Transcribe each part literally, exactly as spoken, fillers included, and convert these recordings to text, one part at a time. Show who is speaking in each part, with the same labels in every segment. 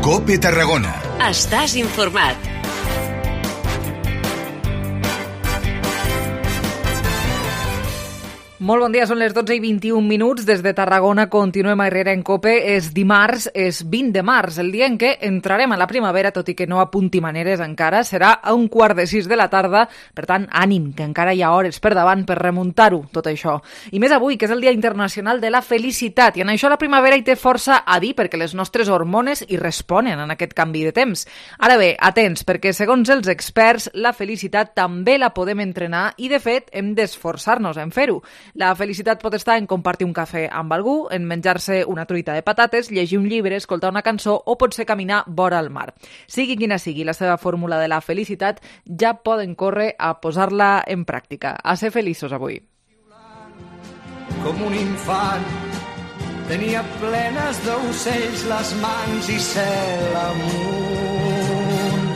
Speaker 1: COPE Tarragona.
Speaker 2: Estàs informat.
Speaker 3: Molt bon dia, són les dotze i vint-i-un minuts. Des de Tarragona continuem a Herrera en COPE. És dimarts, és vint de març, el dia en què entrarem a la primavera, tot i que no apunti maneres encara. Serà a un quart de sis de la tarda, per tant, ànim, que encara hi ha hores per davant per remuntar-ho, tot això. I més avui, que és el Dia Internacional de la Felicitat, i en això la primavera hi té força a dir, perquè les nostres hormones hi responen en aquest canvi de temps. Ara bé, atents, perquè segons els experts, la felicitat també la podem entrenar i, de fet, hem d'esforçar-nos en fer-ho. La felicitat pot estar en compartir un cafè amb algú, en menjar-se una truita de patates, llegir un llibre, escoltar una cançó o potser caminar vora el mar. Sigui quina sigui la seva fórmula de la felicitat, ja poden córrer a posar-la en pràctica. A ser feliços avui.
Speaker 4: Com un infant tenia plenes d'ocells les mans i cel amunt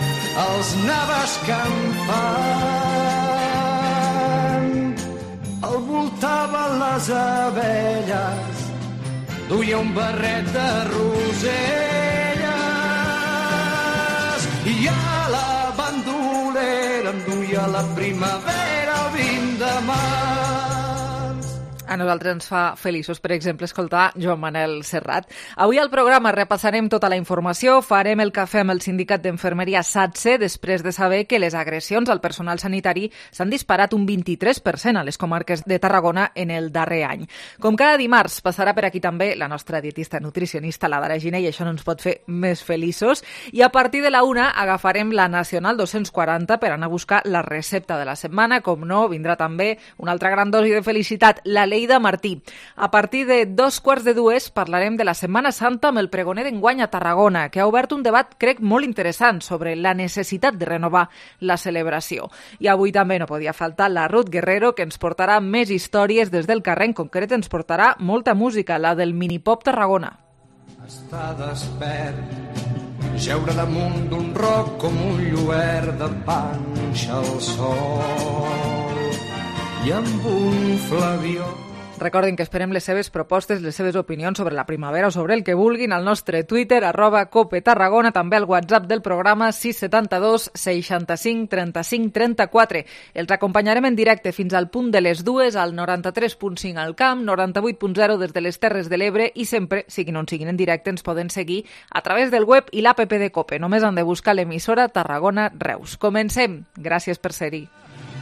Speaker 4: els anava escampant. El voltava les abelles, duia un barret de roselles i a la bandolera em duia la primavera el vint de març.
Speaker 3: A nosaltres ens fa feliços, per exemple, escoltar Joan Manel Serrat. Avui al programa repassarem tota la informació, farem el cafè amb el sindicat d'Infermeria SATSE després de saber que les agressions al personal sanitari s'han disparat un vint-i-tres per cent a les comarques de Tarragona en el darrer any. Com cada dimarts, passarà per aquí també la nostra dietista nutricionista, la Dara Giner, i això no ens pot fer més feliços. I a partir de la una agafarem la Nacional dos-cents quaranta per anar a buscar la recepta de la setmana. Com no, vindrà també una altra gran dosi de felicitat, la Llei de Martí. A partir de dos quarts de dues parlarem de la Setmana Santa amb el pregoner d'enguany a Tarragona, que ha obert un debat, crec, molt interessant sobre la necessitat de renovar la celebració. I avui també no podia faltar la Ruth Guerrero, que ens portarà més històries des del carrer. En concret ens portarà molta música, la del Minipop Tarragona.
Speaker 4: Està despert, jeure damunt d'un roc com un lluert de panxa al sol i amb un flabió.
Speaker 3: Recordin que esperem les seves propostes, les seves opinions sobre la primavera o sobre el que vulguin al nostre Twitter, arroba Cope Tarragona, també al WhatsApp del programa sis set dos seixanta-cinc trenta-cinc trenta-quatre. Els acompanyarem en directe fins al punt de les dues al noranta-tres punt cinc al Camp, noranta-vuit punt zero des de les Terres de l'Ebre i sempre, siguin on siguin en directe, ens poden seguir a través del web i l'app de Cope. Només han de buscar l'emissora Tarragona Reus. Comencem. Gràcies per ser-hi.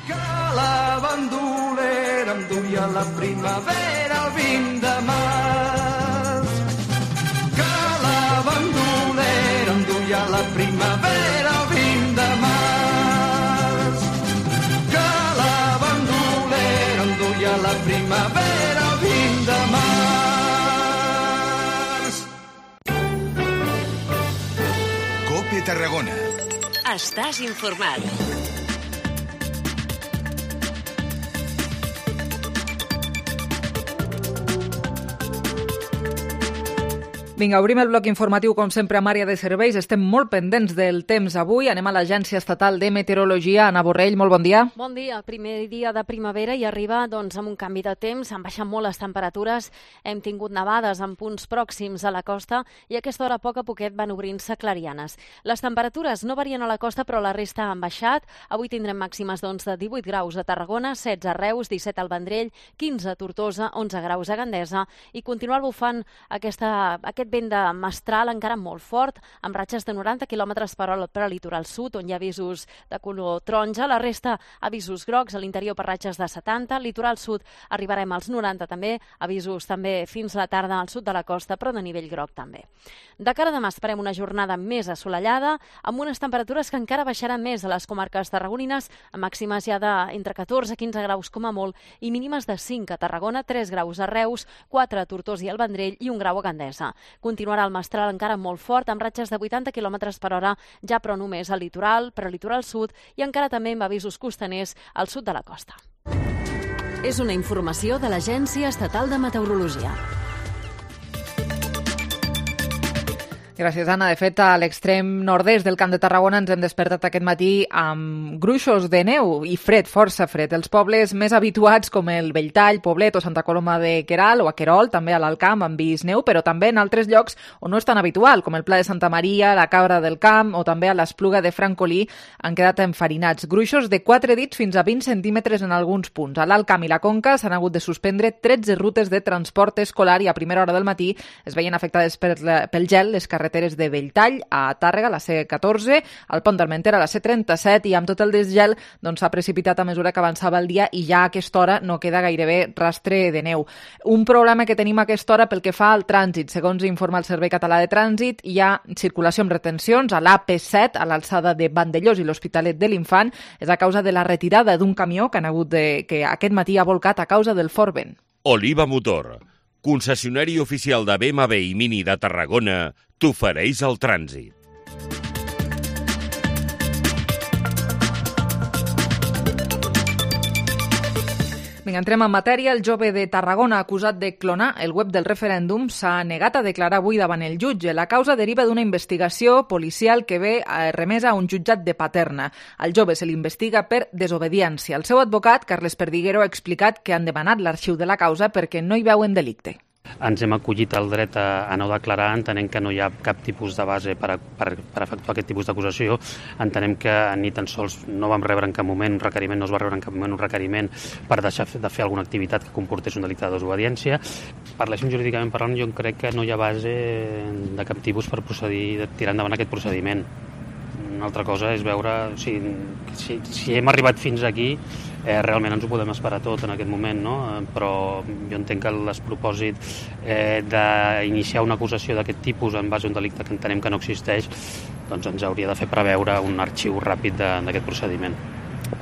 Speaker 4: Que la bandolera em duia la primavera el vint de març. Que la bandolera em duia la primavera el vint de març. Que la bandolera em duia la primavera el vint de març.
Speaker 1: COPE Tarragona.
Speaker 2: Estàs informat.
Speaker 3: Vinga, obrim el bloc informatiu, com sempre, amb àrea de serveis. Estem molt pendents del temps avui. Anem a l'Agència Estatal de Meteorologia. Ana Borrell, molt bon dia.
Speaker 5: Bon dia. Primer dia de primavera i arriba doncs, amb un canvi de temps. Han baixat molt les temperatures. Hem tingut nevades en punts pròxims a la costa i a aquesta hora a poc a poquet van obrint-se clarianes. Les temperatures no varien a la costa, però la resta han baixat. Avui tindrem màximes doncs, de divuit graus a Tarragona, setze a Reus, disset al Vendrell, quinze a Tortosa, onze graus a Gandesa i continuar bufant aquesta, aquest vent de mestral encara molt fort, amb ratxes de noranta quilòmetres per hora per al litoral sud, on hi ha avisos de color taronja. La resta, avisos grocs, a l'interior per ratxes de setanta. Al litoral sud arribarem als noranta també, avisos també fins a la tarda al sud de la costa, però de nivell groc també. De cara a demà esperem una jornada més assolellada, amb unes temperatures que encara baixaran més a les comarques tarragonines, amb màximes ja d'entre catorze a quinze graus com a molt, i mínimes de cinc a Tarragona, tres graus a Reus, quatre a Tortosa i al Vendrell i un grau a Gandesa. Continuarà el mestral encara molt fort, amb ratxes de vuitanta quilòmetres per hora, ja però només al litoral, però al litoral sud, i encara també amb avisos costaners al sud de la costa.
Speaker 2: És una informació de l'Agència Estatal de Meteorologia.
Speaker 3: Gràcies, Anna. De fet, a l'extrem nord-est del Camp de Tarragona ens hem despertat aquest matí amb gruixos de neu i fred, força fred. Els pobles més habituats com el Belltall, Poblet o Santa Coloma de Queralt o a Querol, també a l'Alt Camp han vist neu, però també en altres llocs on no és tan habitual, com el Pla de Santa Maria, la Cabra del Camp o també a l'Espluga de Francolí han quedat enfarinats. Gruixos de quatre dits fins a vint centímetres en alguns punts. A l'Alt Camp i la Conca s'han hagut de suspendre tretze rutes de transport escolar i a primera hora del matí es veien afectades per la, pel gel les carreteres de Belltall a Tàrrega, la C catorze, al Pont d'Armentera, la C trenta-set, i amb tot el desgel doncs, s'ha precipitat a mesura que avançava el dia i ja a aquesta hora no queda gairebé rastre de neu. Un problema que tenim a aquesta hora pel que fa al trànsit. Segons informa el Servei Català de Trànsit, hi ha circulació amb retencions a l'A P set, a l'alçada de Vandellós i l'Hospitalet de l'Infant. És a causa de la retirada d'un camió que han hagut de, que aquest matí ha volcat a causa del fort vent.
Speaker 1: Oliva Motor, concessionari oficial de B M W i Mini de Tarragona, t'ofereix el trànsit.
Speaker 3: Vinga, entrem en matèria. El jove de Tarragona acusat de clonar el web del referèndum s'ha negat a declarar avui davant el jutge. La causa deriva d'una investigació policial que ve remesa a un jutjat de Paterna. Al jove se l'investiga per desobediència. El seu advocat, Carles Perdiguero, ha explicat que han demanat l'arxiu de la causa perquè no hi veuen delicte.
Speaker 6: Ens hem acollit al dret a, a no declarar, entenem que no hi ha cap tipus de base per, a, per, per efectuar aquest tipus d'acusació. Entenem que ni tan sols no vam rebre en cap moment un requeriment, no es va rebre en cap moment un requeriment per deixar de fer alguna activitat que comportés un delicte de desobediència. Parléssim jurídicament parlant, jo crec que no hi ha base de cap tipus per procedir, de tirar endavant aquest procediment. Una altra cosa és veure o sigui, si, si hem arribat fins aquí, eh, realment ens ho podem esperar tot en aquest moment, no? Però jo entenc que el despropòsit eh, d'iniciar una acusació d'aquest tipus en base a un delicte que entenem que no existeix, doncs ens hauria de fer preveure un arxiu ràpid d'aquest procediment.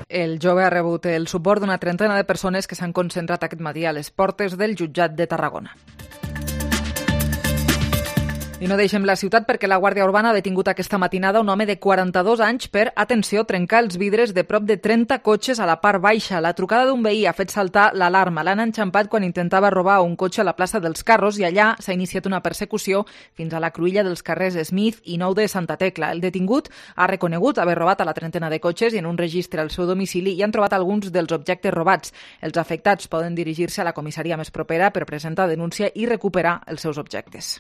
Speaker 3: El jove ha rebut el suport d'una trentena de persones que s'han concentrat aquest matí a les portes del jutjat de Tarragona. I no deixem la ciutat perquè la Guàrdia Urbana ha detingut aquesta matinada un home de quaranta-dos anys per, atenció, trencar els vidres de prop de trenta cotxes a la part baixa. La trucada d'un veí ha fet saltar l'alarma. L'han enxampat quan intentava robar un cotxe a la plaça dels Carros i allà s'ha iniciat una persecució fins a la cruïlla dels carrers Smith i Nou de Santa Tecla. El detingut ha reconegut haver robat a la trentena de cotxes i en un registre al seu domicili hi han trobat alguns dels objectes robats. Els afectats poden dirigir-se a la comissaria més propera per presentar denúncia i recuperar els seus objectes.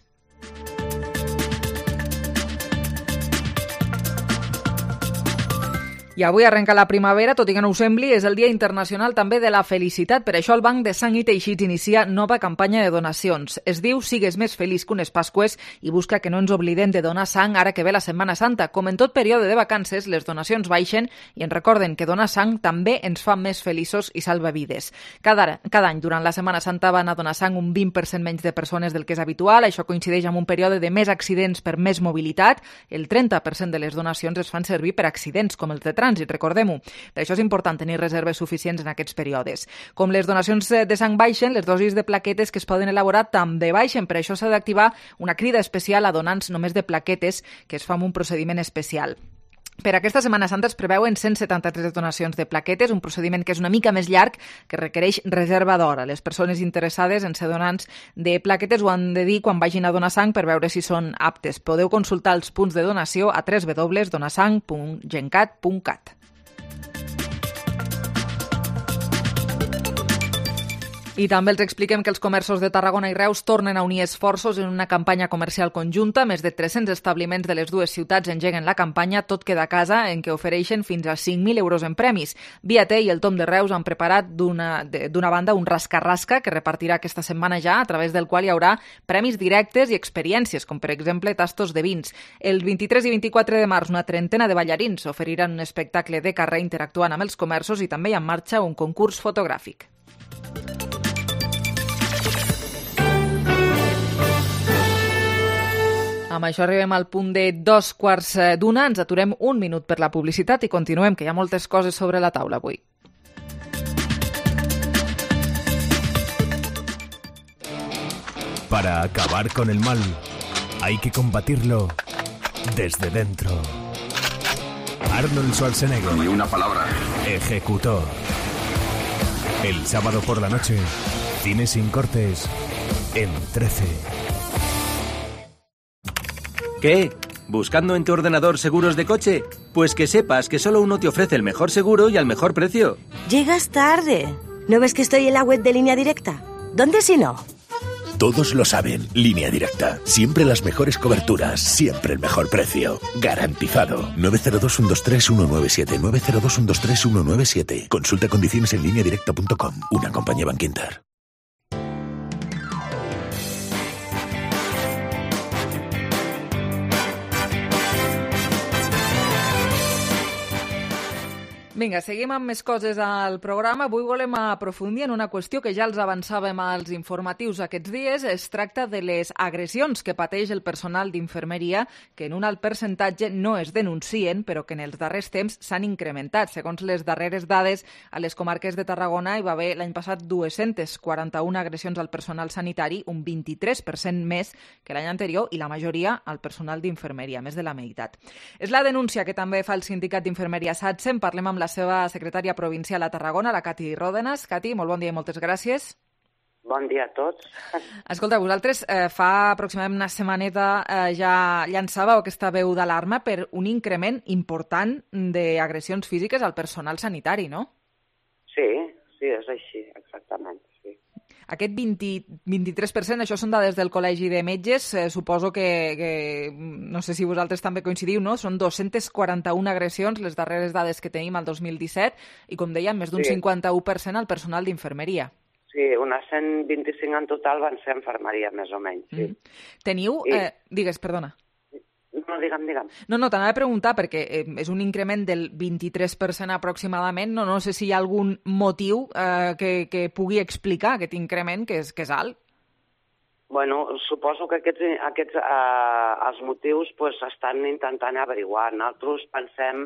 Speaker 3: I avui arrenca la primavera, tot i que no ho sembli, és el Dia Internacional també de la Felicitat. Per això el Banc de Sang i Teixits inicia nova campanya de donacions. Es diu Sigues més feliç que unes Pasqües i busca que no ens oblidem de donar sang ara que ve la Setmana Santa. Com en tot període de vacances, les donacions baixen i ens recorden que donar sang també ens fa més feliços i salva vides. Cada, cada any, durant la Setmana Santa, van a donar sang un vint per cent menys de persones del que és habitual. Això coincideix amb un període de més accidents per més mobilitat. El trenta per cent de les donacions es fan servir per accidents, com els de trànsit, recordem-ho. Per això és important tenir reserves suficients en aquests períodes. Com les donacions de sang baixen, les dosis de plaquetes que es poden elaborar també baixen. Per això s'ha d'activar una crida especial a donants només de plaquetes que es fa amb un procediment especial. Per aquesta Setmana Santa es preveuen cent setanta-tres donacions de plaquetes, un procediment que és una mica més llarg, que requereix reserva d'hora. Les persones interessades en ser donants de plaquetes ho han de dir quan vagin a donar sang per veure si són aptes. Podeu consultar els punts de donació a w w w punt donasang punt gencat punt cat. I també els expliquem que els comerços de Tarragona i Reus tornen a unir esforços en una campanya comercial conjunta. Més de tres-cents establiments de les dues ciutats engeguen la campanya Tot queda a casa, en què ofereixen fins a cinc mil euros en premis. Viater i el Tom de Reus han preparat d'una d'una banda un rasca-rasca que repartirà aquesta setmana ja, a través del qual hi haurà premis directes i experiències, com per exemple tastos de vins. El vint-i-tres i vint-i-quatre de març una trentena de ballarins oferiran un espectacle de carrer interactuant amb els comerços i també hi ha en marxa un concurs fotogràfic. Amb això arribem al punt de dos quarts d'una. Ens aturem un minut per la publicitat i continuem, que hi ha moltes coses sobre la taula avui.
Speaker 7: Para acabar con el mal, hay que combatirlo desde dentro. Arnold Schwarzenegger.
Speaker 8: Ni una palabra.
Speaker 7: Ejecutor. El sábado por la noche, cine sin cortes en trece.
Speaker 8: ¿Qué? ¿Buscando en tu ordenador seguros de coche? Pues que sepas que solo uno te ofrece el mejor seguro y al mejor precio.
Speaker 9: Llegas tarde. ¿No ves que estoy en la web de Línea Directa? ¿Dónde si no?
Speaker 7: Todos lo saben. Línea Directa. Siempre las mejores coberturas. Siempre el mejor precio. Garantizado. nueve cero dos, uno dos tres, uno nueve siete. nueve cero dos, uno dos tres, uno nueve siete. Consulta condiciones en línea directa punto com. Una compañía Bankinter.
Speaker 3: Vinga, seguim amb més coses al programa. Avui volem aprofundir en una qüestió que ja els avançàvem als informatius aquests dies. Es tracta de les agressions que pateix el personal d'infermeria, que en un alt percentatge no es denuncien, però que en els darrers temps s'han incrementat. Segons les darreres dades, a les comarques de Tarragona hi va haver l'any passat dues-centes quaranta-una agressions al personal sanitari, un vint-i-tres per cent més que l'any anterior, i la majoria al personal d'infermeria, més de la meitat. És la denúncia que també fa el sindicat d'infermeria SATSE. En parlem amb la seva secretària provincial a Tarragona, la Cati Ròdenas. Cati, molt bon dia i moltes gràcies.
Speaker 10: Bon dia a tots.
Speaker 3: Escolta, vosaltres eh, fa aproximadament una setmaneta eh, ja llançàveu aquesta veu d'alarma per un increment important d'agressions físiques al personal sanitari, no?
Speaker 10: Sí, sí, és així, exactament, sí.
Speaker 3: Aquest vint, vint-i-tres per cent, això són dades del Col·legi de Metges, eh, suposo que, que, no sé si vosaltres també coincidiu, no? Són dos-centes quaranta-una agressions, les darreres dades que tenim al dos mil disset, i com dèiem, més d'un
Speaker 10: sí.
Speaker 3: cinquanta-u per cent al personal d'infermeria.
Speaker 10: Sí, unes cent vint-i-cinc en total van ser infermeria, més o menys, sí. Mm.
Speaker 3: Teniu... I... Eh, digues, perdona.
Speaker 10: No, digue'm, digue'm.
Speaker 3: No, no, t'anava a preguntar, perquè eh, és un increment del vint-i-tres per cent aproximadament. No, no sé si hi ha algun motiu eh, que, que pugui explicar aquest increment, que és, que és alt.
Speaker 10: Bueno, suposo que aquests, aquests eh, els motius pues, estan intentant averiguar. Nosaltres pensem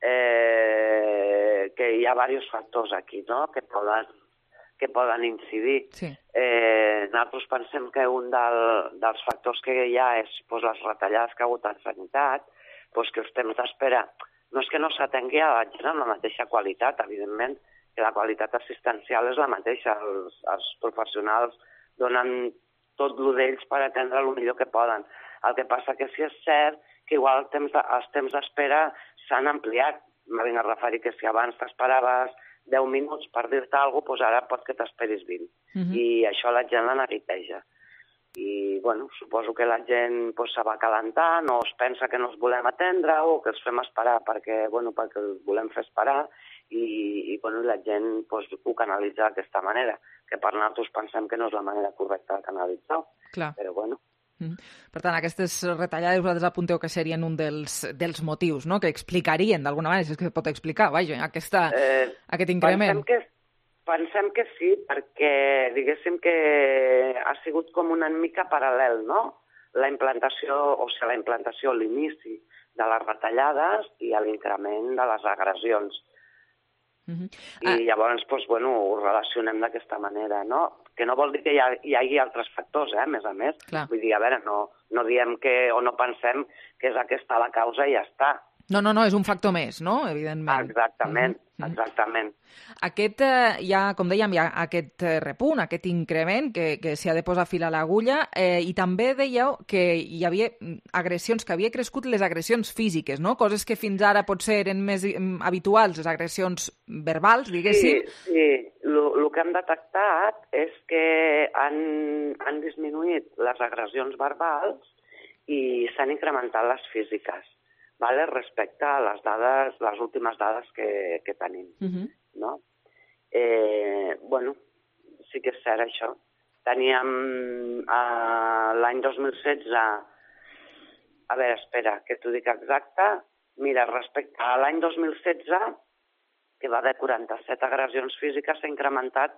Speaker 10: eh, que hi ha diversos factors aquí, no?, que poden, que poden incidir.
Speaker 3: Sí.
Speaker 10: Eh, nosaltres pensem que un del, dels factors que hi ha és pues, les retallades que ha hagut en sanitat, pues, que els temps d'espera no és que no s'atengui a la gent amb la mateixa qualitat, evidentment, que la qualitat assistencial és la mateixa. Els, els professionals donen tot el d'ells per atendre el millor que poden. El que passa que sí és cert que igual els temps de, els temps d'espera s'han ampliat. Me vinc a referir que si abans t'esperaves deu minuts per dir-te alguna cosa, doncs ara pot que t'esperis vint. Uh-huh. I això la gent la neguiteja. I, bueno, suposo que la gent pues, se va calentant o es pensa que no els volem atendre o que els fem esperar perquè, bueno, perquè els volem fer esperar i, i bueno, la gent pues, ho canalitza d'aquesta manera, que per nosaltres pensem que no és la manera correcta de canalitzar-ho.
Speaker 3: Clar.
Speaker 10: Però, bueno.
Speaker 3: Mm. Per tant, aquestes retallades vosaltres apunteu que serien un dels, dels motius, no?, que explicarien d'alguna manera, si és que es pot explicar, vaja, aquesta, eh, aquest increment.
Speaker 10: Pensem que, pensem que sí, perquè diguéssim que ha sigut com una mica paral·lel, no?, la implantació, o sigui, la implantació, l'inici de les retallades i l'increment de les agressions. Uh-huh. I ah. llavors, doncs, bueno, ho relacionem d'aquesta manera, no? Que no vol dir que hi, ha, hi hagi altres factors, eh, a més a més.
Speaker 3: Clar.
Speaker 10: Vull dir, a veure, no, no diem que, o no pensem que és aquesta la causa i ja està.
Speaker 3: No, no, no, és un factor més, no?, evidentment.
Speaker 10: Exactament, mm-hmm. exactament.
Speaker 3: Aquest, eh, ja, com dèiem, hi ha aquest repunt, aquest increment que, que s'hi ha de posar fil a l'agulla, eh, i també dèieu que hi havia agressions, que havia crescut les agressions físiques, no?, coses que fins ara potser eren més habituals, les agressions verbals, diguéssim.
Speaker 10: Sí, sí. El que hem detectat és que han, han disminuït les agressions verbals i s'han incrementat les físiques, vale? Respecte a les dades, les últimes dades que, que tenim. Uh-huh. No? Eh, bueno, sí que és cert això. Teníem eh, l'any dos mil setze, a veure, espera, que t'ho dic exacte, mira, respecte a l'any dos mil setze, que va haver quaranta-set agressions físiques, s'ha incrementat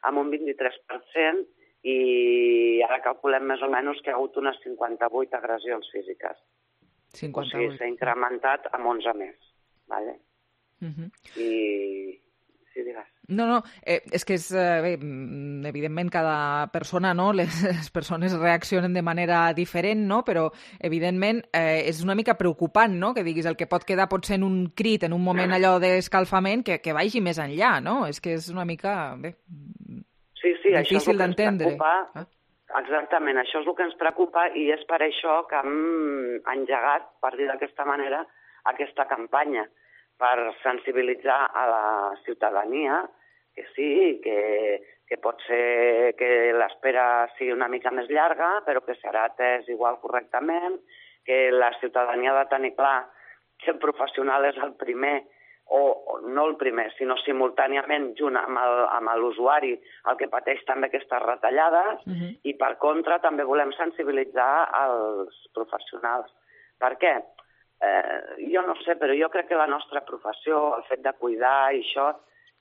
Speaker 10: amb un vint-i-tres per cent i ara calculem més o menys que hi ha hagut unes cinquanta-vuit agressions físiques.
Speaker 3: cinquanta-vuit.
Speaker 10: O sigui, s'ha incrementat amb onze més. Vale?
Speaker 3: Uh-huh.
Speaker 10: I... Sí, digues.
Speaker 3: No, no, eh, és que és, eh, bé, evidentment cada persona, no?, les, les persones reaccionen de manera diferent, no?, però evidentment eh, és una mica preocupant, no?, que diguis el que pot quedar potser en un crit, en un moment allò d'escalfament, que, que vagi més enllà, no?, és que és una mica, bé,
Speaker 10: sí, sí,
Speaker 3: difícil
Speaker 10: d'entendre.
Speaker 3: Ah.
Speaker 10: Exactament, això és el que ens preocupa i és per això que hem engegat, per dir d'aquesta manera, aquesta campanya, per sensibilitzar a la ciutadania que sí, que, que pot ser que l'espera sigui una mica més llarga, però que serà atès igual correctament, que la ciutadania ha de tenir clar que el professional és el primer, o no el primer, sinó simultàniament junt amb l'usuari el que pateix també aquestes retallades, uh-huh. i per contra també volem sensibilitzar els professionals. Per què? Eh, jo no sé, però jo crec que la nostra professió, el fet de cuidar i això,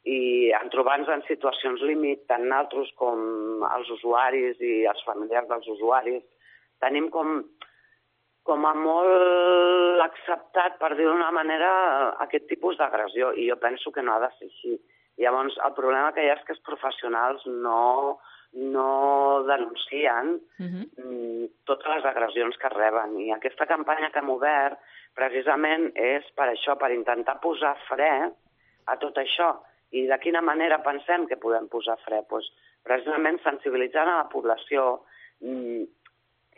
Speaker 10: i en trobar-nos en situacions límit, tant nosaltres com els usuaris i els familiars dels usuaris, tenim com... com a molt acceptat, per dir-ho d'una manera, aquest tipus d'agressió, i jo penso que no ha de ser així. Llavors, el problema que hi ha és que els professionals no, no denuncien uh-huh. totes les agressions que reben, i aquesta campanya que hem obert, precisament, és per això, per intentar posar fre a tot això. I de quina manera pensem que podem posar fre? Pues, precisament sensibilitzant a la població,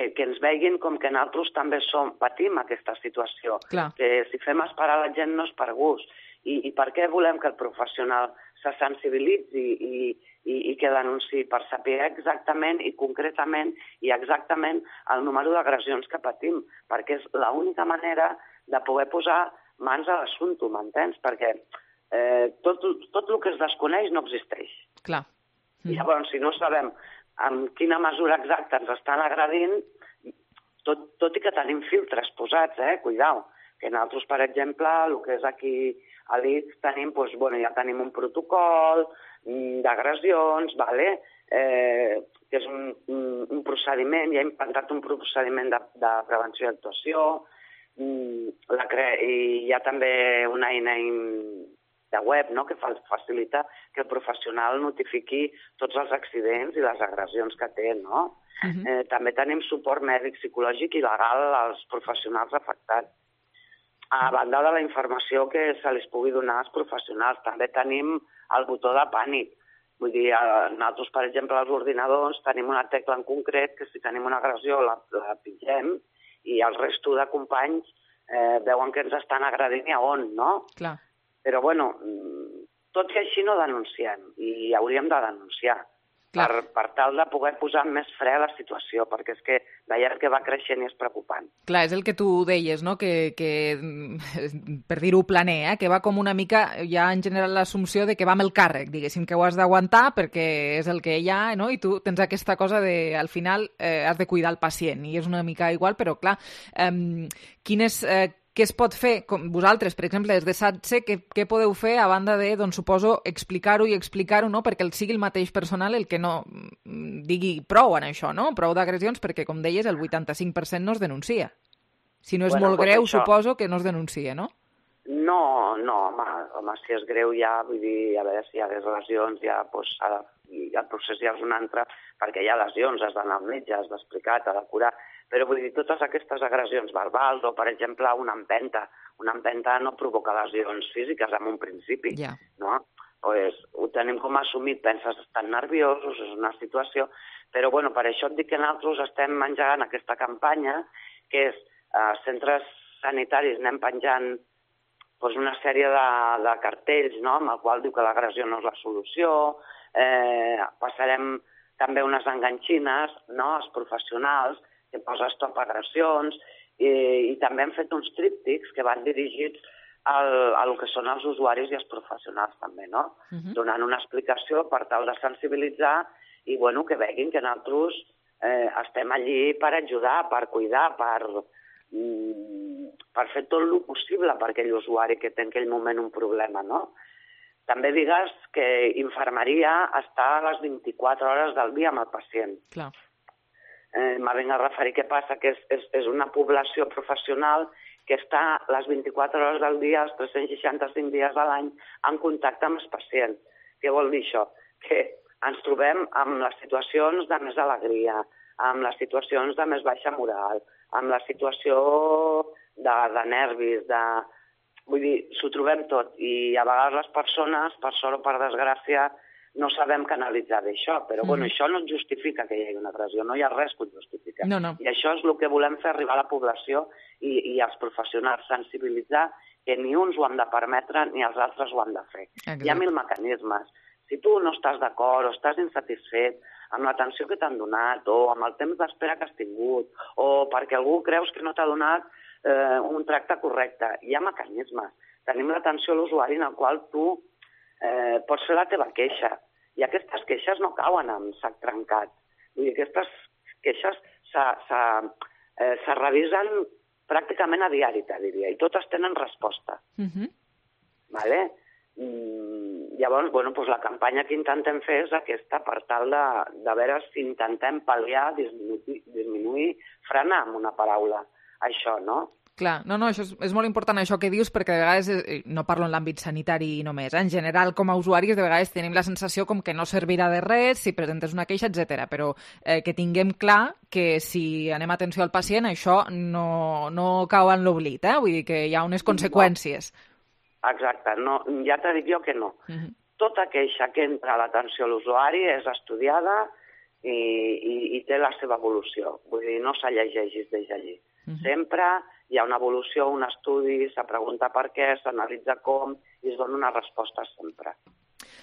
Speaker 10: que ens veguin com que nosaltres també som, patim aquesta situació.
Speaker 3: Clar.
Speaker 10: Que si fem esperar la gent no és per gust. I, i per què volem que el professional se sensibilitzi i, i, i que denunciï? Per saber exactament i concretament i exactament el número d'agressions que patim, perquè és l'única manera de poder posar mans a l'assumpte, m'entens? Perquè eh, tot, tot el que es desconeix no existeix.
Speaker 3: Clar.
Speaker 10: Mm. Llavors, si no sabem en quina mesura exacta ens estan agredint, tot, tot i que tenim filtres posats, eh? Cuidao, que nosaltres, per exemple, el que és aquí a l'I C S tenim, doncs, bueno, ja tenim un protocol d'agressions, vale? eh, que és un, un, un procediment, ja hem implantat un procediment de, de prevenció i actuació, la cre... i hi ha també una eina de web, no?, que facilita que el professional notifiqui tots els accidents i les agressions que té, no? Uh-huh. eh, també tenim suport mèdic, psicològic i legal als professionals afectats. A banda de la informació que se li pugui donar als professionals, també tenim el botó de pànic. Vull dir, nosaltres, per exemple, als ordinadors tenim una tecla en concret que si tenim una agressió la, la pingem i el resto de companys eh, veuen que ens estan agredint i a on, no?
Speaker 3: Clar.
Speaker 10: Però, bueno, tot i així no denunciem, i hauríem de denunciar per, per tal de poder posar més fre a la situació, perquè és que veiem que va creixent i és preocupant.
Speaker 3: Clar, és el que tu deies, no?, que, que per dir-ho planer, eh? Que va com una mica, ja en general l'assumpció de que va amb el càrrec, diguéssim, que ho has d'aguantar perquè és el que hi ha, no?, i tu tens aquesta cosa de, al final, eh, has de cuidar el pacient, i és una mica igual, però clar, eh, quines... Eh, què es pot fer? Com vosaltres, per exemple, des de SATSE, què, què podeu fer a banda de, doncs suposo, explicar-ho i explicar-ho, no?, perquè el sigui el mateix personal el que no digui prou en això, no?, prou d'agressions, perquè, com deies, el vuitanta-cinc per cent no es denuncia. Si no és bueno, molt greu, això... suposo que no es denuncia, no?
Speaker 10: No, no, home, home, si és greu ja, vull dir, a veure si hi ha lesions, ja, doncs, ha de, el procés ja és un altre, perquè hi ha lesions, has d'anar al metge, has d'explicar, t'ha de curar, però vull dir, totes aquestes agressions verbals o, per exemple, una empenta, una empenta no provoca lesions físiques en un principi,
Speaker 3: yeah.
Speaker 10: no? Pues, ho tenim com assumit, penses, estan nerviosos, és una situació, però, bueno, per això et dic que nosaltres estem engegant aquesta campanya, que és, a centres sanitaris anem penjant doncs, una sèrie de, de cartells, no?, amb el qual diu que l'agressió no és la solució, eh, passarem també unes enganxines, no?, als professionals, que posa stop agressions, i, i també hem fet uns tríptics que van dirigits al, a lo que són els usuaris i els professionals també, no? Uh-huh. Donant una explicació per tal de sensibilitzar i, bueno, que veguin que nosaltres eh, estem allí per ajudar, per cuidar, per, mm, per fer tot el possible per aquell usuari que té en aquell moment un problema, no? També digues que infermeria està a les vint-i-quatre hores del dia amb el pacient.
Speaker 3: Clar.
Speaker 10: Eh, me vinc a referir què passa, que és, és, és una població professional que està les vint-i-quatre hores del dia, els tres-cents seixanta-cinc dies de l'any, en contacte amb els pacients. Què vol dir això? Que ens trobem amb les situacions de més alegria, amb les situacions de més baixa moral, amb la situació de, de nervis, de... Vull dir, s'ho trobem tot. I a vegades les persones, per sort o per desgràcia, no sabem canalitzar bé això, però bueno, això no justifica que hi hagi una agressió, no hi ha res que ho justifica.
Speaker 3: No, no.
Speaker 10: I això és el que volem fer arribar a la població i, i als professionals, sensibilitzar que ni uns ho han de permetre ni els altres ho han de fer.
Speaker 3: Exacte.
Speaker 10: Hi ha mil mecanismes. Si tu no estàs d'acord o estàs insatisfet amb l'atenció que t'han donat o amb el temps d'espera que has tingut o perquè algú creus que no t'ha donat eh, un tracte correcte, hi ha mecanismes. Tenim l'atenció a l'usuari en el qual tu eh, pots fer la teva queixa. I aquestes queixes no cauen amb sac trencat. Vull dir, aquestes queixes se, se, eh, se revisen pràcticament a diari, te diria, i totes tenen resposta.
Speaker 3: Uh-huh.
Speaker 10: Vale? Mm, llavors, bueno, doncs la campanya que intentem fer és aquesta, per tal de, de veure si intentem pal·liar, disminuir, disminuir, frenar amb una paraula, això, no?
Speaker 3: Clar, no, no, això és, és molt important això que dius, perquè de vegades, eh, no parlo en l'àmbit sanitari només, eh? En general com a usuaris de vegades tenim la sensació com que no servirà de res si presentes una queixa, etcètera. Però eh, que tinguem clar que si anem atenció al pacient això no, no cau en l'oblit, eh? Vull dir que hi ha unes conseqüències.
Speaker 10: No. Exacte, no, ja t'he dit jo que no.
Speaker 3: Uh-huh.
Speaker 10: Tota queixa que entra a l'atenció a l'usuari és estudiada i, i, i té la seva evolució. Vull dir, no se llegeix des d'allí. Uh-huh. Sempre hi ha una evolució, un estudi, se pregunta per què, s'analitza com i es dona una resposta sempre.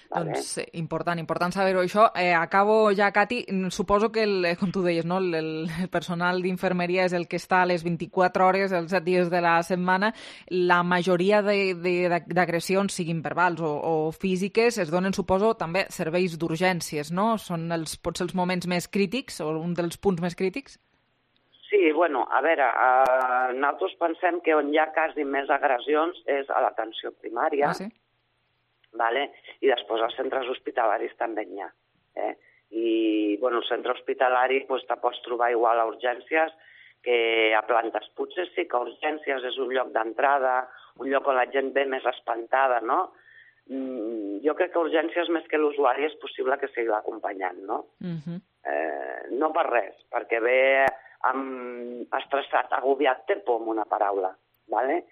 Speaker 10: Vale?
Speaker 3: Doncs eh, important, important saber-ho això. Eh, acabo ja, Cati. Suposo que, el, com tu deies, no? el, el personal d'infermeria és el que està a les vint-i-quatre hores, els set dies de la setmana. La majoria d'agressions, siguin verbals o, o físiques, es donen, suposo, també serveis d'urgències, no? Són els, potser els moments més crítics o un dels punts més crítics?
Speaker 10: Sí, bueno, a veure, eh, nosaltres pensem que on hi ha quasi més agressions és a l'atenció primària,
Speaker 3: ah, sí?
Speaker 10: Vale? I després als centres hospitalaris també n'hi ha. Eh? I, bueno, el centre hospitalari pues, te pots trobar igual a urgències que a plantes. Potser sí que urgències és un lloc d'entrada, un lloc on la gent ve més espantada, no? Mm, jo crec que urgències més que l'usuari és possible que sigui l'acompanyant, no?
Speaker 3: Uh-huh.
Speaker 10: Eh, no per res, perquè ve amb estressat, agobiat, té por amb una paraula, ¿vale?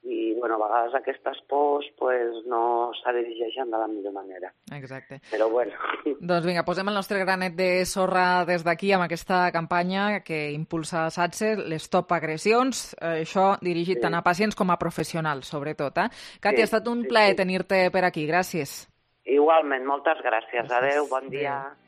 Speaker 10: I, bueno, a vegades aquestes pors pues, no se dirigeixen de la millor manera.
Speaker 3: Exacte.
Speaker 10: Però, bueno...
Speaker 3: Doncs vinga, posem el nostre granet de sorra des d'aquí amb aquesta campanya que impulsa SATSE, l'Stop Agressions, eh, això dirigit sí. tant a pacients com a professionals, sobretot. Eh? Cati, sí, ha estat un sí, plaer sí. tenir-te per aquí. Gràcies.
Speaker 10: Igualment, moltes gràcies. gràcies. Adéu, bon dia. Adéu.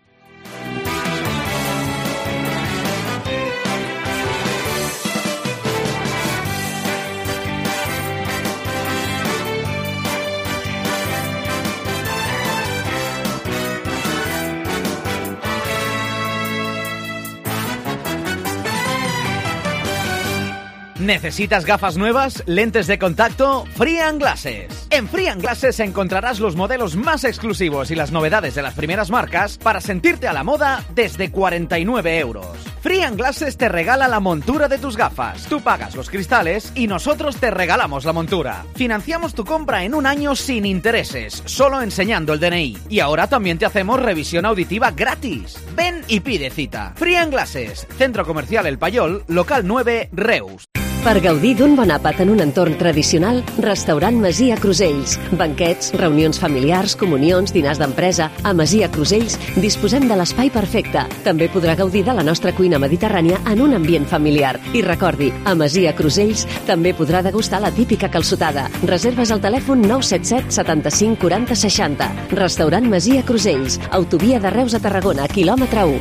Speaker 11: ¿Necesitas gafas nuevas? ¿Lentes de contacto? Free and Glasses. En Free and Glasses encontrarás los modelos más exclusivos y las novedades de las primeras marcas para sentirte a la moda desde cuarenta y nueve euros. Free and Glasses te regala la montura de tus gafas. Tú pagas los cristales y nosotros te regalamos la montura. Financiamos tu compra en un año sin intereses, solo enseñando el D N I. Y ahora también te hacemos revisión auditiva gratis. Ven y pide cita. Free and Glasses, Centro Comercial El Payol, local nueve, Reus.
Speaker 12: Per gaudir d'un bon àpat en un entorn tradicional, Restaurant Masia Crusells. Banquets, reunions familiars, comunions, dinars d'empresa. A Masia Crusells disposem de l'espai perfecte. També podrà gaudir de la nostra cuina mediterrània en un ambient familiar. I recordi, a Masia Crusells també podrà degustar la típica calçotada. Reserves al telèfon nou set set setanta-cinc quaranta seixanta. Restaurant Masia Crusells. Autovia de Reus a Tarragona, quilòmetre u.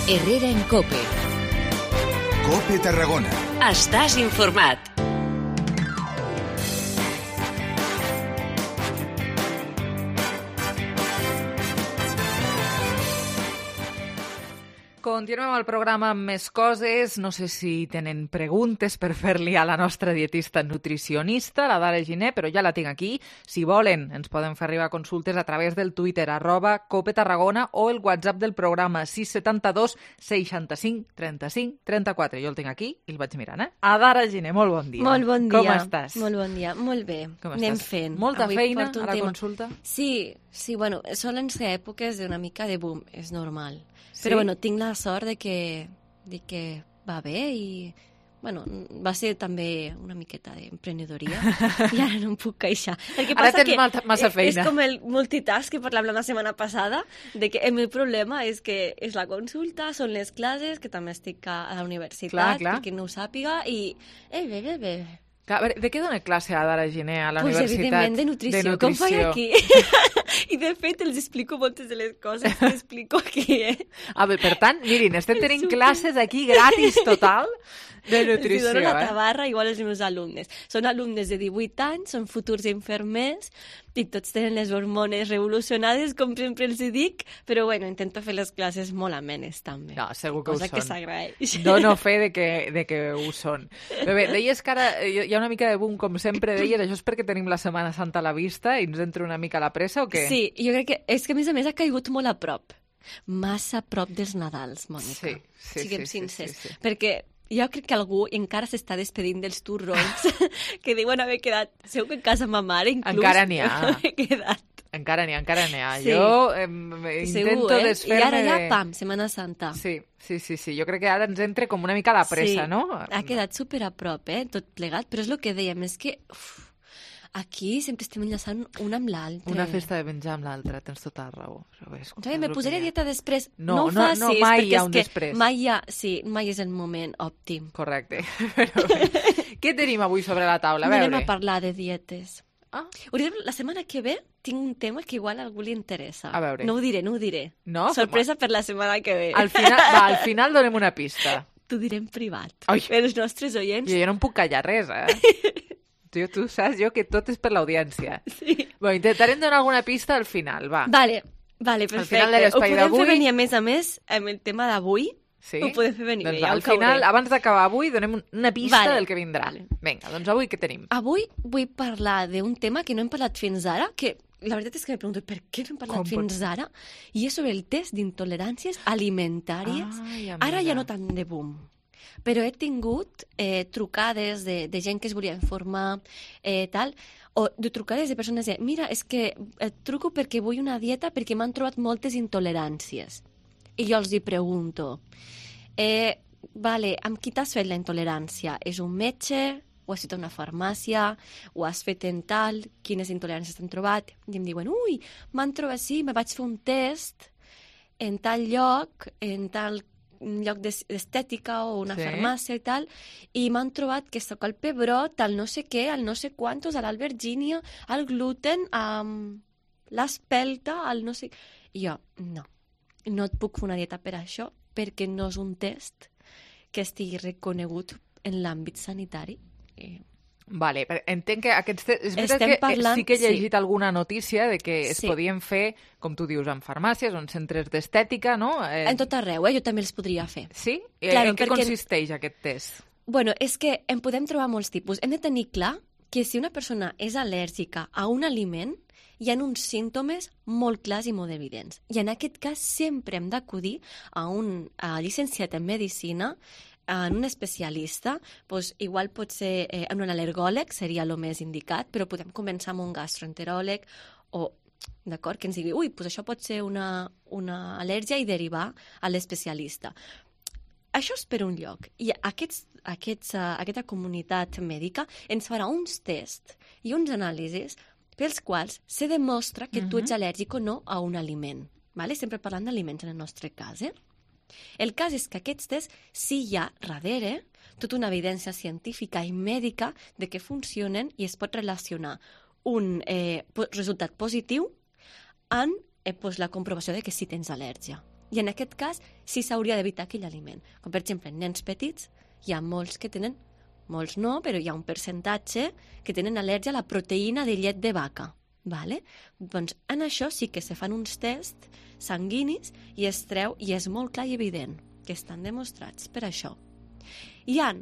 Speaker 2: Herrera en Cope.
Speaker 13: Cope Tarragona.
Speaker 2: Estàs informat.
Speaker 3: Continuem el programa amb més coses. No sé si tenen preguntes per fer-li a la nostra dietista nutricionista, la Dara Giner, però ja la tinc aquí. Si volen, ens poden fer arribar consultes a través del Twitter, arroba Cope Tarragona, o el WhatsApp del programa sis setanta dos seixanta-cinc trenta-cinc trenta-quatre. Jo el tinc aquí i el vaig mirant, eh? A Dara Giner, molt bon dia.
Speaker 14: Molt bon dia.
Speaker 3: Com estàs?
Speaker 14: Molt bon dia. Molt bé.
Speaker 3: Com
Speaker 14: Anem
Speaker 3: estàs?
Speaker 14: fent.
Speaker 3: Molta
Speaker 14: Avui
Speaker 3: feina
Speaker 14: porto un
Speaker 3: a la
Speaker 14: tema.
Speaker 3: consulta?
Speaker 14: Sí, sí, bueno, solen ser èpoques d'una mica de boom, és normal.
Speaker 3: Sí?
Speaker 14: Però bueno, tinc la sort de que, de que va bé i bueno, va ser també una miqueta d'emprenedoria i ara no em puc queixar. El que
Speaker 3: ara
Speaker 14: passa
Speaker 3: tens
Speaker 14: que
Speaker 3: massa feina.
Speaker 14: És com el multitask que parlàvem la setmana passada, de que el meu problema és que és la consulta, són les classes, que també estic a la universitat,
Speaker 3: clar, clar.
Speaker 14: perquè no ho sàpiga, i... Eh, bé, bé, bé.
Speaker 3: Clar, a veure, de què dona classe ara la Giner a la
Speaker 14: pues,
Speaker 3: universitat?
Speaker 14: Pues evidentment de nutrició,
Speaker 3: de nutrició.
Speaker 14: com faig aquí. I de fet els explico moltes de les coses que explico aquí, eh?
Speaker 3: A veure, per tant, mirin, estem tenint classes aquí gratis total de nutrició,
Speaker 14: els dono la
Speaker 3: eh?
Speaker 14: tabarra igual als meus alumnes. Són alumnes de divuit anys, són futurs infermers i tots tenen les hormones revolucionades, com sempre els dic, però bueno, intento fer les classes molt amenes també.
Speaker 3: No, segur que
Speaker 14: cosa
Speaker 3: ho
Speaker 14: que
Speaker 3: són.
Speaker 14: s'agraeix.
Speaker 3: Dono fe de que, de que ho són. Però bé, deies que ara hi ha una mica de boom, com sempre deies, això és perquè tenim la Setmana Santa a la vista i ens entra una mica la pressa o què?
Speaker 14: Sí, jo crec que és que a més a més ha caigut molt a prop. Massa a prop dels Nadals, Mònica.
Speaker 3: Sí, sí,
Speaker 14: Siguem
Speaker 3: sí,
Speaker 14: sincers.
Speaker 3: sí, sí, sí.
Speaker 14: Perquè jo crec que algú encara s'està despedint dels turrons que diuen haver quedat... Segur que en casa ma mare inclús...
Speaker 3: Encara n'hi ha.
Speaker 14: Haver quedat.
Speaker 3: Encara n'hi ha, encara n'hi ha.
Speaker 14: Sí.
Speaker 3: Jo eh, intento
Speaker 14: Segur, eh?
Speaker 3: desfer-me...
Speaker 14: I ara ja,
Speaker 3: de...
Speaker 14: pam, Setmana Santa.
Speaker 3: Sí, sí, sí, sí. Jo crec que ara ens entra com una mica la pressa,
Speaker 14: sí.
Speaker 3: no?
Speaker 14: Ha quedat super a prop, eh? Tot plegat. Però és el que dèiem, és que... Uf, aquí sempre estem enllaçant un amb l'altre.
Speaker 3: Una festa de menjar amb l'altra, tens tota la raó. És,
Speaker 14: ja, me posaré a dieta després.
Speaker 3: No,
Speaker 14: no ho
Speaker 3: no,
Speaker 14: facis,
Speaker 3: no, mai hi ha un
Speaker 14: és que
Speaker 3: després.
Speaker 14: Mai hi ha, sí, mai és el moment òptim.
Speaker 3: Correcte. Però bé, què tenim avui sobre la taula? A veure.
Speaker 14: Anem a parlar de dietes.
Speaker 3: Ah.
Speaker 14: La setmana que ve tinc un tema que igual a algú li interessa.
Speaker 3: A veure.
Speaker 14: No ho diré, no ho diré.
Speaker 3: No?
Speaker 14: Sorpresa per la setmana que ve.
Speaker 3: Al final, va, al final donem una pista.
Speaker 14: T'ho diré en privat.
Speaker 3: Ai.
Speaker 14: Per els nostres oients.
Speaker 3: Jo, jo no em puc callar res, eh? Tu, tu saps jo que tot és per l'audiència.
Speaker 14: Sí.
Speaker 3: Bueno, intentarem donar alguna pista al final, va.
Speaker 14: Vale, vale, perfecte.
Speaker 3: Al final de l'espai d'avui...
Speaker 14: Ho podem fer venir, a més a més, amb el tema d'avui.
Speaker 3: Sí?
Speaker 14: Ho podem fer venir.
Speaker 3: Doncs
Speaker 14: ja
Speaker 3: al final, abans d'acabar avui, donem una pista
Speaker 14: vale.
Speaker 3: del que vindrà. Vale. Vinga, doncs avui què tenim?
Speaker 14: Avui vull parlar d'un tema que no hem parlat fins ara, que la veritat és que me pregunto per què no hem parlat
Speaker 3: Com
Speaker 14: fins
Speaker 3: pot...
Speaker 14: ara, i és sobre el test d'intoleràncies alimentàries.
Speaker 3: Ai,
Speaker 14: ara ja no tant de boom. Però he tingut eh, trucades de, de gent que es volia informar, eh, tal, o de trucades de persones que, mira, és que et truco perquè vull una dieta perquè m'han trobat moltes intoleràncies. I jo els hi pregunto, eh, vale, amb qui t'has fet la intolerància? És un metge? O has fet a una farmàcia? O has fet en tal? Quines intoleràncies t'han trobat? I em diuen, ui, m'han trobat, sí, me vaig fer un test en tal lloc, en tal un lloc d'estètica o una
Speaker 3: sí.
Speaker 14: farmàcia i tal, i m'han trobat que sóc al pebrot, al no sé què, al no sé quantos, a l'albergínia, al gluten, a l'espelta, al no sé... I jo, no, no et puc fer una dieta per això, perquè no és un test que estigui reconegut en l'àmbit sanitari. I...
Speaker 3: Vale, entenc que aquests... És veritat
Speaker 14: Estem
Speaker 3: que
Speaker 14: parlant,
Speaker 3: sí que he llegit
Speaker 14: sí.
Speaker 3: alguna notícia de que es
Speaker 14: Sí.
Speaker 3: podien fer, com tu dius, en farmàcies o en centres d'estètica, no? Eh...
Speaker 14: En tot arreu, eh? Jo també els podria fer.
Speaker 3: Sí?
Speaker 14: Claro,
Speaker 3: en què
Speaker 14: perquè...
Speaker 3: consisteix aquest test?
Speaker 14: Bueno, és que en podem trobar molts tipus. Hem de tenir clar que si una persona és al·lèrgica a un aliment, hi ha uns símptomes molt clars i molt evidents. I en aquest cas sempre hem d'acudir a un a llicenciat en medicina, en un especialista, doncs igual pot ser eh, en un al·lergòleg, seria el més indicat, però podem començar amb un gastroenteròleg o, d'acord, que ens digui, ui, doncs això pot ser una, una al·lèrgia i derivar a l'especialista. Això és per un lloc. I aquests, aquests, uh, aquesta comunitat mèdica ens farà uns tests i uns anàlisis pels quals se demostra que uh-huh. tu ets al·lèrgic o no a un aliment. Vale? Sempre parlant d'aliments en el nostre cas, eh? El cas és que aquests tests sí hi ha darrere tota una evidència científica i mèdica de que funcionen i es pot relacionar un eh, resultat positiu amb eh, pues, la comprovació de que sí tens al·lèrgia. I en aquest cas sí s'hauria d'evitar aquell aliment. Com per exemple, en nens petits hi ha molts que tenen, molts no, però hi ha un percentatge que tenen al·lèrgia a la proteïna de llet de vaca. Vale? Doncs en això sí que se fan uns tests sanguinis i es treu, i és molt clar i evident que estan demostrats per això. Hi ha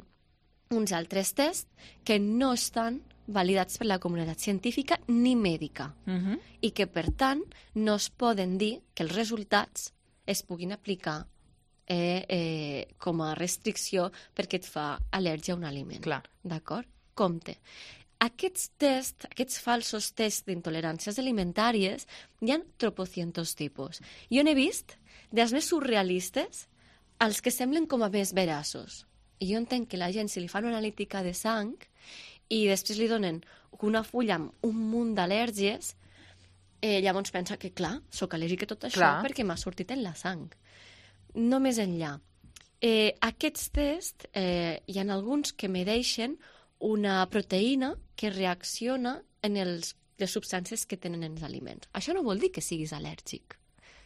Speaker 14: uns altres tests que no estan validats per la comunitat científica ni mèdica
Speaker 3: Uh-huh.
Speaker 14: i que, per tant, no es poden dir que els resultats es puguin aplicar eh, eh, com a restricció perquè et fa al·lèrgia a un aliment.
Speaker 3: Clar.
Speaker 14: D'acord? Compte. Aquests tests, aquests falsos tests d'intoleràncies alimentàries, hi ha tropocientos tipus. Jo n'he vist dels més surrealistes als que semblen com a més veraços. I jo entenc que la gent, si li fan una analítica de sang i després li donen una fulla amb un munt d'al·lèrgies, eh, llavors pensa que, clar, sóc al·lèrgic a tot això
Speaker 3: clar.
Speaker 14: perquè m'ha sortit en la sang. No més enllà. Eh, aquests tests, eh, hi ha alguns que medeixen una proteïna que reacciona en els, les substàncies que tenen els aliments. Això no vol dir que siguis al·lèrgic.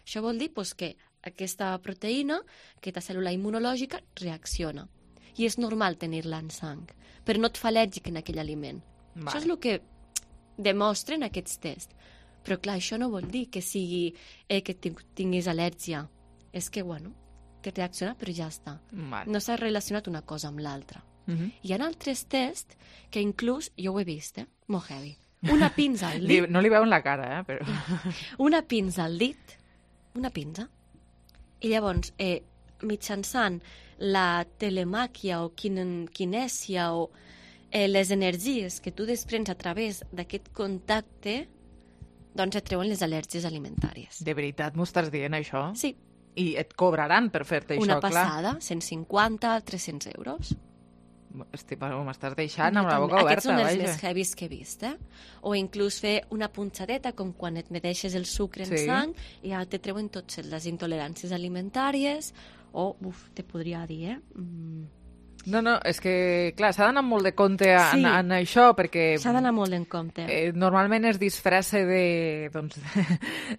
Speaker 14: Això vol dir pues, que aquesta proteïna, aquesta cèl·lula immunològica, reacciona. I és normal tenir-la en sang, però no et fa al·lèrgic en aquell aliment. Vale. Això és el que demostren aquests tests. Però clar, això no vol dir que sigui eh, que tinguis al·lèrgia. És que, bueno, que reacciona, però ja està.
Speaker 3: Vale.
Speaker 14: No s'ha relacionat una cosa amb l'altra.
Speaker 3: Uh-huh.
Speaker 14: Hi ha altres tests que inclús, jo ho he vist, eh? Molt heavy. Una pinza al dit.
Speaker 3: No li veuen la cara, eh? Però...
Speaker 14: una pinza al dit, una pinza, i llavors, eh, mitjançant la telemàquia o kin kinèsia o eh, les energies que tu desprens a través d'aquest contacte, doncs et treuen les al·lèrgies alimentàries.
Speaker 3: De veritat m'ho estàs dient, això?
Speaker 14: Sí.
Speaker 3: I et cobraran per fer-te això,
Speaker 14: Una
Speaker 3: clar?
Speaker 14: Una passada, cent cinquanta, tres-cents euros.
Speaker 3: Estic, m'estàs deixant amb la boca oberta.
Speaker 14: Aquests són els
Speaker 3: vaja.
Speaker 14: més heavies que he vist, eh? O inclús fer una punxadeta, com quan et medeixes el sucre en
Speaker 3: sí.
Speaker 14: sang, i ja te treuen totes les intoleràncies alimentàries, o, uf, te podria dir, eh? Mm.
Speaker 3: No, no, és que, clar, s'ha d'anar molt de compte en,
Speaker 14: sí.
Speaker 3: en això, perquè...
Speaker 14: S'ha d'anar molt en compte.
Speaker 3: Eh, normalment es disfressa de, doncs,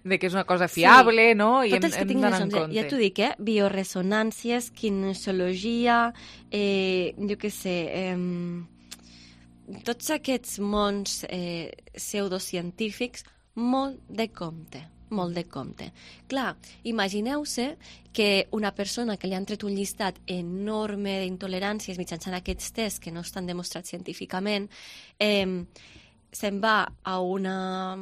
Speaker 3: de que és una cosa fiable, sí. no? I
Speaker 14: Tots
Speaker 3: hem, hem d'anar en compte.
Speaker 14: Ja t'ho dic, eh? Bioresonàncies, kinesiologia, eh, jo què sé... Eh, tots aquests mons eh, pseudocientífics, molt de compte. molt de compte. Clar, imagineu-se que una persona que li han tret un llistat enorme d'intoleràncies mitjançant aquests tests que no estan demostrats científicament, eh, se'n va a una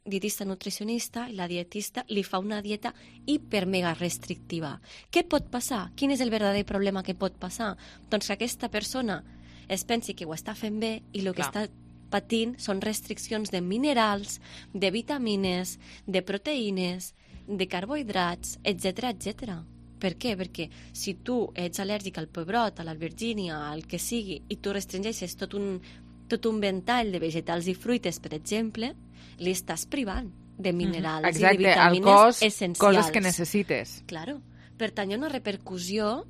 Speaker 14: dietista nutricionista i la dietista li fa una dieta hiper-mega restrictiva. Què pot passar? Quin és el verdader problema que pot passar? Doncs que aquesta persona es pensi que ho està fent bé i el que està patint són restriccions de minerals, de vitamines, de proteïnes, de carbohidrats, etcètera, etcètera. Per què? Perquè si tu ets al·lèrgic al pebrot, a l'albergínia, al que sigui, i tu restringeixes tot un, tot un ventall de vegetals i fruites, per exemple, li estàs privant de minerals
Speaker 3: Exacte,
Speaker 14: i de vitamines
Speaker 3: al cos,
Speaker 14: essencials.
Speaker 3: coses que necessites.
Speaker 14: Claro. Per tant, hi ha una repercussió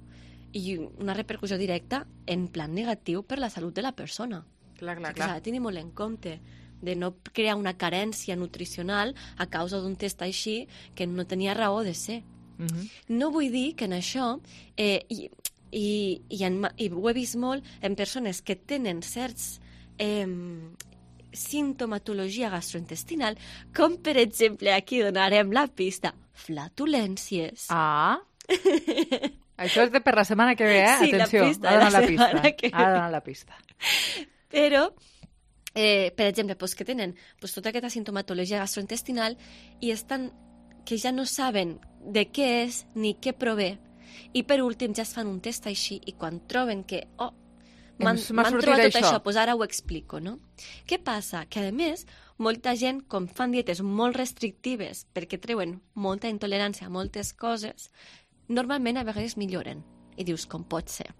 Speaker 14: i una repercussió directa en plan negatiu per la salut de la persona.
Speaker 3: Clar, clar,
Speaker 14: clar. S'ha de tenir molt en compte de no crear una carència nutricional a causa d'un test així que no tenia raó de ser.
Speaker 3: Uh -huh.
Speaker 14: No vull dir que en això, eh, i, i, i, en, i ho he vist molt en persones que tenen certs eh, sintomatologia gastrointestinal, com per exemple, aquí donarem la pista, flatulències.
Speaker 3: Ah, això és de per la setmana que ve, eh?
Speaker 14: Sí,
Speaker 3: atenció,
Speaker 14: la pista,
Speaker 3: ha de donar
Speaker 14: la
Speaker 3: la pista.
Speaker 14: que
Speaker 3: Ha de donar la pista.
Speaker 14: Però, eh, per exemple, pues, que tenen pues, tota aquesta sintomatologia gastrointestinal i estan, que ja no saben de què és ni què prové, i per últim ja es fan un test així i quan troben que, oh, m'han trobat tot això, això pues ara ho explico, no? Què passa? Que, a més, molta gent, com fan dietes molt restrictives perquè treuen molta intolerància a moltes coses, normalment a vegades milloren. I dius, com pot ser?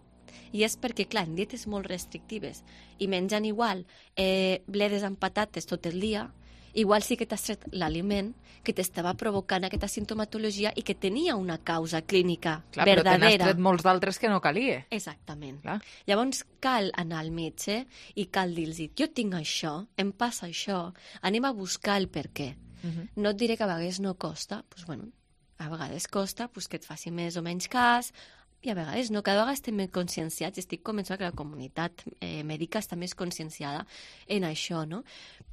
Speaker 14: I és perquè, clar, en dietes molt restrictives i menjant igual eh, bledes amb patates tot el dia, igual sí que t'has tret l'aliment que t'estava provocant aquesta sintomatologia i que tenia una causa clínica
Speaker 3: clar,
Speaker 14: verdadera.
Speaker 3: Però te n'has tret molts d'altres que no calia.
Speaker 14: Exactament.
Speaker 3: Clar.
Speaker 14: Llavors cal anar al metge i cal dir-los, jo tinc això, em passa això, anem a buscar el per què. Uh -huh. No et diré que a vegades no costa, doncs bueno, a vegades costa pues, que et faci més o menys cas, i a vegades no, cada vegada estem més conscienciats i estic convençuda que la comunitat eh, mèdica està més conscienciada en això, no?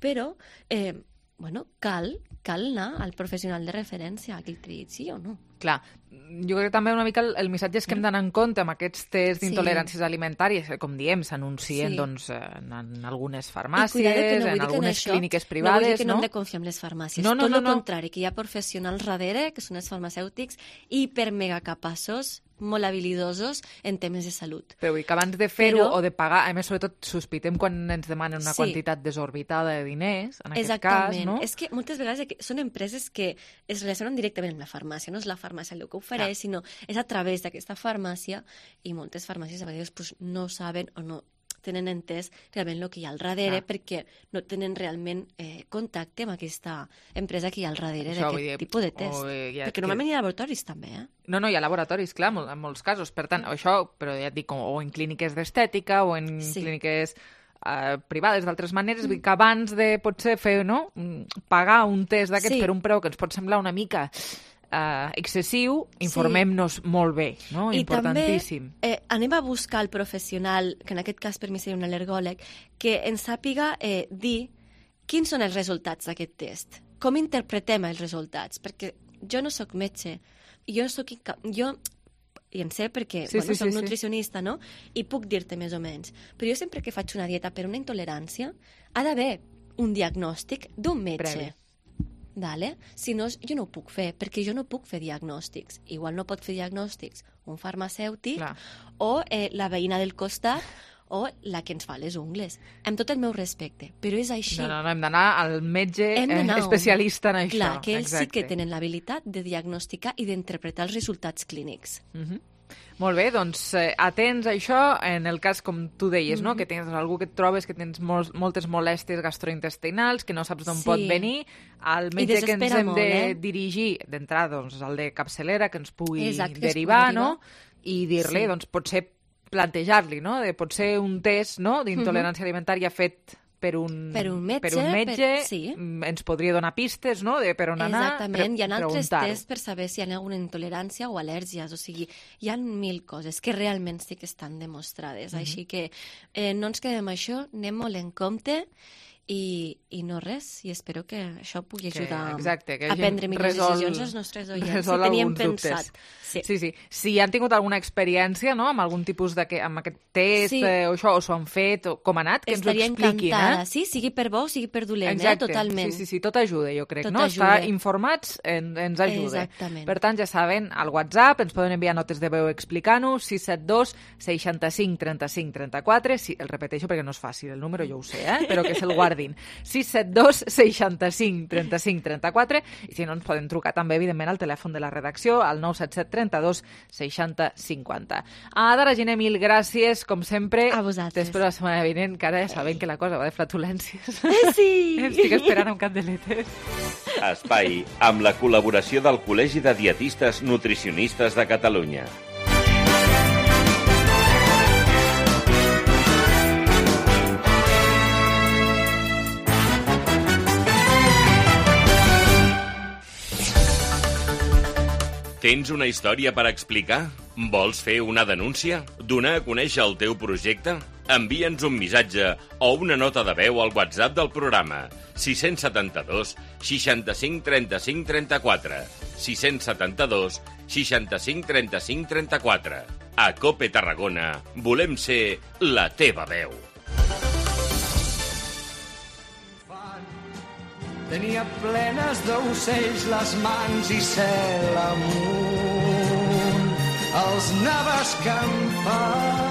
Speaker 14: Però, eh, bueno, cal, cal anar al professional de referència a qui et digui sí o no.
Speaker 3: Clar, jo crec que també una mica el, el missatge és que hem d'anar en compte amb aquests tests d'intoleràncies sí. alimentàries, que, com diem, s'anuncien sí. doncs, en, en algunes farmàcies, no en algunes
Speaker 14: això,
Speaker 3: clíniques privades,
Speaker 14: no? Vull dir que no,
Speaker 3: no
Speaker 14: hem de confiar en les farmàcies.
Speaker 3: No, no,
Speaker 14: Tot
Speaker 3: no,
Speaker 14: el
Speaker 3: no.
Speaker 14: contrari, que hi ha professionals darrere, que són els farmacèutics, hiper mega capaços molt habilidosos en temes de salut.
Speaker 3: Però vull que abans de fer-ho
Speaker 14: Però...
Speaker 3: o de pagar, a més, sobretot, sospitem quan ens demanen una
Speaker 14: Sí.
Speaker 3: quantitat desorbitada de diners, en aquest
Speaker 14: Exactament.
Speaker 3: cas, no?
Speaker 14: És que moltes vegades són empreses que es relacionen directament amb la farmàcia, no és la farmàcia el que ofereix,
Speaker 3: Clar.
Speaker 14: sinó és a través d'aquesta farmàcia, i moltes farmàcies a vegades pues, no saben o no tenen entès realment el que hi ha al darrere,
Speaker 3: Clar.
Speaker 14: perquè no tenen realment eh, contacte amb aquesta empresa que hi ha al darrere
Speaker 3: Això, vull
Speaker 14: d'aquest
Speaker 3: dir,
Speaker 14: tipus de test.
Speaker 3: o, eh, ja
Speaker 14: perquè
Speaker 3: que-
Speaker 14: normalment hi ha laboratoris també, eh?
Speaker 3: No, no, hi ha laboratoris, clar, mol- en molts casos. Per tant, això, però ja et dic, o en clíniques d'estètica o en
Speaker 14: Sí.
Speaker 3: clíniques eh, privades d'altres maneres, vull dir que abans de potser fer, no?, mm, pagar un test d'aquests
Speaker 14: Sí.
Speaker 3: per un preu que ens pot semblar una mica eh, excessiu, informem-nos molt bé, no?
Speaker 14: I
Speaker 3: Importantíssim.
Speaker 14: també eh, anem a buscar el professional, que en aquest cas per mi seria un al·lergòleg, que ens sàpiga eh, dir quins són els resultats d'aquest test, com interpretem els resultats, perquè jo no sóc metge, jo no sóc inca... jo i en sé perquè
Speaker 3: Sí,
Speaker 14: bueno,
Speaker 3: sí,
Speaker 14: soc
Speaker 3: sí, sí.
Speaker 14: nutricionista, no? I puc dir-te més o menys. Però jo sempre que faig una dieta per una intolerància, ha d'haver un diagnòstic d'un metge.
Speaker 3: Previ.
Speaker 14: Dale? Si no, jo no ho puc fer, perquè jo no puc fer diagnòstics. Igual no pot fer diagnòstics un farmacèutic
Speaker 3: Clar.
Speaker 14: o eh, la veïna del costat o la que ens fa les ungles. Amb tot el meu respecte, però és així.
Speaker 3: No, no, no, hem d'anar al metge
Speaker 14: Hem
Speaker 3: eh,
Speaker 14: d'anar a un-
Speaker 3: especialista en això.
Speaker 14: Clar, que ells sí
Speaker 3: Exacte.
Speaker 14: que tenen l'habilitat de diagnosticar i d'interpretar els resultats clínics.
Speaker 3: Mhm. Molt bé, doncs eh, atents a això en el cas, com tu deies, no?
Speaker 14: Mhm.
Speaker 3: Que tens algú que et trobes que tens mol moltes molèsties gastrointestinals, que no saps d'on
Speaker 14: Sí.
Speaker 3: pot venir, al
Speaker 14: I
Speaker 3: metge que ens
Speaker 14: desespera
Speaker 3: hem
Speaker 14: molt,
Speaker 3: de
Speaker 14: eh?
Speaker 3: dirigir, d'entrada, doncs, al de capçalera, que ens pugui
Speaker 14: Exacte, que ens
Speaker 3: derivar,
Speaker 14: pugui
Speaker 3: no? I dir-li,
Speaker 14: Sí.
Speaker 3: doncs, potser plantejar-li, no? De potser un test, no?, d'intolerància alimentària fet per un,
Speaker 14: Per un metge,
Speaker 3: per un metge
Speaker 14: per- sí.
Speaker 3: mm, ens podria donar pistes, no?, de per on anar.
Speaker 14: Exactament, hi ha altres
Speaker 3: preguntar-ho.
Speaker 14: tests per saber si hi ha alguna intolerància o al·lèrgies, o sigui, hi ha mil coses que realment sí que estan demostrades,
Speaker 3: Mhm.
Speaker 14: així que eh, no ens quedem amb això, anem molt en compte i, i no res, i espero que això pugui
Speaker 3: Que-
Speaker 14: ajudar
Speaker 3: exacte, que
Speaker 14: a
Speaker 3: hagi
Speaker 14: prendre millors
Speaker 3: resol-
Speaker 14: decisions als nostres oients, si
Speaker 3: resol
Speaker 14: teníem
Speaker 3: alguns dubtes.
Speaker 14: pensat. Sí.
Speaker 3: Sí, sí. Si han tingut alguna experiència, no?, amb algun tipus de que, amb aquest test
Speaker 14: Sí.
Speaker 3: eh, o això, o s'ho han fet, o com ha anat, que
Speaker 14: Estaria
Speaker 3: ens ho expliquin,
Speaker 14: encantada,
Speaker 3: eh?
Speaker 14: sí, sigui per bo o sigui per dolent,
Speaker 3: Exacte.
Speaker 14: eh? Totalment.
Speaker 3: Sí, sí, sí, tot ajuda, jo crec,
Speaker 14: Tot
Speaker 3: no?
Speaker 14: ajuda.
Speaker 3: Estar informats en, ens ajuda.
Speaker 14: Exactament.
Speaker 3: Per tant, ja saben, al WhatsApp ens poden enviar notes de veu explicant-ho, sis set dos seixanta-cinc trenta-cinc trenta-quatre, sí, el repeteixo perquè no és fàcil, el número jo ho sé, eh? Però que se'l guardin. sis set dos seixanta-cinc trenta-cinc trenta-quatre, i si no ens poden trucar també, evidentment, al telèfon de la redacció, al nou set set trenta-dos seixanta cinquanta. A Dara Giner, mil gràcies, com sempre.
Speaker 14: A vosaltres.
Speaker 3: T'espero la setmana vinent, que ara ja sabem que la cosa va de flatulències.
Speaker 14: Sí!
Speaker 3: Estic esperant amb candeletes.
Speaker 1: Espai amb la col·laboració del Col·legi de Dietistes Nutricionistes de Catalunya. Tens una història per explicar? Vols fer una denúncia? Donar a conèixer el teu projecte? Envia'ns un missatge o una nota de veu al WhatsApp del programa sis set dos seixanta-cinc trenta-cinc trenta-quatre sis set dos seixanta-cinc trenta-cinc trenta-quatre. A COPE Tarragona volem ser la teva veu.
Speaker 4: Tenia plenes d'ocells les mans i cel amunt. Els anava escampant.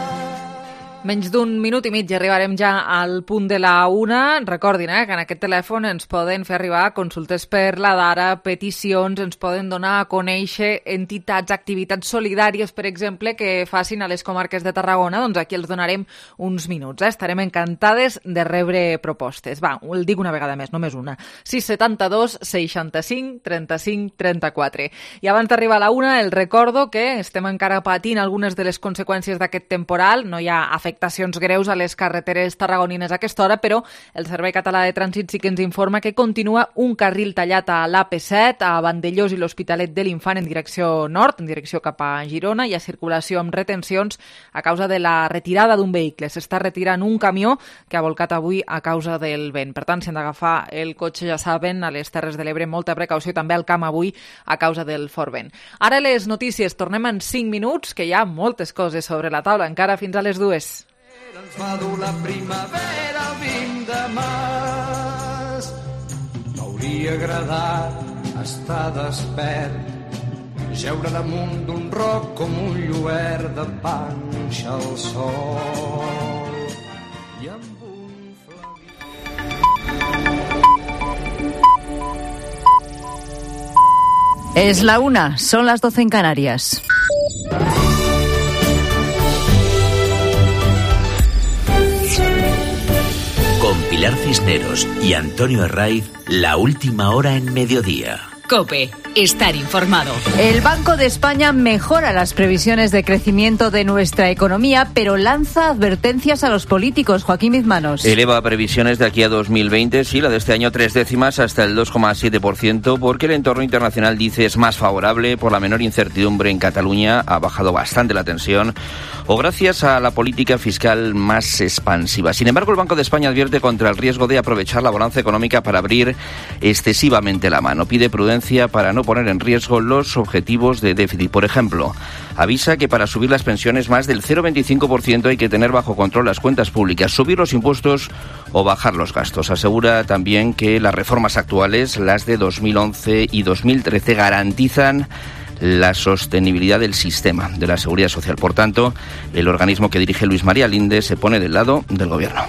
Speaker 3: Menys d'un minut i mig i arribarem ja al punt de la una. Recordin eh, que en aquest telèfon ens poden fer arribar consultes per la Dara, peticions, ens poden donar a conèixer entitats, activitats solidàries, per exemple, que facin a les comarques de Tarragona. Doncs aquí els donarem uns minuts. Eh? Estarem encantades de rebre propostes. Va, el dic una vegada més, només una. sis set dos seixanta-cinc trenta-cinc trenta-quatre. I abans d'arribar a la una, el recordo que estem encara patint algunes de les conseqüències d'aquest temporal. No hi ha afectacions greus a les carreteres tarragonines a aquesta hora, però el Servei Català de Trànsit sí que ens informa que continua un carril tallat a l'A P set, a Vandellós i l'Hospitalet de l'Infant en direcció nord, en direcció cap a Girona. Hi ha circulació amb retencions a causa de la retirada d'un vehicle. S'està retirant un camió que ha volcat avui a causa del vent. Per tant, si han d'agafar el cotxe, ja saben, a les Terres de l'Ebre, molta precaució, també al camp avui a causa del fort vent. Ara les notícies, tornem en cinc minuts, que hi ha moltes coses sobre la taula, encara fins a les dues.
Speaker 4: Ens va dur la primavera el vint de març. M'hauria agradat estar despert, jeure damunt d'un roc com un lluert de panxa al sol. I amb un
Speaker 15: Es la una, son las doce en Canarias.
Speaker 16: Con Pilar Cisneros y Antonio Herraiz, la última hora en mediodía.
Speaker 2: COPE, estar informado.
Speaker 15: El Banco de España mejora las previsiones de crecimiento de nuestra economía, pero lanza advertencias a los políticos. Joaquín Mizmanos.
Speaker 17: Eleva previsiones de aquí a dos mil veinte, sí, la de este año tres décimas hasta el dos coma siete por ciento, porque el entorno internacional, dice, es más favorable por la menor incertidumbre en Cataluña, ha bajado bastante la tensión, o gracias a la política fiscal más expansiva. Sin embargo, el Banco de España advierte contra el riesgo de aprovechar la bonanza económica para abrir excesivamente la mano. Pide prudencia para no poner en riesgo los objetivos de déficit. Por ejemplo, avisa que para subir las pensiones más del cero coma veinticinco por ciento hay que tener bajo control las cuentas públicas, subir los impuestos o bajar los gastos. Asegura también que las reformas actuales, las de dos mil once y dos mil trece, garantizan la sostenibilidad del sistema de la seguridad social. Por tanto, el organismo que dirige Luis María Linde se pone del lado del Gobierno.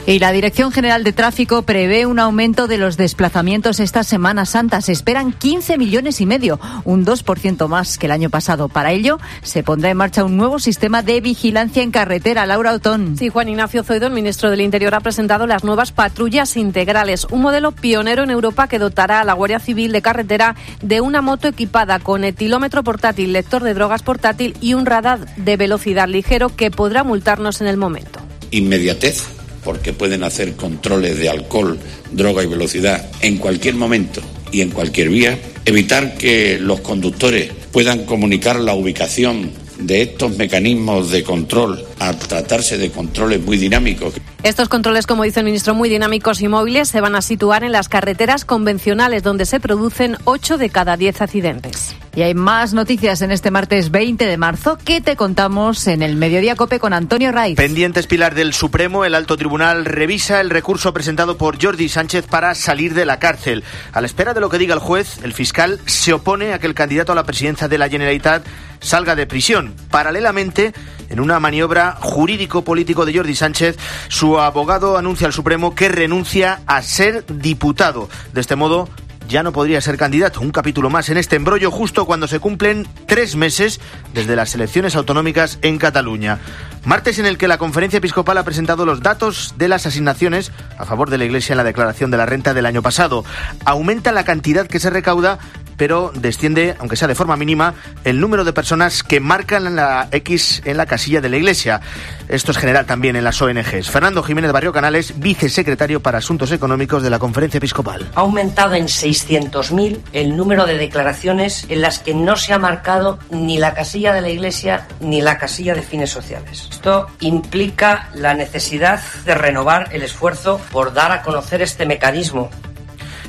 Speaker 15: Y la Dirección General de Tráfico prevé un aumento de los desplazamientos esta Semana Santa. Se esperan quince millones y medio, un dos por ciento más que el año pasado. Para ello, se pondrá en marcha un nuevo sistema de vigilancia en carretera. Laura Otón.
Speaker 18: Sí, Juan Ignacio Zoido, el ministro del Interior, ha presentado las nuevas patrullas integrales, un modelo pionero en Europa que dotará a la Guardia Civil de Carretera de una moto equipada con etilómetro portátil, lector de drogas portátil y un radar de velocidad ligero que podrá multarnos en el momento.
Speaker 19: Inmediatez, porque pueden hacer controles de alcohol, droga y velocidad en cualquier momento y en cualquier vía. Evitar que los conductores puedan comunicar la ubicación de estos mecanismos de control, a tratarse de controles muy dinámicos.
Speaker 18: Estos controles, como dice el ministro, muy dinámicos y móviles, se van a situar en las carreteras convencionales, donde se producen ocho de cada diez accidentes.
Speaker 15: Y hay más noticias en este martes veinte de marzo que te contamos en el Mediodía COPE con Antonio Raiz.
Speaker 20: Pendientes, Pilar, del Supremo, el Alto Tribunal revisa el recurso presentado por Jordi Sánchez para salir de la cárcel. A la espera de lo que diga el juez, el fiscal se opone a que el candidato a la presidencia de la Generalitat salga de prisión. Paralelamente, en una maniobra jurídico-político de Jordi Sánchez, su abogado anuncia al Supremo que renuncia a ser diputado. De este modo, ya no podría ser candidato. Un capítulo más en este embrollo justo cuando se cumplen tres meses desde las elecciones autonómicas en Cataluña. Martes en el que la Conferencia Episcopal ha presentado los datos de las asignaciones a favor de la Iglesia en la declaración de la renta del año pasado. Aumenta la cantidad que se recauda, pero desciende, aunque sea de forma mínima, el número de personas que marcan la X en la casilla de la Iglesia. Esto es general también en las O N Ges. Fernando Jiménez Barrio Canales, vicesecretario para Asuntos Económicos de la Conferencia Episcopal.
Speaker 21: Ha aumentado en seiscientos mil el número de declaraciones en las que no se ha marcado ni la casilla de la Iglesia ni la casilla de fines sociales. Esto implica la necesidad de renovar el esfuerzo por dar a conocer este mecanismo.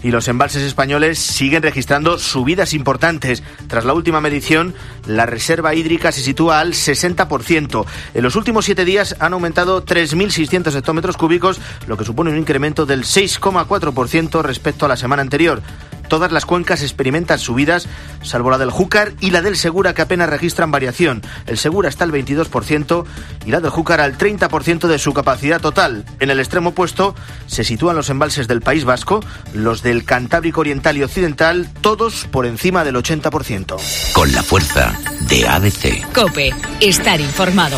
Speaker 20: Y los embalses españoles siguen registrando subidas importantes. Tras la última medición, la reserva hídrica se sitúa al sesenta por ciento. En los últimos siete días han aumentado tres mil seiscientos hectómetros cúbicos, lo que supone un incremento del seis coma cuatro por ciento respecto a la semana anterior. Todas las cuencas experimentan subidas, salvo la del Júcar y la del Segura, que apenas registran variación. El Segura está al veintidós por ciento y la del Júcar al treinta por ciento de su capacidad total. En el extremo opuesto se sitúan los embalses del País Vasco, los del Cantábrico Oriental y Occidental, todos por encima del ochenta por ciento.
Speaker 16: Con la fuerza de A B C.
Speaker 2: COPE, estar informado.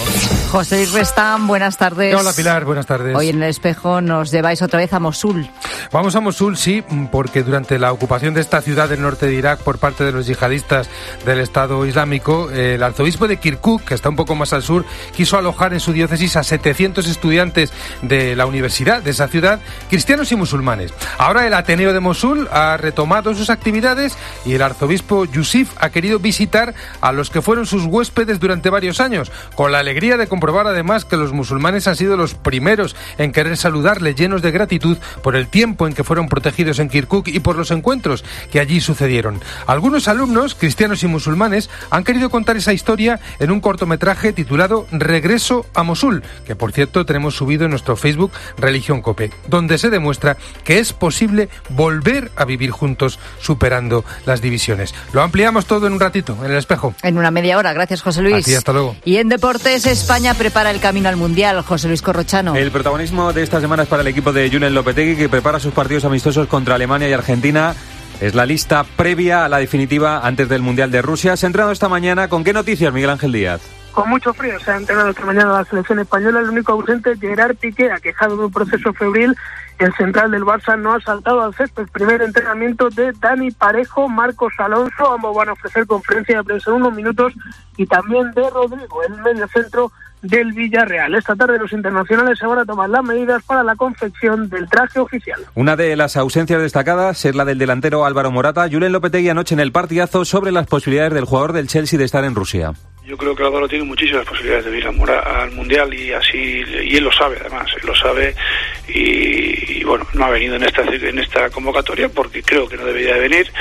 Speaker 15: José Luis Restán, buenas tardes.
Speaker 22: Hola Pilar, buenas tardes.
Speaker 15: Hoy en El Espejo nos lleváis otra vez a Mosul.
Speaker 22: Vamos a Mosul, sí, porque durante la ocupación de esta ciudad del norte de Irak por parte de los yihadistas del Estado Islámico, el arzobispo de Kirkuk, que está un poco más al sur, quiso alojar en su diócesis a setecientos estudiantes de la universidad de esa ciudad, cristianos y musulmanes. Ahora el Ateneo de Mosul ha retomado sus actividades y el arzobispo Yusif ha querido visitar a los que fueron sus huéspedes durante varios años, con la alegría de comprobar además que los musulmanes han sido los primeros en querer saludarle, llenos de gratitud por el tiempo en que fueron protegidos en Kirkuk y por los encuentros escándalos que allí sucedieron. Algunos alumnos, cristianos y musulmanes, han querido contar esa historia en un cortometraje titulado Regreso a Mosul, que por cierto tenemos subido en nuestro Facebook Religión Cope, donde se demuestra que es posible volver a vivir juntos superando las divisiones. Lo ampliamos todo en un ratito, en El Espejo.
Speaker 15: En una media hora, gracias José Luis.
Speaker 22: A ti, hasta luego.
Speaker 15: Y en deportes, España prepara el camino al Mundial. José Luis Corrochano.
Speaker 5: El protagonismo de esta semana es para el equipo de Julen Lopetegui, que prepara sus partidos amistosos contra Alemania y Argentina. Es la lista previa a la definitiva antes del Mundial de Rusia. Se ha entrenado esta mañana. ¿Con qué noticias, Miguel Ángel Díaz?
Speaker 6: Con mucho frío se ha entrenado esta mañana la selección española. El único ausente es Gerard Piqué, aquejado de un proceso febril. El central del Barça no ha saltado al césped. Primer entrenamiento de Dani Parejo, Marcos Alonso. Ambos van a ofrecer conferencia de prensa en unos minutos. Y también de Rodrigo, el mediocentro del Villarreal. Esta tarde los internacionales se van a tomar las medidas para la confección del traje oficial.
Speaker 5: Una de las ausencias destacadas es la del delantero Álvaro Morata. Julen Lopetegui anoche en el partidazo sobre las posibilidades del jugador del Chelsea de estar en Rusia.
Speaker 23: Yo creo que Álvaro tiene muchísimas posibilidades de ir al Mundial y así, y él lo sabe además, él lo sabe y, y bueno, no ha venido en esta en esta convocatoria porque creo que no debería de venir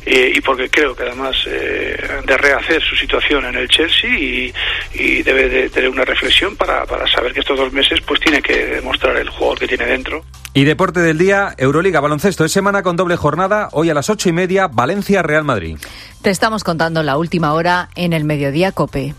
Speaker 23: eh, y porque creo que además eh, de rehacer su situación en el Chelsea y, y debe de tener una reflexión para, para saber que estos dos meses pues tiene que demostrar el jugador que tiene dentro.
Speaker 5: Y deporte del día, Euroliga, baloncesto, es semana con doble jornada, hoy a las ocho y media, Valencia-Real Madrid.
Speaker 15: Te estamos contando la última hora en el Mediodía Cope.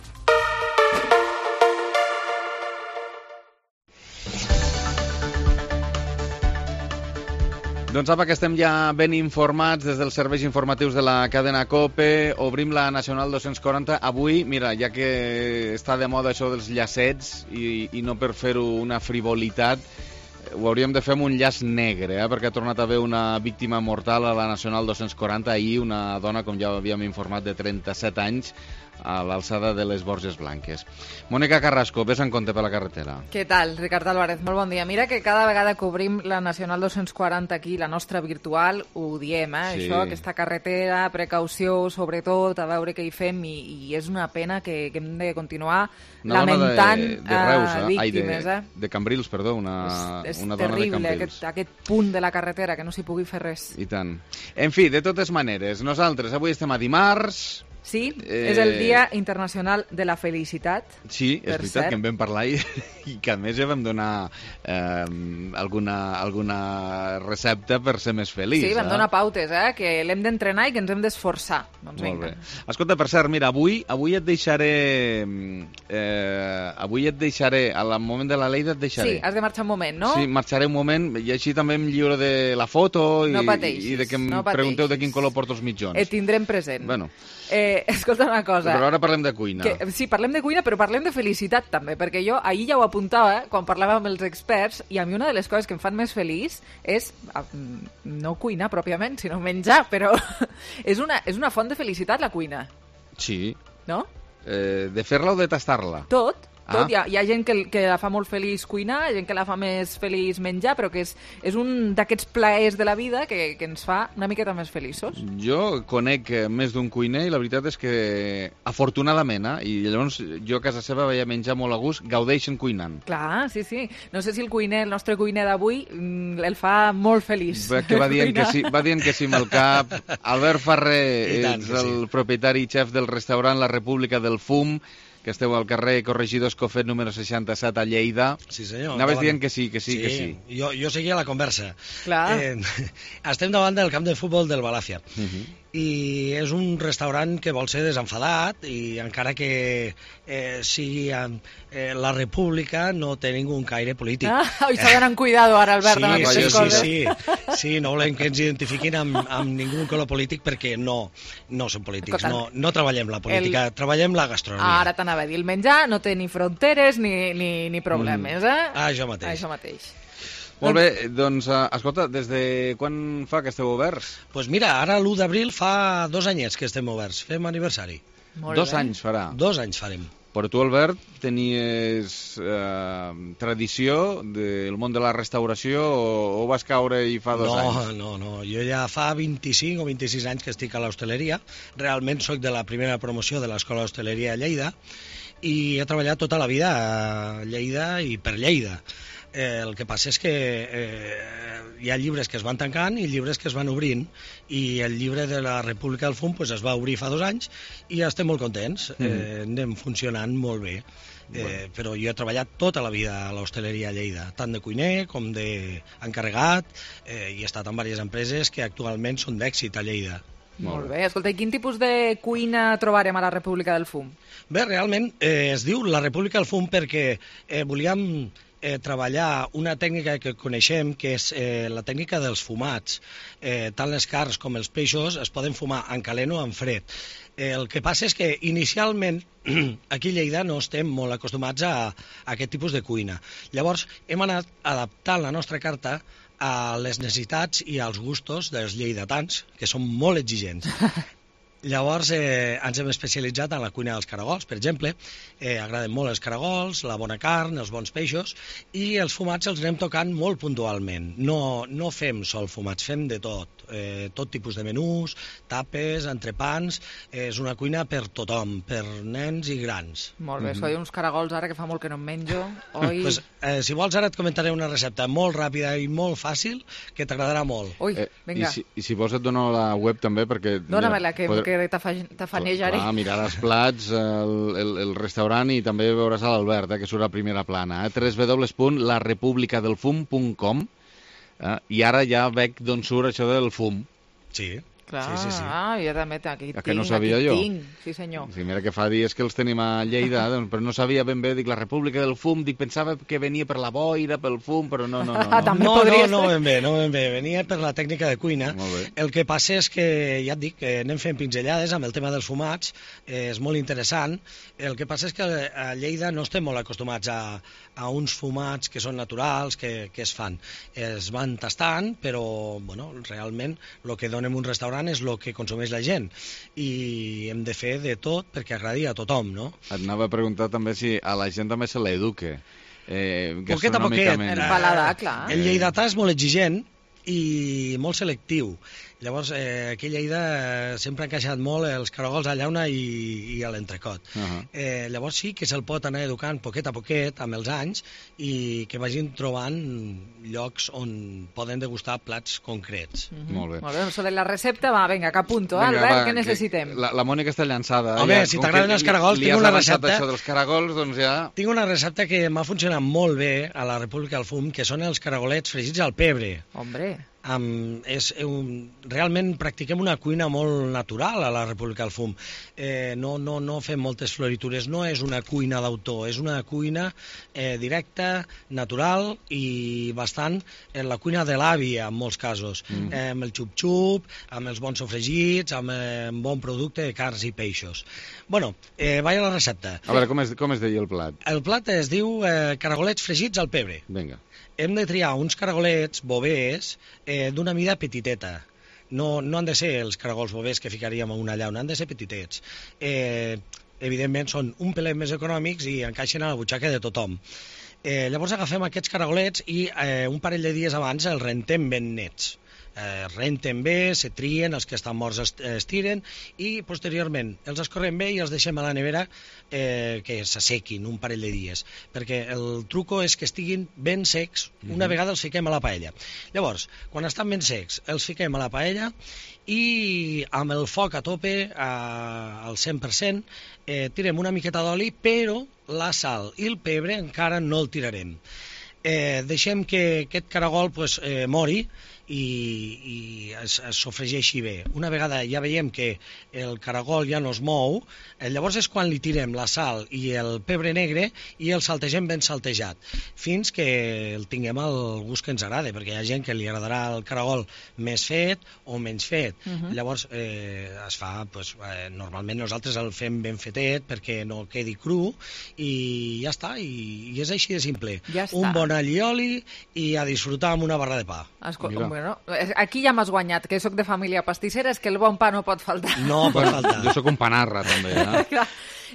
Speaker 24: Doncs apa, que estem ja ben informats des dels serveis informatius de la cadena COPE. Obrim la Nacional dos-cents quaranta. Avui, mira, ja que està de moda això dels llacets i, i no per fer-ho una frivolitat, ho hauríem de fer amb un llaç negre, eh? perquè ha tornat a haver una víctima mortal a la Nacional dos-cents quaranta. Ahir una dona, com ja havíem informat, de trenta-set anys, a l'alçada de les Borges Blanques. Mònica Carrasco, ves en compte per la carretera.
Speaker 3: Què tal, Ricard Álvarez? Molt bon dia. Mira que cada vegada que obrim la Nacional dos-cents quaranta aquí, la nostra virtual, ho diem, eh? Sí. Això, aquesta carretera, precaució, sobretot, a veure què hi fem, i, i és una pena que, que hem de continuar una lamentant
Speaker 24: de, de Reus, eh?
Speaker 3: víctimes.
Speaker 24: Ai, de, de Cambrils, perdó, una,
Speaker 3: és, és
Speaker 24: una dona
Speaker 3: terrible,
Speaker 24: de Cambrils.
Speaker 3: Aquest, aquest punt de la carretera, que no s'hi pugui fer res.
Speaker 24: I tant. En fi, de totes maneres, nosaltres avui estem a dimarts.
Speaker 3: Sí, eh... és el Dia Internacional de la Felicitat.
Speaker 24: Sí, és veritat cert. Que en vam parlar i, i que a més ja vam donar eh, alguna, alguna recepta per ser més feliç.
Speaker 3: Sí, vam
Speaker 24: eh?
Speaker 3: donar pautes, eh? Que l'hem d'entrenar i que ens hem d'esforçar. Doncs
Speaker 24: Molt
Speaker 3: vinga.
Speaker 24: bé. Escolta, per cert, mira, avui, avui et deixaré... Eh, avui et deixaré, al moment de la Lleida et deixaré.
Speaker 3: Sí, has de marxar un moment, no?
Speaker 24: Sí, marxaré un moment i així també em lliuro de la foto i,
Speaker 3: no pateixis,
Speaker 24: i de que em
Speaker 3: no
Speaker 24: pregunteu de quin color porto els mitjons.
Speaker 3: Et tindrem present.
Speaker 24: Bueno.
Speaker 3: Eh, escolta una cosa.
Speaker 24: Però ara parlem de cuina.
Speaker 3: Que, sí, parlem de cuina, però parlem de felicitat també, perquè jo ahir ja ho apuntava, eh, quan parlàvem amb els experts, i a mi una de les coses que em fan més feliç és no cuinar pròpiament, sinó menjar, però és una, és una font de felicitat la cuina.
Speaker 24: Sí.
Speaker 3: No?
Speaker 24: Eh, de fer-la o de tastar-la?
Speaker 3: Tot. Tot.
Speaker 24: Ah.
Speaker 3: Hi, ha, hi ha gent que, que la fa molt feliç cuinar, hi ha gent que la fa més feliç menjar, però que és, és un d'aquests plaers de la vida que, que ens fa una miqueta més feliços.
Speaker 24: Jo conec més d'un cuiner i la veritat és que, afortunadament, eh, i llavors jo a casa seva veia menjar molt a gust, gaudeixen cuinant.
Speaker 3: Clar, sí, sí. No sé si el cuiner, el nostre cuiner d'avui, el fa molt feliç.
Speaker 24: Que va dient que sí, va dient que sí amb el cap. Albert Ferrer és el sí. propietari i xef del restaurant La República del Fum, que esteu al carrer Corregidor Escofet número seixanta-set a Lleida.
Speaker 25: Sí, senyor.
Speaker 24: Anaves dient que sí, que sí,
Speaker 25: sí,
Speaker 24: que sí.
Speaker 25: Jo, jo seguia la conversa.
Speaker 3: Clar.
Speaker 25: Eh, estem davant del camp de futbol del Balàfia. Uh-huh. I és un restaurant que vol ser desenfadat i encara que eh, sigui eh, la República no té ningú caire polític.
Speaker 3: Ah, i s'ha d'anar amb cuidado ara, Albert,
Speaker 25: sí,
Speaker 3: amb aquestes
Speaker 25: sí,
Speaker 3: coses.
Speaker 25: Sí, sí, sí, no volem que ens identifiquin amb, amb ningú color polític perquè no, no som polítics, no, no treballem la política, el... treballem la gastronomia.
Speaker 3: Ara t'anava a dir, el menjar no té ni fronteres ni, ni, ni problemes, mm. eh?
Speaker 25: Ah, això mateix.
Speaker 3: Això mateix.
Speaker 24: Molt bé, doncs, escolta, des de quan fa que esteu oberts?
Speaker 25: Doncs pues mira, ara l'u d'abril fa dos anyets que estem oberts, fem aniversari.
Speaker 3: Molt
Speaker 24: dos
Speaker 3: bé.
Speaker 24: anys farà.
Speaker 25: Dos anys farem.
Speaker 24: Però tu, Albert, tenies eh, tradició del món de la restauració o, o vas caure i fa dos
Speaker 25: no,
Speaker 24: anys?
Speaker 25: No, no, jo ja fa vint-i-cinc o vint-i-sis anys que estic a l'hostaleria. Realment soc de la primera promoció de l'Escola d'Hostaleria a Lleida i he treballat tota la vida a Lleida i per Lleida. Eh, el que passa és que eh, hi ha llibres que es van tancant i llibres que es van obrint, i el llibre de la República del Fum pues, es va obrir fa dos anys i ja estem molt contents, mm. eh, anem funcionant molt bé. Eh, bueno. Però jo he treballat tota la vida a l'hostaleria a Lleida, tant de cuiner com d'encarregat, eh, i he estat en diverses empreses que actualment són d'èxit a Lleida.
Speaker 3: Molt bé. Escolta, i quin tipus de cuina trobarem a la República del Fum?
Speaker 25: Bé, realment eh, es diu la República del Fum perquè eh, volíem eh, treballar una tècnica que coneixem, que és eh, la tècnica dels fumats. Eh, tant les carns com els peixos es poden fumar en calent o en fred. Eh, el que passa és que inicialment aquí a Lleida no estem molt acostumats a, a aquest tipus de cuina. Llavors hem anat adaptant la nostra carta a les necessitats i als gustos dels lleidatans, que són molt exigents. Llavors eh, ens hem especialitzat en la cuina dels caragols, per exemple. Eh, agraden molt els caragols, la bona carn, els bons peixos, i els fumats els anem tocant molt puntualment. No, no fem sol fumats, fem de tot. Eh, tot tipus de menús, tapes, entrepans. Eh, és una cuina per tothom, per nens i grans.
Speaker 3: Molt bé, mm-hmm. Soy uns caragols ara que fa molt que no em menjo. Oi...
Speaker 25: pues, eh, si vols ara et comentaré una recepta molt ràpida i molt fàcil que t'agradarà molt.
Speaker 3: Ui,
Speaker 24: eh,
Speaker 3: vinga.
Speaker 24: I si, I si vols et dono la web també perquè...
Speaker 3: Dóna-me-la, que, poder... que t'afanejaré.
Speaker 24: Ah, mirar els plats, el, el, el restaurant, i també veuràs a l'Albert, eh, que surt a primera plana. Eh? w w w punt la republica del fum punt com. Eh? I ara ja veig d'on surt això del fum.
Speaker 25: Sí.
Speaker 3: Clar,
Speaker 25: sí, sí, sí.
Speaker 3: ah, jo també aquí tinc,
Speaker 24: que no sabia
Speaker 3: aquí
Speaker 24: jo?
Speaker 3: tinc, sí senyor.
Speaker 24: Sí, mira que fa dies que els tenim a Lleida, doncs, però no sabia ben bé, dic, la República del Fum, dic, pensava que venia per la boira, pel fum, però no, no, no. No,
Speaker 25: no, no, no ben bé, no ben bé, venia per la tècnica de cuina. El que passa és que, ja et dic, que anem fent pinzellades amb el tema dels fumats, eh, és molt interessant. El que passa és que a Lleida no estem molt acostumats a, a uns fumats que són naturals, que, que es fan. Es van tastant, però, bueno, realment, el que donem un restaurant és el que consumeix la gent, i hem de fer de tot perquè agradi a tothom, no?
Speaker 24: Et anava a preguntar també si a la gent també se l'eduque. Eh,
Speaker 25: poquet a poquet.
Speaker 3: Paladar, clar.
Speaker 25: El lleidatà és molt exigent i molt selectiu. Llavors, eh, aquí a Lleida eh, sempre han encaixat molt els caragols a llauna i, i a l'entrecot. Uh -huh. eh, llavors sí que se'l pot anar educant poquet a poquet amb els anys i que vagin trobant llocs on poden degustar plats concrets.
Speaker 3: Uh -huh. Molt bé. Molt bé, sobre la recepta, va, vinga, que apunto, vinga, Albert, va, què necessitem?
Speaker 24: La, la Mònica està llançada.
Speaker 25: Home, ja, si t'agraden els caragols,
Speaker 24: li,
Speaker 25: tinc
Speaker 24: li
Speaker 25: una recepta...
Speaker 24: això dels caragols, doncs ja...
Speaker 25: Tinc una recepta que m'ha funcionat molt bé a la República del Fum, que són els caragolets fregits al pebre.
Speaker 3: Hombre...
Speaker 25: Um, és un, realment practiquem una cuina molt natural a la República del Fum. Eh, no, no, no fem moltes floritures, no és una cuina d'autor, és una cuina eh, directa, natural i bastant en la cuina de l'àvia en molts casos, mm. eh, amb el xup-xup, amb els bons sofregits, amb eh, un bon producte de carns i peixos. Bueno, eh, vaig a la recepta.
Speaker 24: A veure, com es, com es deia el plat?
Speaker 25: El plat es diu eh, caragolets fregits al pebre.
Speaker 24: Vinga.
Speaker 25: Hem de triar uns caragolets bovers eh, d'una mida petiteta. No, no han de ser els caragols bovers que ficaríem a una llauna, han de ser petitets. Eh, evidentment són un pelet més econòmics i encaixen a la butxaca de tothom. Eh, llavors agafem aquests caragolets i eh, un parell de dies abans els rentem ben nets. Eh, renten bé, se trien, els que estan morts es, es tiren i posteriorment els escorrem bé i els deixem a la nevera eh, que s'assequin un parell de dies, perquè el truco és que estiguin ben secs una mm-hmm. vegada els fiquem a la paella. Llavors, quan estan ben secs, els fiquem a la paella i amb el foc a tope a, al cent per cent eh, tirem una miqueta d'oli, però la sal i el pebre encara no el tirarem. Eh, deixem que aquest caragol pues, eh, mori i, i es, es sofregeixi bé. Una vegada ja veiem que el caragol ja no es mou, eh, llavors és quan li tirem la sal i el pebre negre i el saltegem ben saltejat, fins que el tinguem al gust que ens agrada, perquè hi ha gent que li agradarà el caragol més fet o menys fet. Uh-huh. Llavors eh, es fa, pues, eh, normalment nosaltres el fem ben fetet perquè no quedi cru i ja està, i, i és així de simple.
Speaker 3: Ja
Speaker 25: un bon all i oli i a disfrutar amb una barra de pa.
Speaker 3: Escolta, bueno, aquí ja m'has guanyat, que sóc de família pastissera, és que el bon pa no pot faltar.
Speaker 25: No pot faltar.
Speaker 24: Jo sóc un panarra, també, eh?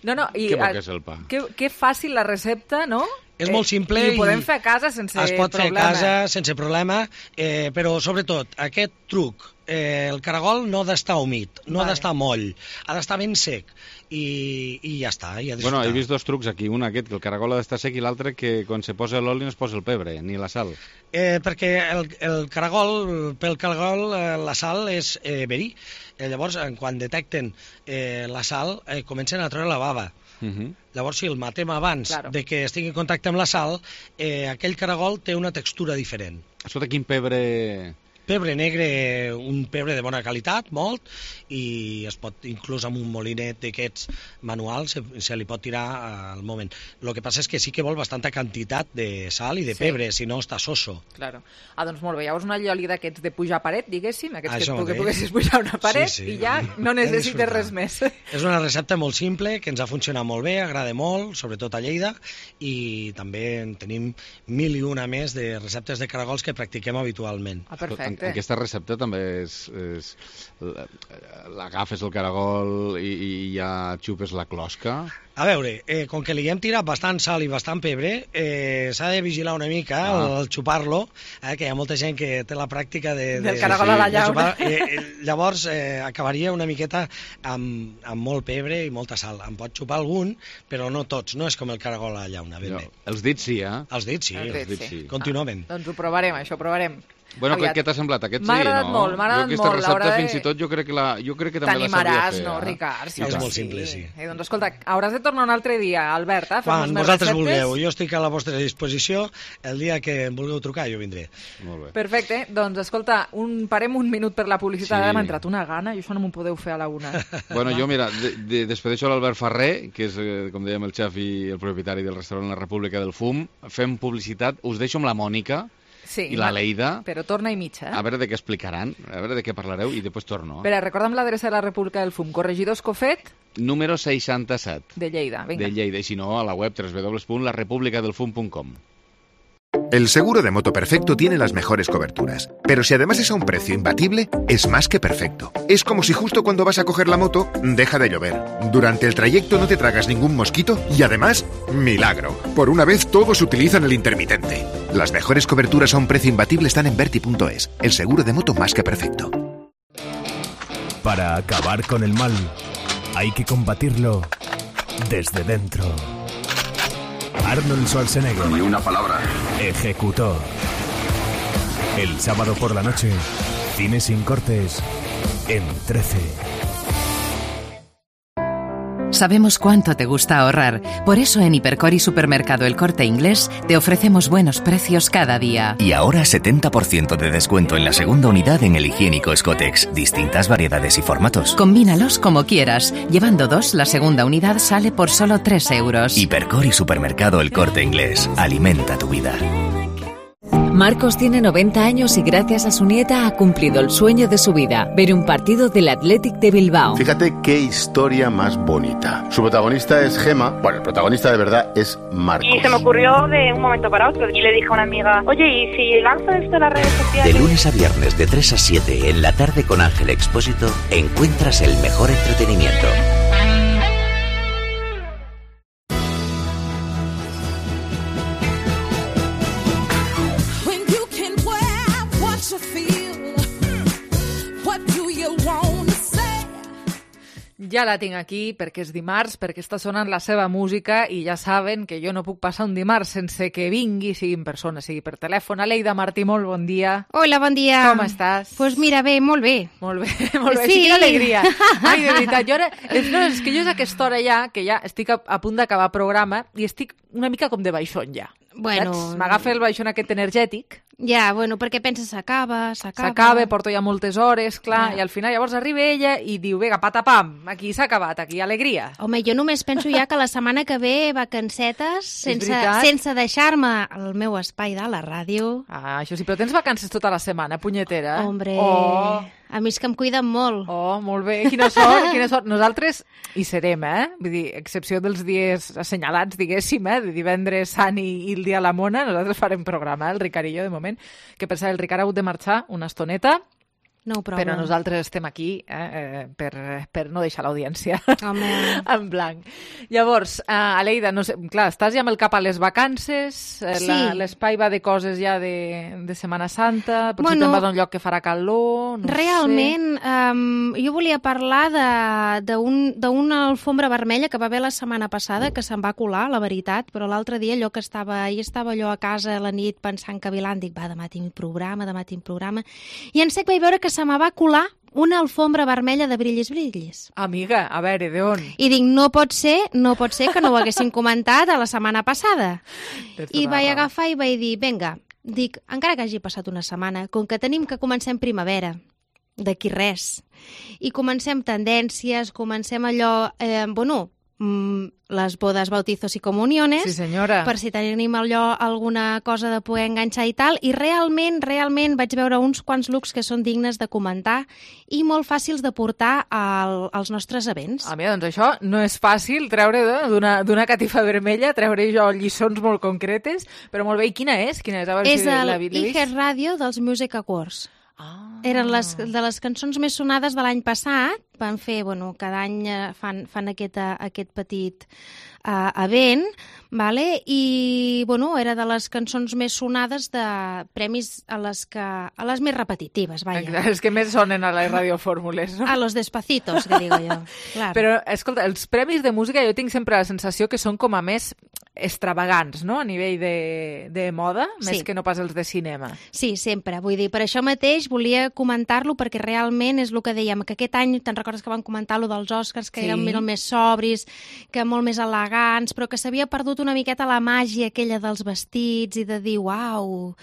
Speaker 3: No, no, i,
Speaker 24: que bo que és el pa.
Speaker 3: Que, que fàcil la recepta, no?
Speaker 25: És molt simple
Speaker 3: i, i ho podem fer a casa sense problema.
Speaker 25: Es pot problema. fer a casa sense problema, eh, però sobretot aquest truc eh, el caragol no ha d'estar humit, no
Speaker 3: Vale.
Speaker 25: ha d'estar moll, ha d'estar ben sec i, i ja està. I
Speaker 24: bueno, he vist dos trucs aquí, un aquest, que el caragol ha d'estar sec, i l'altre que quan se posa l'oli no es posa el pebre, ni la sal.
Speaker 25: Eh, perquè el, el caragol, pel caragol, eh, la sal és eh, verí. Eh, llavors, eh, quan detecten eh, la sal, eh, comencen a treure la bava.
Speaker 24: Uh -huh.
Speaker 25: Llavors, si el matem abans
Speaker 3: Claro.
Speaker 25: de que estigui en contacte amb la sal, eh, aquell caragol té una textura diferent.
Speaker 24: Sota quin pebre...
Speaker 25: Pebre negre, un pebre de bona qualitat, molt, i es pot, inclús amb un molinet d'aquests manuals, se, se li pot tirar al moment. El que passa és que sí que vol bastanta quantitat de sal i de
Speaker 3: Sí.
Speaker 25: pebre, si no està soso.
Speaker 3: Claro. Ah, doncs molt bé, llavors un allioli d'aquests de pujar paret, diguéssim, aquests
Speaker 25: Això
Speaker 3: que, tu, que
Speaker 25: mateix.
Speaker 3: poguessis pujar una paret
Speaker 25: Sí, sí.
Speaker 3: i ja no
Speaker 25: Hem
Speaker 3: necessites
Speaker 25: disfrutat.
Speaker 3: res més.
Speaker 25: És una recepta molt simple, que ens ha funcionat molt bé, agrada molt, sobretot a Lleida, i també en tenim mil i una més de receptes de caragols que practiquem habitualment.
Speaker 3: Ah,
Speaker 24: En, aquesta recepta també és... és l'agafes el caragol i, i ja xupes la closca.
Speaker 25: A veure, eh, com que li hem tirat bastant sal i bastant pebre, eh, s'ha de vigilar una mica
Speaker 24: Ah.
Speaker 25: al, al xupar-lo, eh, que hi ha molta gent que té la pràctica de...
Speaker 3: Del
Speaker 25: de
Speaker 3: caragol a la
Speaker 25: de
Speaker 3: llauna.
Speaker 25: xupar. Eh, eh, llavors, eh, acabaria una miqueta amb, amb molt pebre i molta sal. En pot xupar algun, però no tots, no és com el caragol a la llauna, ben
Speaker 24: No,
Speaker 25: bé.
Speaker 24: els dits sí, eh?
Speaker 25: Els dits sí,
Speaker 3: Els
Speaker 25: els
Speaker 3: dits
Speaker 25: dits
Speaker 3: sí.
Speaker 25: sí. Continuem.
Speaker 3: Doncs ho provarem, això, ho provarem.
Speaker 24: Bueno,
Speaker 3: Aviat.
Speaker 24: què t'ha semblat? Aquest sí,
Speaker 3: M'ha agradat
Speaker 24: no?
Speaker 3: molt, m'ha agradat
Speaker 24: jo aquesta
Speaker 3: molt,
Speaker 24: recepta
Speaker 3: l'haurà de-
Speaker 24: fins i tot jo crec que, la, jo crec que també la sabia
Speaker 3: T'animaràs,
Speaker 24: fer.
Speaker 3: no,
Speaker 24: eh?
Speaker 3: Ricard?
Speaker 25: Sí, és molt simple, sí.
Speaker 3: Eh, doncs escolta, hauràs de tornar un altre dia, Albert, eh? a fer-nos
Speaker 25: Quan
Speaker 3: més
Speaker 25: vosaltres
Speaker 3: receptes.
Speaker 25: vulgueu, jo estic a la vostra disposició, el dia que em vulgueu trucar jo vindré.
Speaker 24: Molt bé.
Speaker 3: Perfecte, doncs escolta, un, parem un minut per la publicitat,
Speaker 24: Sí.
Speaker 3: ara m'ha entrat una gana i això no m'ho podeu fer a la una.
Speaker 24: Bueno, jo, mira, de, de, despedeixo l'Albert Ferrer, que és, eh, com dèiem, el xef i el propietari del restaurant La República del Fum. Fem publicitat. Us deixo amb la Mònica
Speaker 3: Sí,
Speaker 24: i la
Speaker 3: va,
Speaker 24: Leida.
Speaker 3: Però torna i mitja, eh?
Speaker 24: A veure de què explicaran, a veure de què parlareu i després torno. Eh?
Speaker 3: Espera, recorda'm l'adreça de la República del Fum, Corregidor Escofet
Speaker 24: Número seixanta-set.
Speaker 3: de Lleida. Vinga.
Speaker 24: De Lleida, i si no, a la web doble u doble u doble u punt la república del fum punt com.
Speaker 13: El seguro de moto perfecto tiene las mejores coberturas, pero si además es a un precio imbatible, es más que perfecto. Es como si justo cuando vas a coger la moto, deja de llover. Durante el trayecto no te tragas ningún mosquito y además, milagro. Por una vez todos utilizan el intermitente. Las mejores coberturas a un precio imbatible están en Verti punto es, el seguro de moto más que perfecto.
Speaker 7: Para acabar con el mal, hay que combatirlo desde dentro. Arnold Schwarzenegger.
Speaker 8: Ni una palabra.
Speaker 7: Ejecutor. El sábado por la noche, cine sin cortes en trece.
Speaker 2: Sabemos cuánto te gusta ahorrar. Por eso en Hipercor y Supermercado El Corte Inglés te ofrecemos buenos precios cada día.
Speaker 9: Y ahora setenta por ciento de descuento en la segunda unidad en el higiénico Scotex. Distintas variedades y formatos.
Speaker 2: Combínalos como quieras. Llevando dos, la segunda unidad sale por solo tres euros.
Speaker 9: Hipercor y Supermercado El Corte Inglés. Alimenta tu vida.
Speaker 10: Marcos tiene noventa años y gracias a su nieta ha cumplido el sueño de su vida, ver un partido del Athletic de Bilbao.
Speaker 11: Fíjate qué historia más bonita. Su protagonista es Gema, bueno, el protagonista de verdad es Marcos.
Speaker 26: Y se me ocurrió de un momento para otro y le dije a una amiga, oye, ¿y si lanzo esto en las redes sociales?
Speaker 16: De lunes a viernes de tres a siete en la tarde con Ángel Expósito encuentras el mejor entretenimiento.
Speaker 3: Ja la tinc aquí perquè és dimarts, perquè està sonant la seva música i ja saben que jo no puc passar un dimarts sense que vingui, sigui en persona, sigui per telèfon. Aleida Martí, molt bon dia.
Speaker 27: Hola, bon dia.
Speaker 3: Com estàs?
Speaker 27: Pues mira, bé, molt bé.
Speaker 3: Molt bé, molt bé.
Speaker 27: Sí.
Speaker 3: Sí, quina alegria. Ai, de veritat, jo ara... És, no, és que jo és a aquesta hora ja, que ja estic a, a punt d'acabar programa i estic una mica com de baixón ja.
Speaker 27: Bueno...
Speaker 3: Saps? M'agafa el baixón aquest energètic.
Speaker 27: Ja, bueno, perquè penses s'acaba, s'acaba...
Speaker 3: S'acaba, porto ja moltes hores, clar,
Speaker 27: Ja.
Speaker 3: i al final llavors arriba ella i diu, vinga, patapam, aquí s'ha acabat, aquí alegria.
Speaker 27: Home, jo només penso ja que la setmana que ve vacancetes, sense,
Speaker 3: veritat?
Speaker 27: sense deixar-me el meu espai de la ràdio.
Speaker 3: Ah, això sí, però tens vacances tota la setmana, punyetera.
Speaker 27: Hombre,
Speaker 3: Oh.
Speaker 27: a mi és que em cuiden molt.
Speaker 3: Oh, molt bé, quina sort, quina sort. Nosaltres hi serem, eh? Vull dir, excepció dels dies assenyalats, diguéssim, eh? De divendres sant i, i el dia a la mona, nosaltres farem programa, eh? El Ricard i jo, de moment, que per cert, el Ricard ha hagut de marxar una estoneta,
Speaker 27: no ho provo.
Speaker 3: Però nosaltres estem aquí eh, per, per no deixar l'audiència en blanc. Llavors, uh, Aleida, no sé, clar, estàs ja amb el cap a les vacances, eh,
Speaker 27: Sí.
Speaker 3: la- l'espai va de coses ja de, de Setmana Santa, potser
Speaker 27: Bueno,
Speaker 3: te'n vas a un lloc que farà calor, no
Speaker 27: Realment,
Speaker 3: sé.
Speaker 27: um, jo volia parlar de- d'un- d'una alfombra vermella que va haver la setmana passada, que se'n va colar, la veritat, però l'altre dia allò que estava, ahir estava allò a casa a la nit pensant que vilant, dic, va, demà tinc programa, demà tinc programa, i en sec vaig veure que se me va colar una alfombra vermella de brillis brillis.
Speaker 3: Amiga, a veure, d'on?
Speaker 27: I dic, no pot ser, no pot ser que no ho haguessin comentat a la setmana passada.
Speaker 3: Tens
Speaker 27: I
Speaker 3: tota la
Speaker 27: vaig
Speaker 3: raó.
Speaker 27: agafar i vaig dir, vinga, dic, encara que hagi passat una setmana, com que tenim que comencem primavera, d'aquí res, i comencem tendències, comencem allò, eh, bueno, mm, les bodes, bautizos i comuniones,
Speaker 3: Sí, senyora.
Speaker 27: per si tenim allò alguna cosa de poder enganxar i tal, i realment, realment vaig veure uns quants looks que són dignes de comentar i molt fàcils de portar al, als nostres events.
Speaker 3: A mi, doncs això no és fàcil treure de- d'una d'una catifa vermella, treure jo lliçons molt concretes, però molt bé, i quina és? Quina és? A veure
Speaker 27: És
Speaker 3: si l'he
Speaker 27: el
Speaker 3: l'he vist.
Speaker 27: iHeart Radio dels Music Awards. Ah. Eren les, de les cançons més sonades de l'any passat. Van fer, bueno, cada any eh, fan, fan aquest, eh, aquest petit uh, event, vale? I, bueno, era de les cançons més sonades de premis a les, que, a les més repetitives, vaja.
Speaker 3: Exacte, és que més sonen a les radiofórmules, no?
Speaker 27: A los despacitos, que digo jo. Claro.
Speaker 3: Però, escolta, els premis de música jo tinc sempre la sensació que són com a més extravagants, no?, a nivell de, de moda,
Speaker 27: Sí.
Speaker 3: més que no pas els de cinema.
Speaker 27: Sí, sempre. Vull dir, per això mateix volia comentar-lo, perquè realment és el que dèiem, que aquest any, te'n recordes que van comentar lo dels Oscars, que
Speaker 3: Sí.
Speaker 27: eren molt més sobris, que molt més elegants, però que s'havia perdut una miqueta la màgia aquella dels vestits i de dir, uau,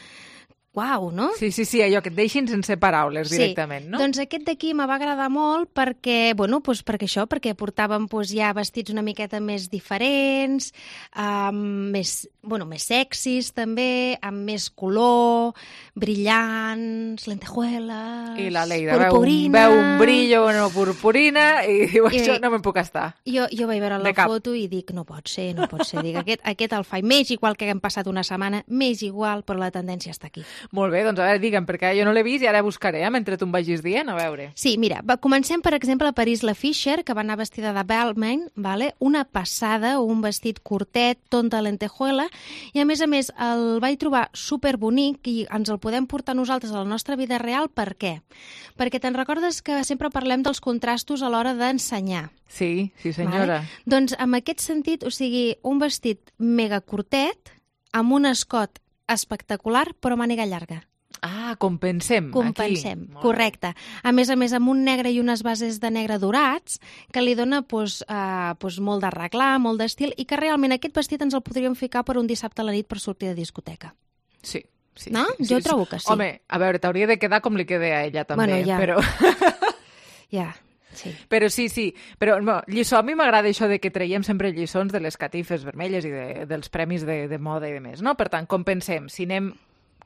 Speaker 27: uau, no?
Speaker 3: Sí, sí, sí, allò que et deixin sense paraules directament, no?
Speaker 27: Doncs aquest d'aquí me va agradar molt perquè, bueno, doncs perquè això, perquè portàvem doncs, ja vestits una miqueta més diferents, um, més, bueno, més sexis també, amb més color, brillants, lentejueles,
Speaker 3: I la Leida veu, un-
Speaker 27: purpurina...
Speaker 3: veu un brillo, una purpurina, i diu,
Speaker 27: I-
Speaker 3: això no me'n puc estar.
Speaker 27: Jo, jo vaig veure
Speaker 3: De
Speaker 27: la
Speaker 3: cap.
Speaker 27: foto i dic, no pot ser, no pot ser. Dic, aquest, aquest el faig més igual que hem passat una setmana, més igual, però la tendència està aquí.
Speaker 3: Molt bé, doncs a veure, digue'm, perquè jo no l'he vist i ara buscaré, eh, mentre tu em vagis dient, a veure.
Speaker 27: Sí, mira, va, comencem, per exemple, a Paris La Fischer, que va anar vestida de Balmain, vale? Una passada, un vestit curtet, ton de lentejuela, i a més a més el vaig trobar superbonic i ens el podem portar nosaltres a la nostra vida real. Per què? Perquè te'n recordes que sempre parlem dels contrastos a l'hora d'ensenyar.
Speaker 3: Sí, sí senyora.
Speaker 27: Vale? Doncs en aquest sentit, o sigui, un vestit mega curtet, amb un escot espectacular, però màniga llarga.
Speaker 3: Ah, compensem.
Speaker 27: Compensem,
Speaker 3: aquí.
Speaker 27: correcte. A més a més, amb un negre i unes bases de negre dorats, que li dona pues, uh, pues, molt d'arreglar, molt d'estil, i que realment aquest vestit ens el podríem ficar per un dissabte a la nit per sortir de discoteca.
Speaker 3: Sí. Sí,
Speaker 27: no?
Speaker 3: sí,
Speaker 27: Jo
Speaker 3: sí,
Speaker 27: trobo
Speaker 3: sí.
Speaker 27: que sí.
Speaker 3: Home, a veure, t'hauria de quedar com li queda a ella també,
Speaker 27: Bueno, ja.
Speaker 3: però...
Speaker 27: Ja, sí.
Speaker 3: Però sí, sí. Però no, lliçó, a mi m'agrada això de que traiem sempre lliçons de les catifes vermelles i de, dels premis de, de moda i de més, no? Per tant, compensem. Si anem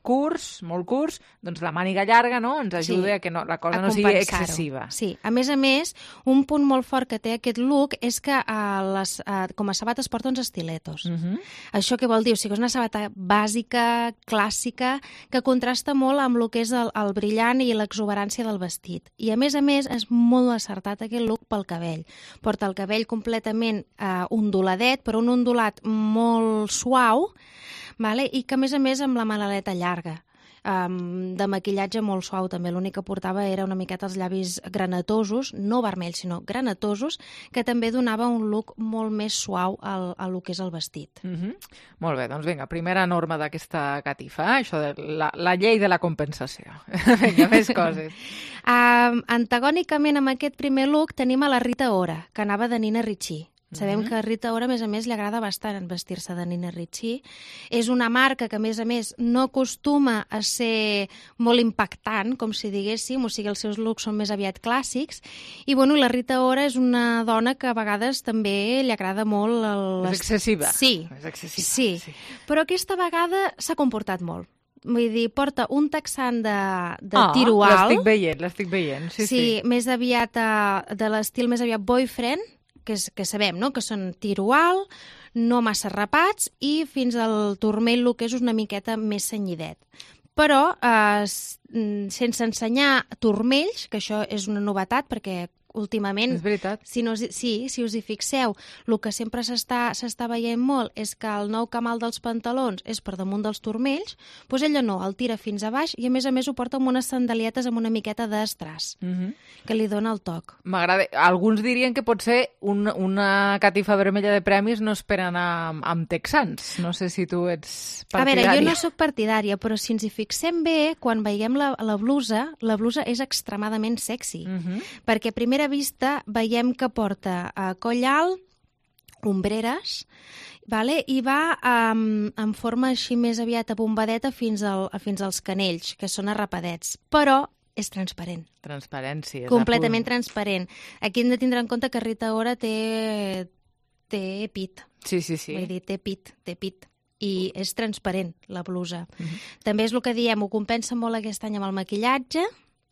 Speaker 3: curts, molt curts, doncs la màniga llarga, no?, ens ajuda
Speaker 27: Sí,
Speaker 3: a que no, la cosa
Speaker 27: a
Speaker 3: no sigui
Speaker 27: compensar-ho.
Speaker 3: excessiva.
Speaker 27: Sí, a més a més, un punt molt fort que té aquest look és que uh, les, uh, com a sabates porta uns estiletos.
Speaker 3: Mm -hmm.
Speaker 27: Això què vol dir? O sigui, és una sabata bàsica, clàssica, que contrasta molt amb el que és el, el brillant i l'exuberància del vestit. I a més a més, és molt acertat aquest look pel cabell. Porta el cabell completament uh, onduladet, però un ondulat molt suau, vale? I que a més a més amb la malaleta llarga, um, de maquillatge molt suau també. L'únic que portava era una miqueta els llavis granatosos, no vermells sinó granatosos, que també donava un look molt més suau al, a lo que és el vestit.
Speaker 3: Mm -hmm. Molt bé, doncs vinga, primera norma d'aquesta catifa, eh? Això de la, la llei de la compensació. Vinga, més coses.
Speaker 27: Um, antagònicament amb aquest primer look tenim a la Rita Ora, que anava de Nina Ricci. Sabem
Speaker 3: Mhm.
Speaker 27: que a Rita Ora, a més a més, li agrada bastant vestir-se de Nina Ricci. És una marca que, a més a més, no acostuma a ser molt impactant, com si diguéssim, o sigui, els seus looks són més aviat clàssics. I, bueno, la Rita Ora és una dona que a vegades també li agrada molt... El...
Speaker 3: És excessiva.
Speaker 27: Sí.
Speaker 3: És excessiva.
Speaker 27: Sí. sí. Però aquesta vegada s'ha comportat molt. Vull dir, porta un texan de, de
Speaker 3: Ah,
Speaker 27: tiro alt.
Speaker 3: l'estic veient, l'estic veient. Sí, sí.
Speaker 27: sí, més aviat uh, de l'estil més aviat boyfriend, que, és, que sabem, no?, que són tiro alt, no massa rapats i fins al turmell, el que és una miqueta més senyidet. però eh, sense ensenyar turmells, que això és una novetat, perquè últimament,
Speaker 3: és veritat.
Speaker 27: Si no, sí, si us hi fixeu, el que sempre s'està s'està veient molt és que el nou camal dels pantalons és per damunt dels turmells, doncs ella no, el tira fins a baix i a més a més ho porta amb unes sandalietes amb una miqueta d'estràs,
Speaker 3: Mhm.
Speaker 27: que li dona el toc.
Speaker 3: M'agrada. Alguns dirien que potser un, una catifa vermella de premis no es per anar amb, amb texans. No sé si tu ets
Speaker 27: A
Speaker 3: partidària.
Speaker 27: veure, jo no sóc partidària, però si ens hi fixem bé, quan veiem la, la blusa, la blusa és extremadament sexy,
Speaker 3: Mhm.
Speaker 27: perquè a primera vista veiem que porta uh, coll alt, ombreres, vale? I va um, en forma així més aviat abombadeta fins, al, fins als canells, que són arrapadets, però és transparent.
Speaker 3: Transparència. és
Speaker 27: Completament
Speaker 3: a punt.
Speaker 27: transparent. Aquí hem de tindre en compte que Rita Ora té, té pit.
Speaker 3: Sí, sí, sí.
Speaker 27: Vull dir, té pit, té pit. I és transparent, la blusa.
Speaker 3: Mhm.
Speaker 27: També és el que diem, ho compensa molt aquest any amb el maquillatge,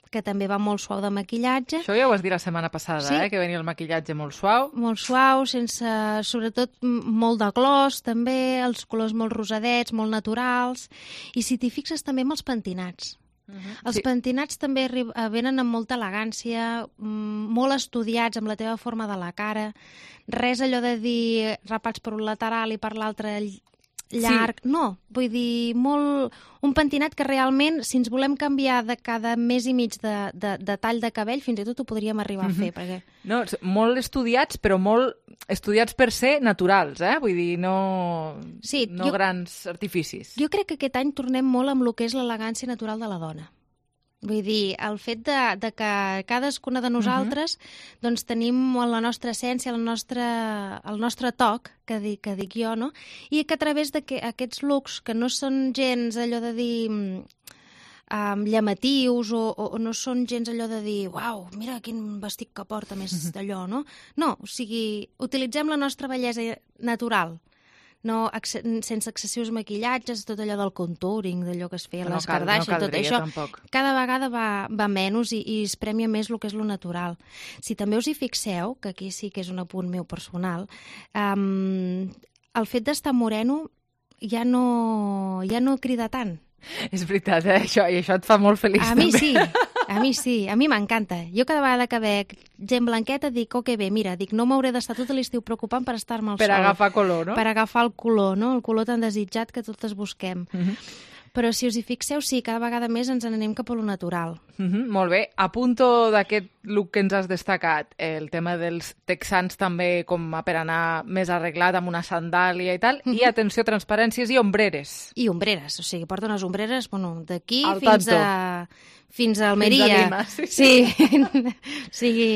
Speaker 27: que també va molt suau de maquillatge.
Speaker 3: Això ja ho vas dir la setmana passada,
Speaker 27: Sí.
Speaker 3: eh? Que venia el maquillatge molt suau.
Speaker 27: Molt suau, sense, sobretot m- molt de gloss, també, els colors molt rosadets, molt naturals. I si t'hi fixes també amb els pentinats. Els
Speaker 3: Sí.
Speaker 27: pentinats també arri- eh, venen amb molta elegància, mm, molt estudiats amb la teva forma de la cara, res allò de dir rapats per un lateral i per l'altre ll- llarg,
Speaker 3: Sí.
Speaker 27: no, vull dir, molt, un pentinat que realment, si ens volem canviar de cada mes i mig de, de, de tall de cabell, fins i tot ho podríem arribar a fer,
Speaker 3: Mhm.
Speaker 27: perquè...
Speaker 3: No, s- molt estudiats, però molt estudiats per ser naturals, eh? Vull dir, no,
Speaker 27: Sí,
Speaker 3: no
Speaker 27: jo-
Speaker 3: grans artificis.
Speaker 27: Jo crec que aquest any tornem molt amb el que és l'elegància natural de la dona. Vull dir, el fet de, de que cadascuna de nosaltres uh-huh. doncs tenim la nostra essència, el nostre, el nostre toc, que dic, que dic jo, no? I que a través d'aquests looks, que no són gens allò de dir um, llamatius o, o, o no són gens allò de dir uau, mira quin vestit que porta més uh-huh. d'allò, no? No, o sigui, utilitzem la nostra bellesa natural, no, ex sense excessius maquillatges, tot allò del contouring, d'allò que es feia a
Speaker 3: No
Speaker 27: les
Speaker 3: cal- no
Speaker 27: Kardashian, tot
Speaker 3: caldria,
Speaker 27: això,
Speaker 3: tampoc.
Speaker 27: cada vegada va, va menys i, i es premia més el que és lo natural. Si també us hi fixeu, que aquí sí que és un apunt meu personal, um, el fet d'estar moreno ja no, ja no crida tant.
Speaker 3: És veritat, eh? Això, i això et fa molt feliç.
Speaker 27: A mi
Speaker 3: també.
Speaker 27: sí, a mi sí, a mi m'encanta. Jo cada vegada que veig gent blanqueta dic, oh, que bé, mira, dic, no m'hauré d'estar tot l'estiu preocupant per estar-me al
Speaker 3: Per
Speaker 27: sol.
Speaker 3: agafar color, no?
Speaker 27: Per agafar el color, no? El color tan desitjat que totes busquem.
Speaker 3: Mhm.
Speaker 27: Però si us hi fixeu, sí, cada vegada més ens n'anem cap a lo natural.
Speaker 3: Mhm, molt bé. A punto d'aquest look que ens has destacat, el tema dels texans també com a per anar més arreglat amb una sandàlia i tal, i atenció, transparències i ombreres.
Speaker 27: I ombreres, o sigui, porta unes ombreres, bueno, d'aquí
Speaker 3: Al
Speaker 27: fins
Speaker 3: tanto.
Speaker 27: a... fins a Almeria.
Speaker 3: Fins a Lima, sí,
Speaker 27: sí. sí. sigui,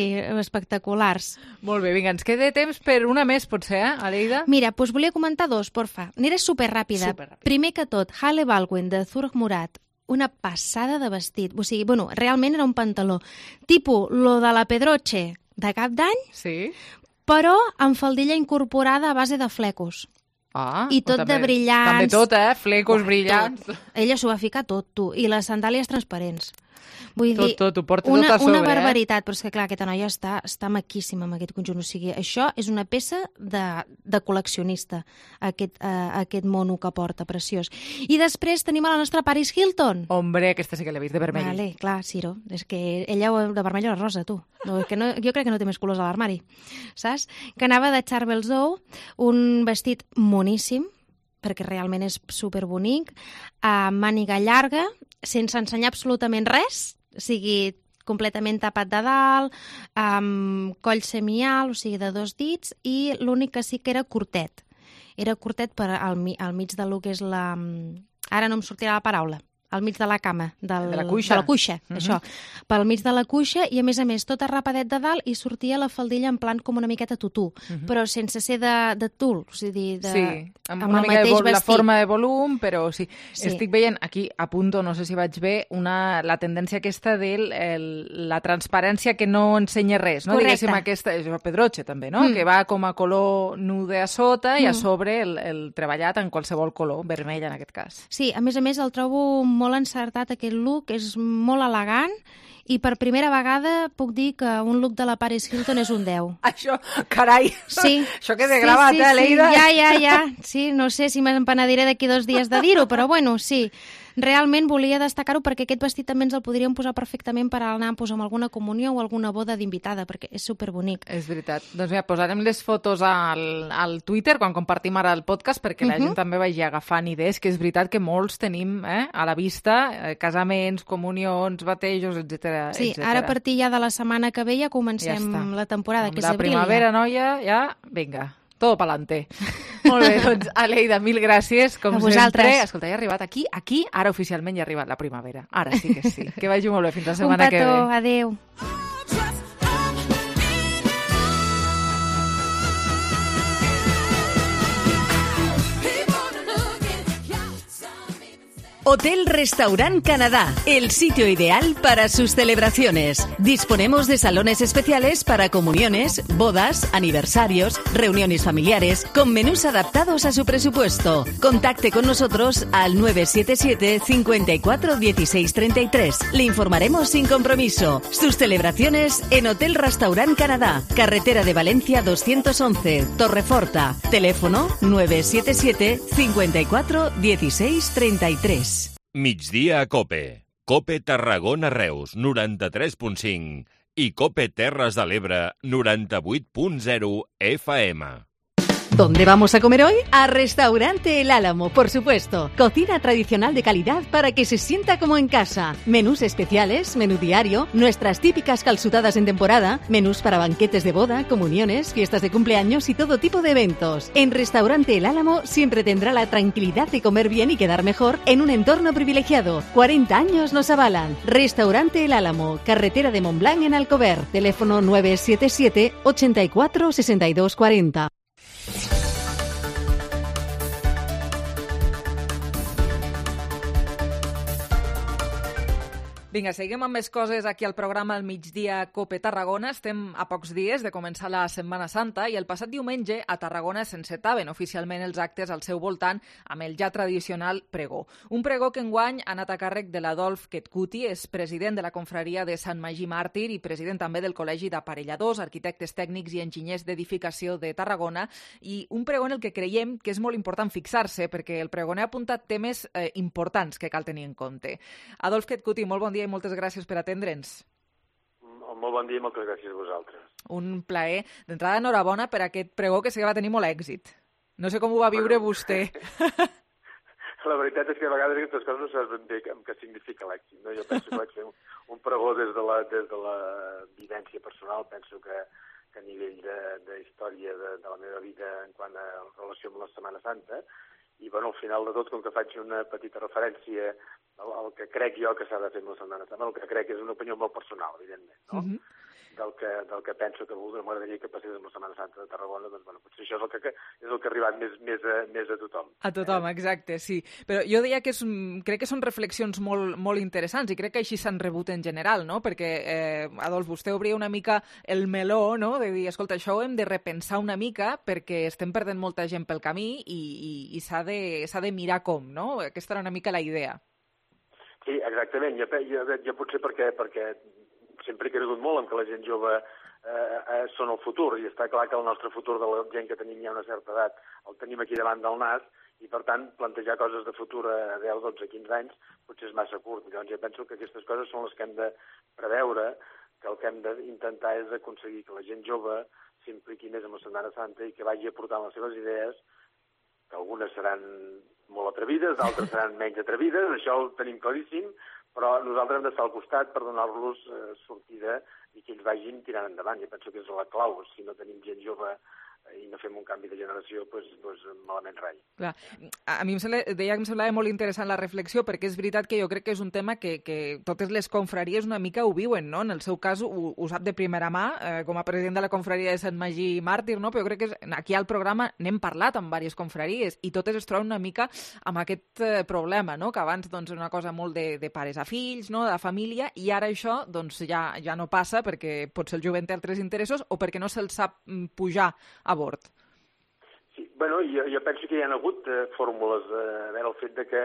Speaker 27: espectaculars.
Speaker 3: Molt bé, vinga, ens queda temps per una més, potser, eh, Aleida?
Speaker 27: Mira, doncs volia comentar dos, porfa. Aniré superràpida.
Speaker 3: Superràpida.
Speaker 27: Primer que tot, Halle Baldwin, de Zurg Murat, una passada de vestit. O sigui, bueno, realment era un pantaló. Tipo, lo de la Pedroche de cap d'any,
Speaker 3: sí.
Speaker 27: però amb faldilla incorporada a base de flecos.
Speaker 3: Ah,
Speaker 27: I tot
Speaker 3: també,
Speaker 27: de brillants.
Speaker 3: També tot, eh? Flecos
Speaker 27: Uah,
Speaker 3: brillants.
Speaker 27: Tot. Ella s'ho va ficar tot, tu. I les sandàlies transparents. Vull
Speaker 3: Tot,
Speaker 27: dir,
Speaker 3: tot, ho porta
Speaker 27: una,
Speaker 3: tot a sobre,
Speaker 27: una
Speaker 3: eh?
Speaker 27: barbaritat, però és que clar, aquesta noia està, està maquíssima amb aquest conjunt. O sigui, això és una peça de, de col·leccionista, aquest, uh, aquest mono que porta, preciós. I després tenim a la nostra Paris Hilton.
Speaker 3: Hombre, aquesta sí que l'he vist de vermell.
Speaker 27: Vale, clar, Ciro. És que ella de vermell o rosa, tu. No, és que no, jo crec que no té més colors a l'armari, saps? Que anava de Charbel Zou, un vestit moníssim, perquè realment és superbonic, a màniga llarga, sense ensenyar absolutament res, o sigui, completament tapat de dalt, amb coll semialt, o sigui, de dos dits, i l'únic que sí que era curtet. Era curtet per al, mi- al mig de lo que és la... Ara no em sortirà la paraula. Al mig de la cama, del,
Speaker 3: De la cuixa.
Speaker 27: de la cuixa,
Speaker 3: Mhm.
Speaker 27: això. Pel mig de la cuixa i, a més a més, tot arrapadet de dalt i sortia la faldilla en plan com una miqueta tutú,
Speaker 3: Mhm.
Speaker 27: però sense ser de, de tul, o sigui, de,
Speaker 3: Sí, amb,
Speaker 27: amb
Speaker 3: una
Speaker 27: el
Speaker 3: mica de
Speaker 27: mateix
Speaker 3: vol, la
Speaker 27: vestit.
Speaker 3: forma de volum, però sí.
Speaker 27: Sí.
Speaker 3: Estic veient aquí, a punto, no sé si vaig bé, una, la tendència aquesta de el, la transparència que no ensenya res, no?
Speaker 27: Correcte.
Speaker 3: Diguéssim, aquesta, és el Pedroche també, no?
Speaker 27: Mm.
Speaker 3: Que va com a color nude a sota i a
Speaker 27: Mm.
Speaker 3: sobre el, el treballat en qualsevol color, vermell en aquest cas.
Speaker 27: Sí, a més a més el trobo molt encertat aquest look, és molt elegant I per primera vegada puc dir que un look de la Paris Hilton és un deu.
Speaker 3: Això, carai,
Speaker 27: sí.
Speaker 3: això que de
Speaker 27: sí,
Speaker 3: gravat,
Speaker 27: sí,
Speaker 3: eh,
Speaker 27: sí.
Speaker 3: Leida?
Speaker 27: Ja, ja, ja. Sí, no sé si m'empenediré d'aquí dos dies de dir-ho, però bueno, sí. Realment volia destacar-ho perquè aquest vestit també ens el podríem posar perfectament per anar pues, amb alguna comunió o alguna boda d'invitada, perquè és superbonic.
Speaker 3: És veritat. Doncs mira, posarem les fotos al, al Twitter quan compartim ara el podcast perquè la
Speaker 27: Uh-huh.
Speaker 3: gent també vagi agafant idees, que és veritat que molts tenim eh, a la vista eh, casaments, comunions, batejos, etcètera.
Speaker 27: Sí,
Speaker 3: etcètera.
Speaker 27: ara a partir ja de la setmana que ve ja comencem
Speaker 3: Ja està.
Speaker 27: la temporada,
Speaker 3: Amb
Speaker 27: que és
Speaker 3: la
Speaker 27: abril.
Speaker 3: primavera,
Speaker 27: ja.
Speaker 3: noia, ja, vinga, todo pa'lante. Molt bé, doncs, Aleida, mil gràcies, com
Speaker 27: A vosaltres.
Speaker 3: sempre. Escolta, ja ha arribat aquí, aquí, ara oficialment ja ha arribat la primavera. Ara sí que sí. Que vagi molt bé, fins la setmana
Speaker 27: Un petó,
Speaker 3: que ve.
Speaker 27: adéu.
Speaker 10: Hotel Restaurant Canadá, el sitio ideal para sus celebraciones. Disponemos de salones especiales para comuniones, bodas, aniversarios, reuniones familiares, con menús adaptados a su presupuesto. Contacte con nosotros al nueve siete siete, cinco cuatro, uno seis tres tres. Le informaremos sin compromiso. Sus celebraciones en Hotel Restaurant Canadá, carretera de Valencia doscientos once, Torreforta. Teléfono nueve siete siete, cinco cuatro, uno seis tres tres.
Speaker 1: Migdia a Cope. Cope Tarragona Reus, noranta-tres punt cinc. I Cope Terres de l'Ebre, noranta-vuit punt zero F M.
Speaker 10: ¿Dónde vamos a comer hoy? A Restaurante El Álamo, por supuesto. Cocina tradicional de calidad para que se sienta como en casa. Menús especiales, menú diario, nuestras típicas calzutadas en temporada, menús para banquetes de boda, comuniones, fiestas de cumpleaños y todo tipo de eventos. En Restaurante El Álamo siempre tendrá la tranquilidad de comer bien y quedar mejor en un entorno privilegiado. cuarenta años nos avalan. Restaurante El Álamo, carretera de Montblanc en Alcover. Teléfono nueve siete siete, ochenta y cuatro, sesenta y dos cuarenta.
Speaker 3: Vinga, seguim amb més coses aquí al programa al migdia Cope Tarragona. Estem a pocs dies de començar la Setmana Santa i el passat diumenge a Tarragona s'encetaven oficialment els actes al seu voltant amb el ja tradicional pregó. Un pregó que enguany ha anat a càrrec de l'Adolf Ketkuti, és president de la confraria de Sant Magí Màrtir i president també del Col·legi d'Aparelladors, Arquitectes Tècnics i Enginyers d'Edificació de Tarragona, i un pregó en el que creiem que és molt important fixar-se perquè el pregoner ha apuntat temes eh, importants que cal tenir en compte. Adolf Ketkuti, molt bon dia i moltes gràcies per atendre'ns.
Speaker 4: Molt bon dia i moltes gràcies a vosaltres.
Speaker 3: Un plaer. D'entrada, enhorabona per aquest pregó que sé que va tenir molt èxit. No sé com ho va viure bueno, vostè.
Speaker 4: La veritat és que a vegades aquestes coses no saps ben bé què significa l'èxit. No? Jo penso que vaig fer un, un pregó des de, la, des de la vivència personal. Penso que, que a nivell de, de història de, de la meva vida en quant a relació amb la Setmana Santa, i bueno, al final de tot, com que faig una petita referència al, al que crec jo que s'ha de fer amb la Setmana Santa, el que crec és una opinió molt personal, evidentment, no? Uh-huh. Del que, del que penso que m'agradaria que passés amb la Setmana Santa de Tarragona, doncs bueno, potser això és el que, és el que ha arribat més, més, a, més a tothom.
Speaker 3: A tothom, exacte, sí. Però jo deia que és, crec que són reflexions molt, molt interessants i crec que així s'han rebut en general, no? Perquè, eh, Adolf, vostè obria una mica el meló, no?, de dir, escolta, això ho hem de repensar una mica perquè estem perdent molta gent pel camí i, i, i s'ha de, s'ha de mirar com, no? Aquesta era una mica la idea.
Speaker 4: Sí, exactament. Jo, jo, jo potser perquè, perquè sempre he cregut molt en que la gent jove eh, eh, són el futur, i està clar que el nostre futur de la gent que tenim ja una certa edat el tenim aquí davant del nas, i per tant plantejar coses de futur a deu, dotze, quinze anys potser és massa curt. Llavors jo penso que aquestes coses són les que hem de preveure, que el que hem d'intentar és aconseguir que la gent jove s'impliqui més en la Setmana Santa i que vagi aportant les seves idees, que algunes seran molt atrevides, d'altres seran menys atrevides, això ho tenim claríssim, però nosaltres hem d'estar al costat per donar-los eh, sortida i que ells vagin tirant endavant. Jo penso que és la clau. Si no tenim gent jove i no fem un canvi de generació, doncs, doncs malament rai.
Speaker 3: Clar. A mi em sembla, deia que em semblava molt interessant la reflexió, perquè és veritat que jo crec que és un tema que, que totes les confraries una mica ho viuen, no? En el seu cas ho, ho sap de primera mà, eh, com a president de la confraria de Sant Magí Màrtir, no? Però jo crec que és, aquí al programa n'hem parlat amb diverses confraries i totes es troben una mica amb aquest eh, problema, no? Que abans doncs, era una cosa molt de, de pares a fills, no? De família, i ara això doncs, ja, ja no passa perquè potser el jovent té altres interessos o perquè no se'l sap pujar a bord.
Speaker 4: Sí, bueno, jo, jo penso que hi ha hagut eh, fórmules, eh, a veure, el fet de que,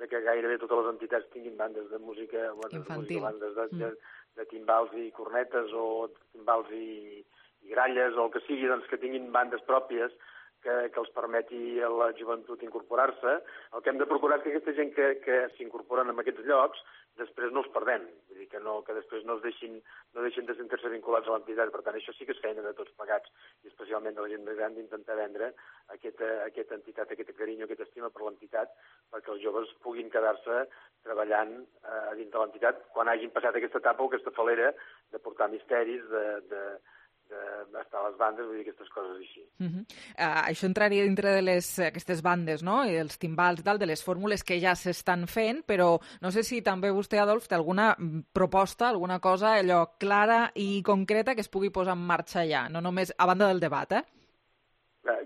Speaker 4: de que gairebé totes les entitats tinguin bandes de música, bandes de, música, bandes de, de, de timbals i cornetes o timbals i, i gralles o el que sigui, doncs que tinguin bandes pròpies que, que els permeti a la joventut incorporar-se. El que hem de procurar és que aquesta gent que, que s'incorporen en aquests llocs després no els perdem, vull dir que, no, que després no es deixin, no deixin de sentir-se vinculats a l'entitat. Per tant, això sí que és feina de tots plegats, i especialment de la gent més gran, d'intentar vendre aquesta, aquesta entitat, aquest carinyo, aquesta estima per l'entitat, perquè els joves puguin quedar-se treballant eh, a dins de l'entitat quan hagin passat aquesta etapa o aquesta falera de portar misteris, de, de, d'estar a les bandes, vull dir, aquestes coses així.
Speaker 3: Uh -huh. uh, això entraria dintre de les, aquestes bandes, no?, i els timbals i tal, de les fórmules que ja s'estan fent, però no sé si també vostè, Adolf, té alguna proposta, alguna cosa allò clara i concreta que es pugui posar en marxa ja, no només a banda del debat, eh?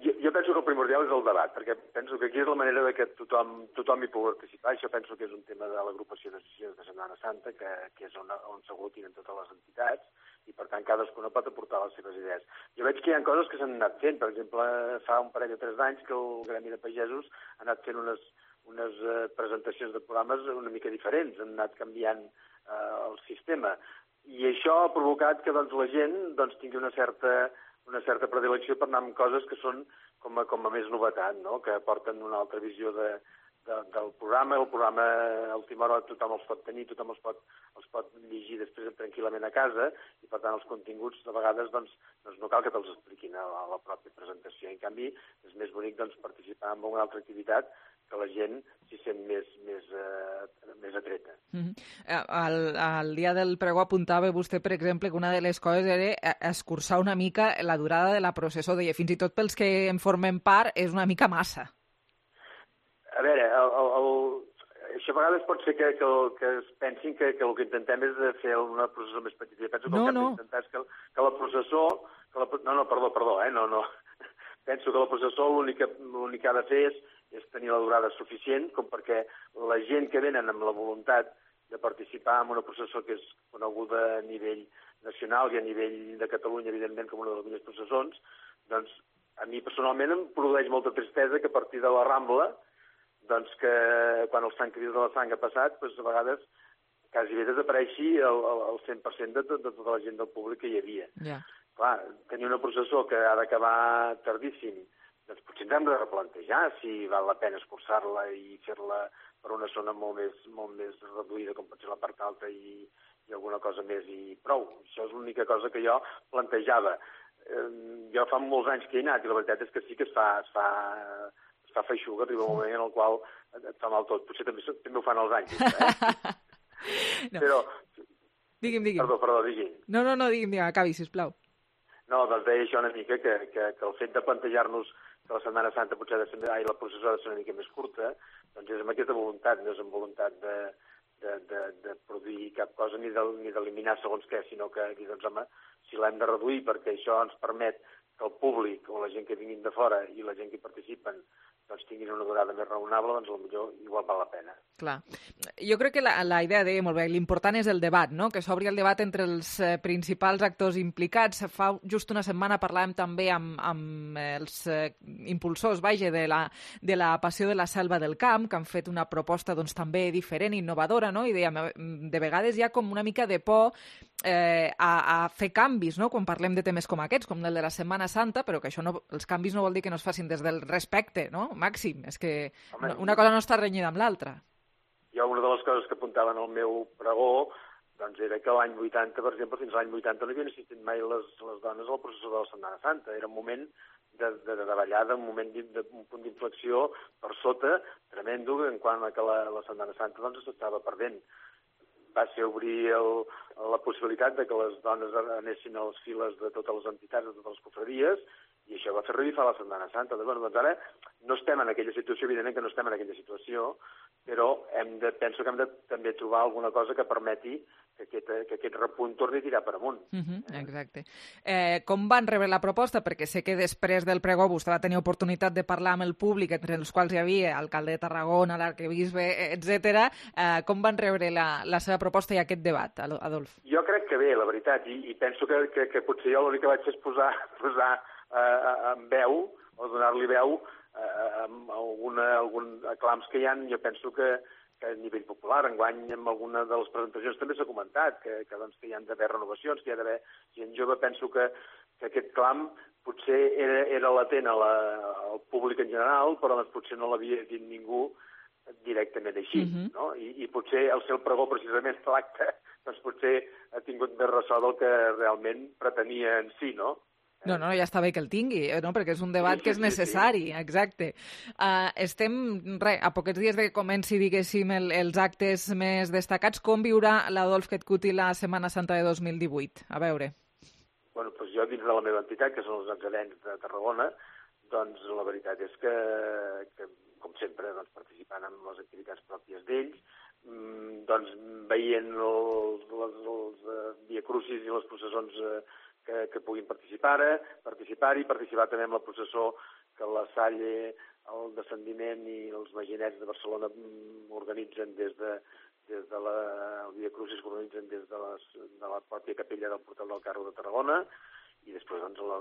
Speaker 4: Jo, jo penso que el primordial és el debat, perquè penso que aquí és la manera de que tothom, tothom hi pugui participar. Això penso que és un tema de l'agrupació d'associacions de Setmana Santa, que, que és on, on s'aglutinen totes les entitats, i per tant cadascuna pot aportar les seves idees. Jo veig que hi ha coses que s'han anat fent. Per exemple, fa un parell o tres d'anys que el Gremi de Pagesos ha anat fent unes, unes uh, presentacions de programes una mica diferents, han anat canviant uh, el sistema. I això ha provocat que doncs, la gent doncs, tingui una certa una certa predilecció per anar amb coses que són com a, com a més novetat, no?, que aporten una altra visió de, de, del programa. El programa a última hora tothom els pot tenir, tothom els pot, els pot llegir després tranquil·lament a casa, i per tant els continguts de vegades doncs, doncs no cal que te'ls expliquin a la, a la pròpia presentació. En canvi, és més bonic doncs, participar en una altra activitat que la gent s'hi sent més, més, eh, més atreta.
Speaker 3: Mm-hmm. Al, al dia del pregó apuntava vostè, per exemple, que una de les coses era escurçar una mica la durada de la processó. Deia, fins i tot pels que en formem part, és una mica massa.
Speaker 4: A veure, el, el, el, això a vegades pot ser que, que, que es pensin que, que el que intentem és de fer una processó més petita. Jo penso que
Speaker 3: no,
Speaker 4: el que
Speaker 3: no.
Speaker 4: hem d'intentar és que, que la processó... Que la, no, no, perdó, perdó, eh, no, no. Penso que la processó l'únic que, l'únic que ha de fer és és tenir la durada suficient com perquè la gent que venen amb la voluntat de participar en una processó que és coneguda a nivell nacional i a nivell de Catalunya, evidentment, com una de les millors processons, doncs a mi personalment em produeix molta tristesa que a partir de la Rambla, doncs que quan el Sant Crist de la Sang ha passat, doncs a vegades quasi bé desapareixi el, el, el cent per cent de, de, de tota la gent del públic que hi havia.
Speaker 3: Yeah.
Speaker 4: Clar, tenir una processó que ha d'acabar tardíssim, doncs potser ens hem de replantejar si val la pena escurçar-la i fer-la per una zona molt més, molt més reduïda, com pot ser la part alta i, i alguna cosa més i prou. Això és l'única cosa que jo plantejava. Eh, jo fa molts anys que he anat i la veritat és que sí que es fa, es fa, es fa feixuga, arriba un moment en el qual et fa mal tot. Potser també, també ho fan els anys. Eh?
Speaker 3: No.
Speaker 4: Però...
Speaker 3: Digui'm, digui'm.
Speaker 4: Perdó, perdó, digui'm.
Speaker 3: No, no, no, digui'm, digui'm, acabi, sisplau.
Speaker 4: No, doncs deia això una mica, que, que, que el fet de plantejar-nos que la Setmana Santa potser ha de ser, ai, la processó ha de ser una mica més curta, doncs és amb aquesta voluntat, no és amb voluntat de, de, de, de produir cap cosa ni d'eliminar segons què, sinó que, doncs, home, si l'hem de reduir perquè això ens permet que el públic o la gent que vinguin de fora i la gent que hi participen doncs tinguin una durada més raonable, doncs potser igual val la pena.
Speaker 3: Clar. Jo crec que la, la idea deia molt bé, l'important és el debat, no?, que s'obri el debat entre els eh, principals actors implicats. Fa just una setmana parlàvem també amb, amb els eh, impulsors, vaja, de la, de la Passió de la Selva del Camp, que han fet una proposta doncs, també diferent, innovadora, no?, i dèiem, de vegades hi ha com una mica de por eh, a, a fer canvis, no?, quan parlem de temes com aquests, com el de la Setmana Santa, però que això no, els canvis no vol dir que no es facin des del respecte, no?, màxim. És que Home, una cosa no està renyida amb l'altra.
Speaker 4: Jo una de les coses que apuntava en el meu pregó doncs era que l'any vuitanta, per exemple, fins a l'any vuitanta no havien assistit mai les, les dones a la processó de la Setmana Santa. Era un moment de, de, de davallada, un moment d'un punt d'inflexió per sota, tremendo, en quant a que la, la Setmana Santa doncs s'estava perdent. Va ser obrir el, la possibilitat de que les dones anessin a les files de totes les entitats, de totes les confraries, i això va fer revifar la Setmana Santa. Doncs, bueno, doncs ara no estem en aquella situació, evidentment que no estem en aquella situació, però hem de, penso que hem de també trobar alguna cosa que permeti que aquest, que aquest repunt torni a tirar per amunt.
Speaker 3: Uh-huh, exacte. Eh, com van rebre la proposta? Perquè sé que després del pregó vostè va tenir oportunitat de parlar amb el públic, entre els quals hi havia alcalde de Tarragona, l'arquebisbe, etcètera. Eh, com van rebre la, la seva proposta i aquest debat, Adolf?
Speaker 4: Jo crec que bé, la veritat, i, i penso que, que, que potser jo l'únic que vaig fer és posar, posar eh, en veu, o donar-li veu, amb alguna, algun aclams que hi ha. Jo penso que, que a nivell popular, enguany amb alguna de les presentacions també s'ha comentat que, que, doncs, que hi ha d'haver renovacions, que hi ha d'haver gent jove. Penso que, que aquest clam potser era, era latent a la, al públic en general, però doncs, potser no l'havia dit ningú directament així, uh-huh. no? I, I potser el seu pregó, precisament l'acte, doncs potser ha tingut més ressò del que realment pretenia en si, no?
Speaker 3: No, no, ja està bé que el tingui, no? Perquè és un debat que és necessari, exacte. Uh, estem, re, a poquets dies de que comenci, diguéssim, el, els actes més destacats. Com viurà l'Adolf Ketkuti la Setmana Santa de dos mil divuit? A veure.
Speaker 4: Bueno, doncs jo dins de la meva entitat, que són els Nazarens de Tarragona, doncs la veritat és que, que com sempre, doncs, participant en les activitats pròpies d'ells, doncs veient els, els, els uh, Via Crucis i les processons uh, que, que puguin participar participar-hi, participar també en la processó que la Salle, el Descendiment i els Maginets de Barcelona organitzen des de, des de la el Via Crucis que organitzen des de, les, de la pròpia capella del Portal del Carro de Tarragona, i després doncs, la,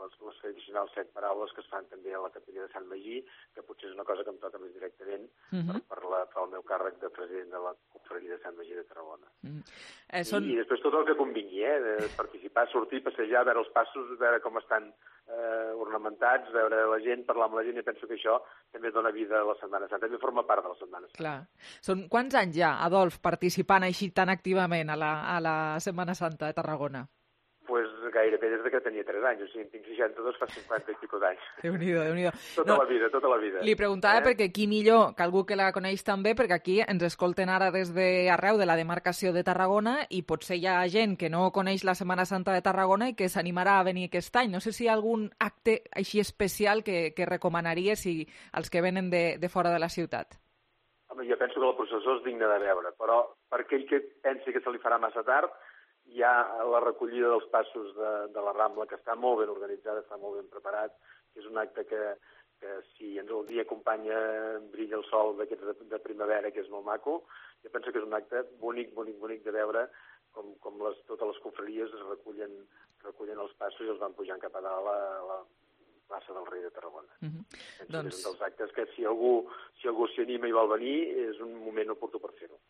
Speaker 4: les, les tradicionals set paraules que es fan també a la capella de Sant Magí, que potser és una cosa que em toca més directament uh-huh. per, per, la, per el meu càrrec de president de la confraria de Sant Magí de Tarragona. Uh-huh. eh, són... I, I després tot el que convingui, eh? De participar, sortir, passejar, veure els passos, veure com estan eh, ornamentats, veure la gent, parlar amb la gent, i penso que això també dona vida a la Setmana Santa, també forma part de la Setmana Santa.
Speaker 3: Clar. Són quants anys ja, Adolf, participant així tan activament a la, a la Setmana Santa de Tarragona?
Speaker 4: Pues gairebé des que tenia tres anys, o sigui, en tinc seixanta-dos, fa cinquanta i pico d'anys.
Speaker 3: Déu-n'hi-do, Déu-n'hi-do.
Speaker 4: Tota no, la vida, tota la vida.
Speaker 3: Li preguntava eh? perquè qui millor que algú que la coneix també, perquè aquí ens escolten ara des d'arreu de la demarcació de Tarragona i potser hi ha gent que no coneix la Setmana Santa de Tarragona i que s'animarà a venir aquest any. No sé si hi ha algun acte així especial que, que recomanaria si els que venen de, de fora de la ciutat.
Speaker 4: Home, jo penso que la processó és digna de veure, però per aquell que pensi que se li farà massa tard, hi ha la recollida dels passos de, de la Rambla, que està molt ben organitzada, està molt ben preparat, que és un acte que, que si ens el dia acompanya brilla el sol d'aquests de, de primavera, que és molt maco, jo penso que és un acte bonic, bonic, bonic de veure com, com les, totes les confraries es recullen, recullen els passos i els van pujant cap a dalt a la plaça del Rei de Tarragona. Uh-huh. Doncs... és un dels actes que si algú si algú s'hi anima i vol venir, és un moment oportú per fer-ho.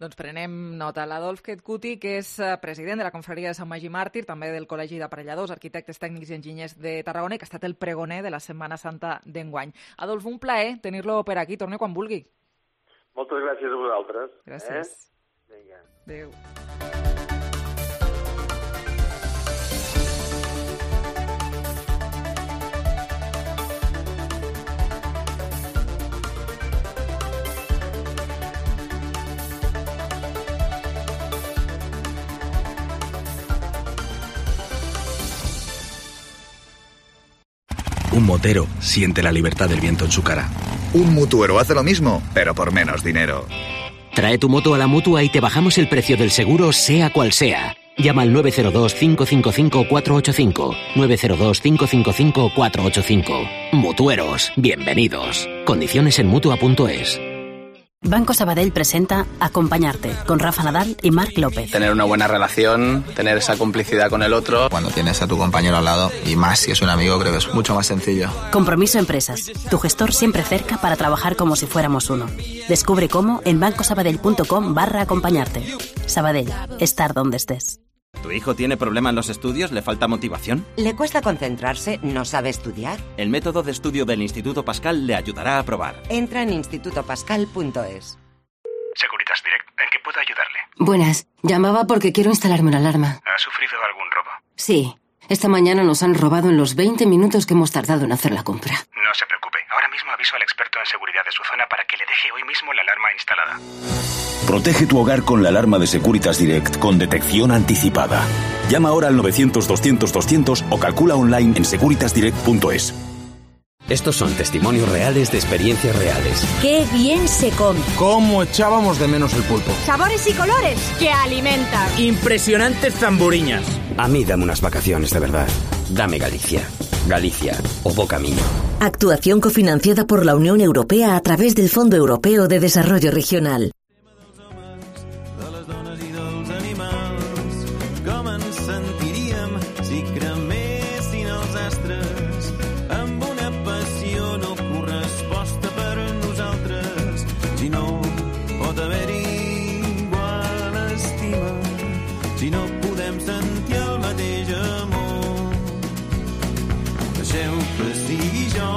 Speaker 3: Doncs prenem nota. L'Adolf Ketkuti, que és president de la confraria de Sant Magí Màrtir, també del Col·legi d'Aparelladors, Arquitectes Tècnics i Enginyers de Tarragona, i que ha estat el pregoner de la Setmana Santa d'enguany. Adolf, un plaer tenir-lo per aquí. Torni quan vulgui.
Speaker 4: Moltes gràcies a vosaltres.
Speaker 3: Gràcies.
Speaker 4: Eh? Vinga.
Speaker 3: Adéu.
Speaker 7: Un motero siente la libertad del viento en su cara.
Speaker 8: Un mutuero hace lo mismo, pero por menos dinero.
Speaker 12: Trae tu moto a la Mutua y te bajamos el precio del seguro, sea cual sea. Llama al nueve cero dos, cinco cinco cinco, cuatro ocho cinco. nueve cero dos, cinco cinco cinco, cuatro ocho cinco. Mutueros, bienvenidos. Condiciones en Mutua punto es.
Speaker 14: Banco Sabadell presenta Acompañarte, con Rafa Nadal y Marc López.
Speaker 17: Tener una buena relación, tener esa complicidad con el otro.
Speaker 18: Cuando tienes a tu compañero al lado, y más si es un amigo, creo que es mucho más sencillo.
Speaker 14: Compromiso Empresas, tu gestor siempre cerca para trabajar como si fuéramos uno. Descubre cómo en bancosabadell punto com barra acompañarte. Sabadell, estar donde estés.
Speaker 19: ¿Tu hijo tiene problema en los estudios? ¿Le falta motivación?
Speaker 21: ¿Le cuesta concentrarse? ¿No sabe estudiar?
Speaker 19: El método de estudio del Instituto Pascal le ayudará a probar.
Speaker 21: Entra en instituto pascal punto es.
Speaker 28: Securitas Direct, ¿en qué puedo ayudarle?
Speaker 29: Buenas, llamaba porque quiero instalarme una alarma.
Speaker 28: ¿Ha sufrido algún robo?
Speaker 29: Sí, esta mañana nos han robado en los veinte minutos que hemos tardado en hacer la compra.
Speaker 28: No se preocupe, ahora mismo aviso al experto en seguridad de su zona para que le deje hoy mismo la alarma instalada.
Speaker 30: Protege tu hogar con la alarma de Securitas Direct con detección anticipada. Llama ahora al novecientos, doscientos, doscientos o calcula online en securitas direct punto es.
Speaker 31: Estos son testimonios reales de experiencias reales.
Speaker 14: ¡Qué bien se come!
Speaker 32: ¿Cómo echábamos de menos el pulpo?
Speaker 14: ¡Sabores y colores que alimentan!
Speaker 31: ¡Impresionantes zamburiñas! A mí dame unas vacaciones de verdad. Dame Galicia. Galicia o Bo Camino.
Speaker 14: Actuación cofinanciada por la Unión Europea a través del Fondo Europeo de Desarrollo Regional.
Speaker 2: si no podem sentir el mateix amor. Deixeu que sigui jo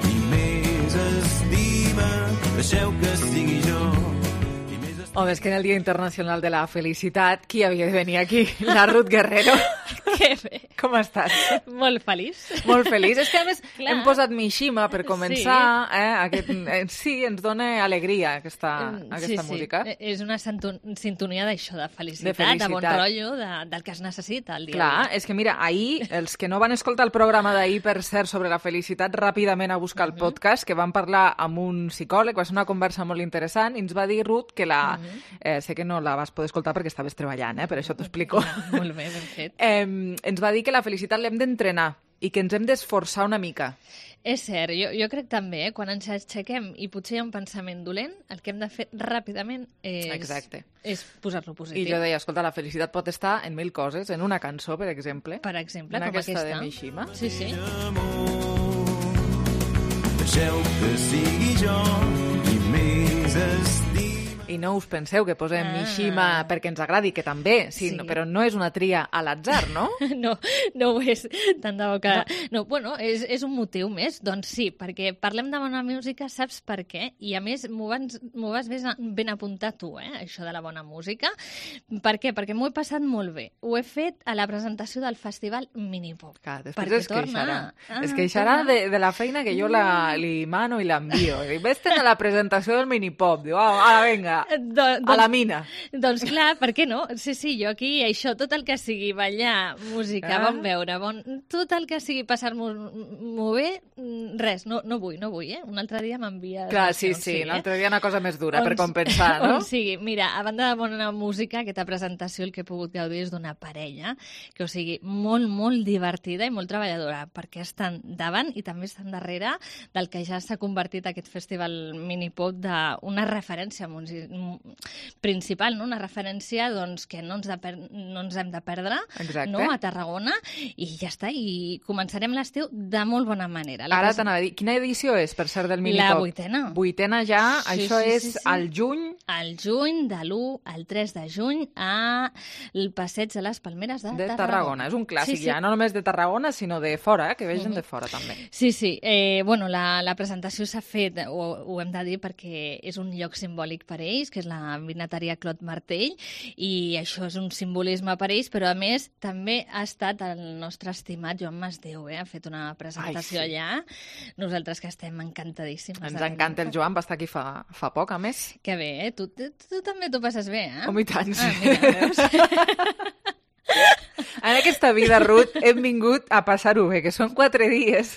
Speaker 2: qui més estima, deixeu que sigui jo.
Speaker 3: Home, és que en el Dia Internacional de la Felicitat, qui havia de venir aquí? La Ruth Guerrero.
Speaker 5: Que bé.
Speaker 3: Com estàs?
Speaker 5: Molt feliç.
Speaker 3: Molt feliç. És que, a més, clar, hem posat Mishima per començar. Sí, eh? Aquest, eh, sí ens dona alegria aquesta, aquesta
Speaker 5: sí,
Speaker 3: música.
Speaker 5: Sí, és una sintonia d'això, de felicitat,
Speaker 3: de felicitat,
Speaker 5: de bon rotllo, de, del que es necessita el dia.
Speaker 3: Clar, és que mira, ahir, els que no van escoltar el programa d'ahir, per cert, sobre la felicitat, ràpidament a buscar el uh-huh. podcast, que van parlar amb un psicòleg, va ser una conversa molt interessant, i ens va dir, Ruth, que la... Uh-huh. eh, sé que no la vas poder escoltar perquè estaves treballant, eh? Per això t'ho explico.
Speaker 5: Molt bé, ben fet.
Speaker 3: Eh, ens va dir que la felicitat l'hem d'entrenar i que ens hem d'esforçar una mica.
Speaker 5: És cert, jo, jo crec també, eh? Quan ens aixequem i potser hi ha un pensament dolent, el que hem de fer ràpidament és,
Speaker 3: Exacte.
Speaker 5: és posar-lo positiu.
Speaker 3: I jo deia, escolta, la felicitat pot estar en mil coses, en una cançó, per exemple.
Speaker 5: Per exemple,
Speaker 3: en
Speaker 5: com
Speaker 3: aquesta.
Speaker 5: aquesta.
Speaker 3: de Mishima.
Speaker 5: Sí, sí.
Speaker 2: Deixeu que sigui jo qui més estima.
Speaker 3: I no us penseu que posem ah. Mishima perquè ens agradi, que també, sí, sí. No, però no és una tria a l'atzar, no?
Speaker 5: no, no ho és, tant de bo que... No, no bueno, és, és un motiu més, doncs sí, perquè parlem de bona música, saps per què? I a més m'ho vas, m'ho vas ben, ben apuntar tu, eh, això de la bona música. Per què? Perquè m'ho he passat molt bé. Ho he fet a la presentació del Festival Minipop.
Speaker 3: Clar, després es queixarà. Ah, es queixarà de, de la feina que jo la, li mano i l'envio. Ves-te'n a la presentació del Minipop. Diu, ah, ara vinga. Do, doncs, a la mina.
Speaker 5: Doncs clar, per què no? Sí, sí, jo aquí, això, tot el que sigui ballar, música, ah. bon veure, bon, tot el que sigui passar-m'ho bé, res, no, no vull, no vull, eh? Un altre dia m'envia...
Speaker 3: Clar, sí, sí, sí, l'altre dia una cosa més dura on, per compensar, no?
Speaker 5: On sigui, mira, a banda de bona música, aquesta presentació el que he pogut gaudir és d'una parella, que o sigui, molt, molt divertida i molt treballadora, perquè estan davant i també estan darrere del que ja s'ha convertit aquest festival Minipop d'una referència principal, no? Una referència doncs, que no ens, de per... no ens hem de perdre, no? A Tarragona, i ja està, i començarem l'estiu de molt bona manera. La
Speaker 3: Ara t'anava a dir, quina edició és, per cert, del Minipop?
Speaker 5: La vuitena.
Speaker 3: Vuitena ja, sí, això
Speaker 5: sí,
Speaker 3: és
Speaker 5: sí, sí.
Speaker 3: al juny?
Speaker 5: Al juny, de l'u al tres de juny, al Passeig de les Palmeres de,
Speaker 3: de
Speaker 5: Tarragona.
Speaker 3: Tarragona. És un clàssic, sí, sí. Ja, no només de Tarragona, sinó de fora, eh? Que vegin mm-hmm. de fora, també.
Speaker 5: Sí, sí. Eh, bueno, la, la presentació s'ha fet, ho, ho hem de dir, perquè és un lloc simbòlic per ells, que és la vinateria Clot Martell, i això és un simbolisme per ells, però a més també ha estat el nostre estimat Joan Masdeu, eh? Ha fet una presentació Ai, sí. allà. Nosaltres que estem encantadíssims.
Speaker 3: Ens encanta el Joan, va estar aquí fa, fa poc, a més.
Speaker 5: Que bé, eh? Tu, tu, tu també t'ho passes bé, eh?
Speaker 3: Home, i tant, sí. Ah, mira, veus? En aquesta vida, Ruth, hem vingut a passar-ho bé, que són quatre dies.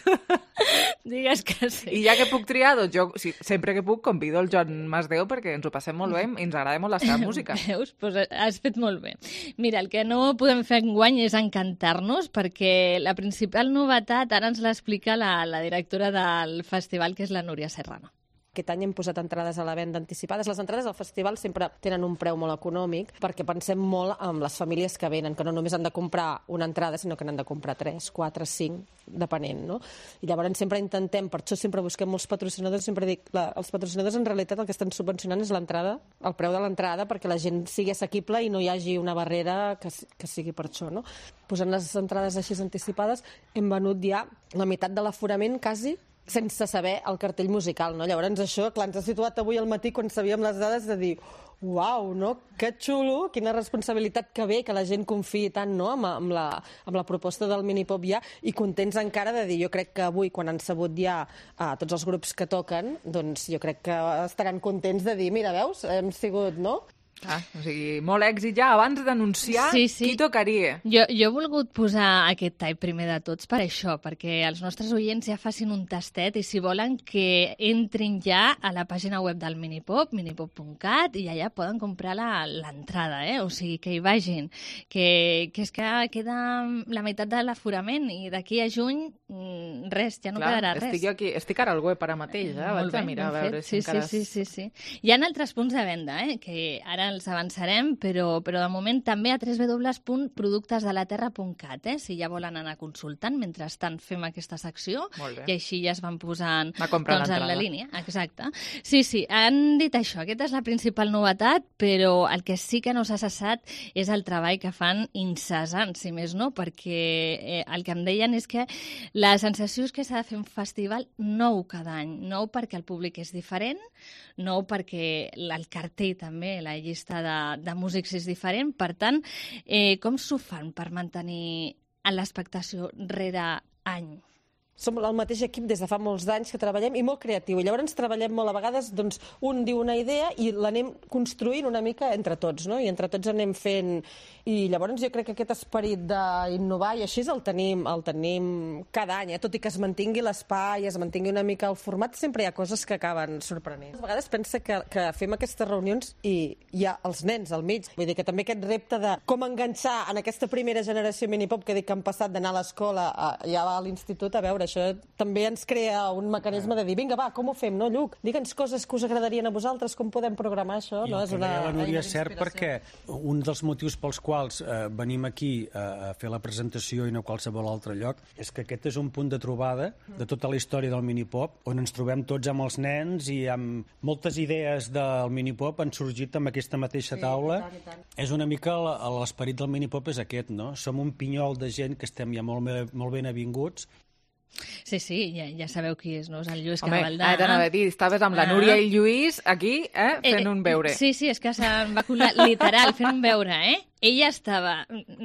Speaker 5: Digues que sí.
Speaker 3: I ja que puc triar, doncs jo sí, sempre que puc convido el Joan Masdeu perquè ens ho passem molt bé i ens agrada molt la seva música.
Speaker 5: Veus? Pues has fet molt bé. Mira, el que no podem fer enguany és encantar-nos, perquè la principal novetat ara ens l'explica la, la directora del festival, que és la Núria Serrano.
Speaker 6: Aquest any hem posat entrades a la venda anticipades. Les entrades al festival sempre tenen un preu molt econòmic perquè pensem molt en les famílies que venen, que no només han de comprar una entrada, sinó que n'han de comprar tres, quatre, cinc, depenent, no? I llavors sempre intentem, per això sempre busquem molts patrocinadors, sempre dic, la, els patrocinadors en realitat el que estan subvencionant és l'entrada, el preu de l'entrada, perquè la gent sigui assequible i no hi hagi una barrera que, que sigui per això, no? Posant les entrades així anticipades, hem venut ja la meitat de l'aforament, quasi, sense saber el cartell musical, no? Llavors això, clar, ens ha situat avui al matí quan sabíem les dades de dir uau, no? Que xulo, quina responsabilitat que bé que la gent confiï tant, no? amb, amb, la, amb la proposta del Minipop ja, i contents encara de dir, jo crec que avui quan han sabut ja a tots els grups que toquen, doncs jo crec que estaran contents de dir, mira, veus, hem sigut, no?
Speaker 3: Ah, o sigui, molt èxit ja abans d'anunciar
Speaker 5: sí, sí.
Speaker 3: qui tocaria.
Speaker 5: Jo, jo he volgut posar aquest tall primer de tots per això, perquè els nostres oients ja facin un tastet i si volen que entrin ja a la pàgina web del Minipop, minipop punt cat, i allà poden comprar l'entrada, eh? O sigui, que hi vagin, que, que és que queda la meitat de l'aforament i d'aquí a juny res, ja no
Speaker 3: Clar,
Speaker 5: quedarà res.
Speaker 3: Estic, aquí, estic ara al web ara mateix, eh? Vaig a mirar a veure si
Speaker 5: sí,
Speaker 3: encara...
Speaker 5: Sí, sí, sí, sí. Hi ha altres punts de venda, eh? Que ara els avançarem, però, però de moment també a w w w punt productes de la terra punt cat, eh? Si ja volen anar consultant, mentrestant fem aquesta secció, i així ja es van posant doncs, en la línia. Exacte. Sí, sí, han dit això, aquesta és la principal novetat, però el que sí que no s'ha cessat és el treball que fan incessant, si més no, perquè eh, el que em deien és que la sensació és que s'ha de fer un festival nou cada any, nou perquè el públic és diferent, nou perquè el cartell també, la llista de, de músics és diferent, per tant, eh, com s'ho fan per mantenir l'expectació rere any?
Speaker 6: Som el mateix equip des de fa molts anys que treballem i molt creatiu. I llavors treballem molt a vegades, doncs, un diu una idea i l'anem construint una mica entre tots, no? I entre tots anem fent... I llavors jo crec que aquest esperit d'innovar i així el tenim, el tenim cada any, eh? Tot i que es mantingui l'espai, es mantingui una mica el format, sempre hi ha coses que acaben sorprenent. A vegades pensa que, que fem aquestes reunions i hi ha els nens al mig. Vull dir que també aquest repte de com enganxar en aquesta primera generació minipop que dic que han passat d'anar a l'escola a, ja a l'institut, a veure, això també ens crea un mecanisme de dir, vinga, va, com ho fem, no, Lluc? Digue'ns coses que us agradarien a vosaltres, com podem programar això, no?
Speaker 9: I el que deia la Núria és cert perquè un dels motius pels quals eh, venim aquí a, a fer la presentació i no a qualsevol altre lloc és que aquest és un punt de trobada de tota la història del minipop, on ens trobem tots amb els nens i amb moltes idees del minipop han sorgit amb aquesta mateixa taula. Sí, i tant, i tant. És una mica l'esperit del minipop és aquest, no? Som un pinyol de gent que estem ja molt, molt ben avinguts.
Speaker 5: Sí, sí, ja, ja sabeu qui és, no? És el Lluís
Speaker 3: Home,
Speaker 5: Cabaldà.
Speaker 3: Home, t'anava a dir, estaves amb la Núria i el Lluís aquí, eh, fent
Speaker 5: eh,
Speaker 3: un beure.
Speaker 5: Sí, sí, és que se'n va colar literal, fent un beure, eh? Ella estava,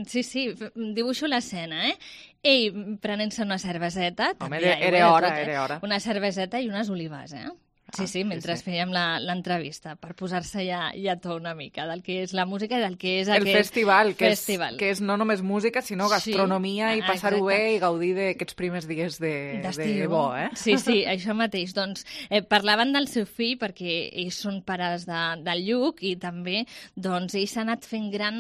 Speaker 5: sí, sí, dibuixo l'escena, eh? Ell prenent-se una cerveseta.
Speaker 3: Home, era, era hora, tot, eh? era hora.
Speaker 5: Una cerveseta i unes olives, eh? Sí, sí, mentre sí, sí. fèiem l'entrevista, per posar-se ja, ja tot una mica del que és la música i del que és
Speaker 3: el
Speaker 5: aquest
Speaker 3: festival, que
Speaker 5: festival.
Speaker 3: És, que és no només música, sinó gastronomia sí, i passar-ho bé i gaudir d'aquests primers dies de, de bo, eh?
Speaker 5: Sí, sí, això mateix. Doncs eh, parlaven del seu fill perquè ells són pares de, del Lluc i també doncs, ell s'ha anat fent gran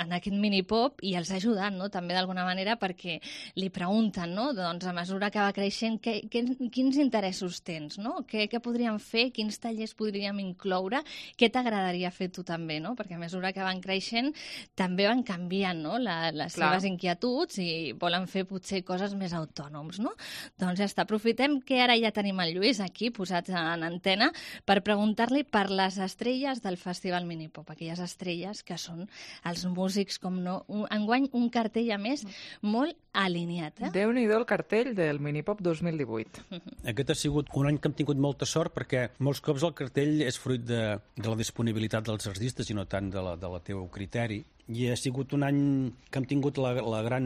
Speaker 5: en aquest minipop i els ha ajudat, no? També d'alguna manera perquè li pregunten, no? Doncs a mesura que va creixent, que, que, quins interessos tens, no? Què, què podria fer, quins tallers podríem incloure, què t'agradaria fer tu també, no? Perquè a mesura que van creixent també van canviant, no? La, les Clar. seves inquietuds i volen fer potser coses més autònoms, no? Doncs ja està, aprofitem que ara ja tenim el Lluís aquí posats en antena per preguntar-li per les estrelles del Festival Minipop, aquelles estrelles que són els músics, com no, un, enguany un cartell a més molt alineat, eh?
Speaker 3: Déu-n'hi-do el cartell del Minipop dos mil divuit.
Speaker 9: Aquest ha sigut un any que hem tingut molta sort perquè molts cops el cartell és fruit de, de la disponibilitat dels artistes i no tant de la, de la teu criteri. I ha sigut un any que hem tingut la, la gran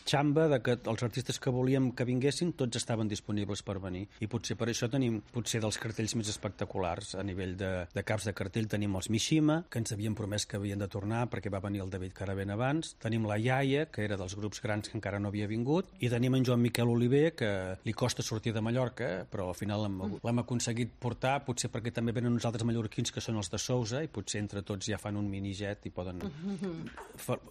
Speaker 9: xamba de que els artistes que volíem que vinguessin tots estaven disponibles per venir. I potser per això tenim potser dels cartells més espectaculars. A nivell de, de caps de cartell tenim els Mishima, que ens havien promès que havien de tornar perquè va venir el David Caravent abans. Tenim la Iaia, que era dels grups grans que encara no havia vingut. I tenim en Joan Miquel Oliver, que li costa sortir de Mallorca, però al final l'hem aconseguit portar, potser perquè també venen uns altres mallorquins que són els de Sousa i potser entre tots ja fan un minijet i poden...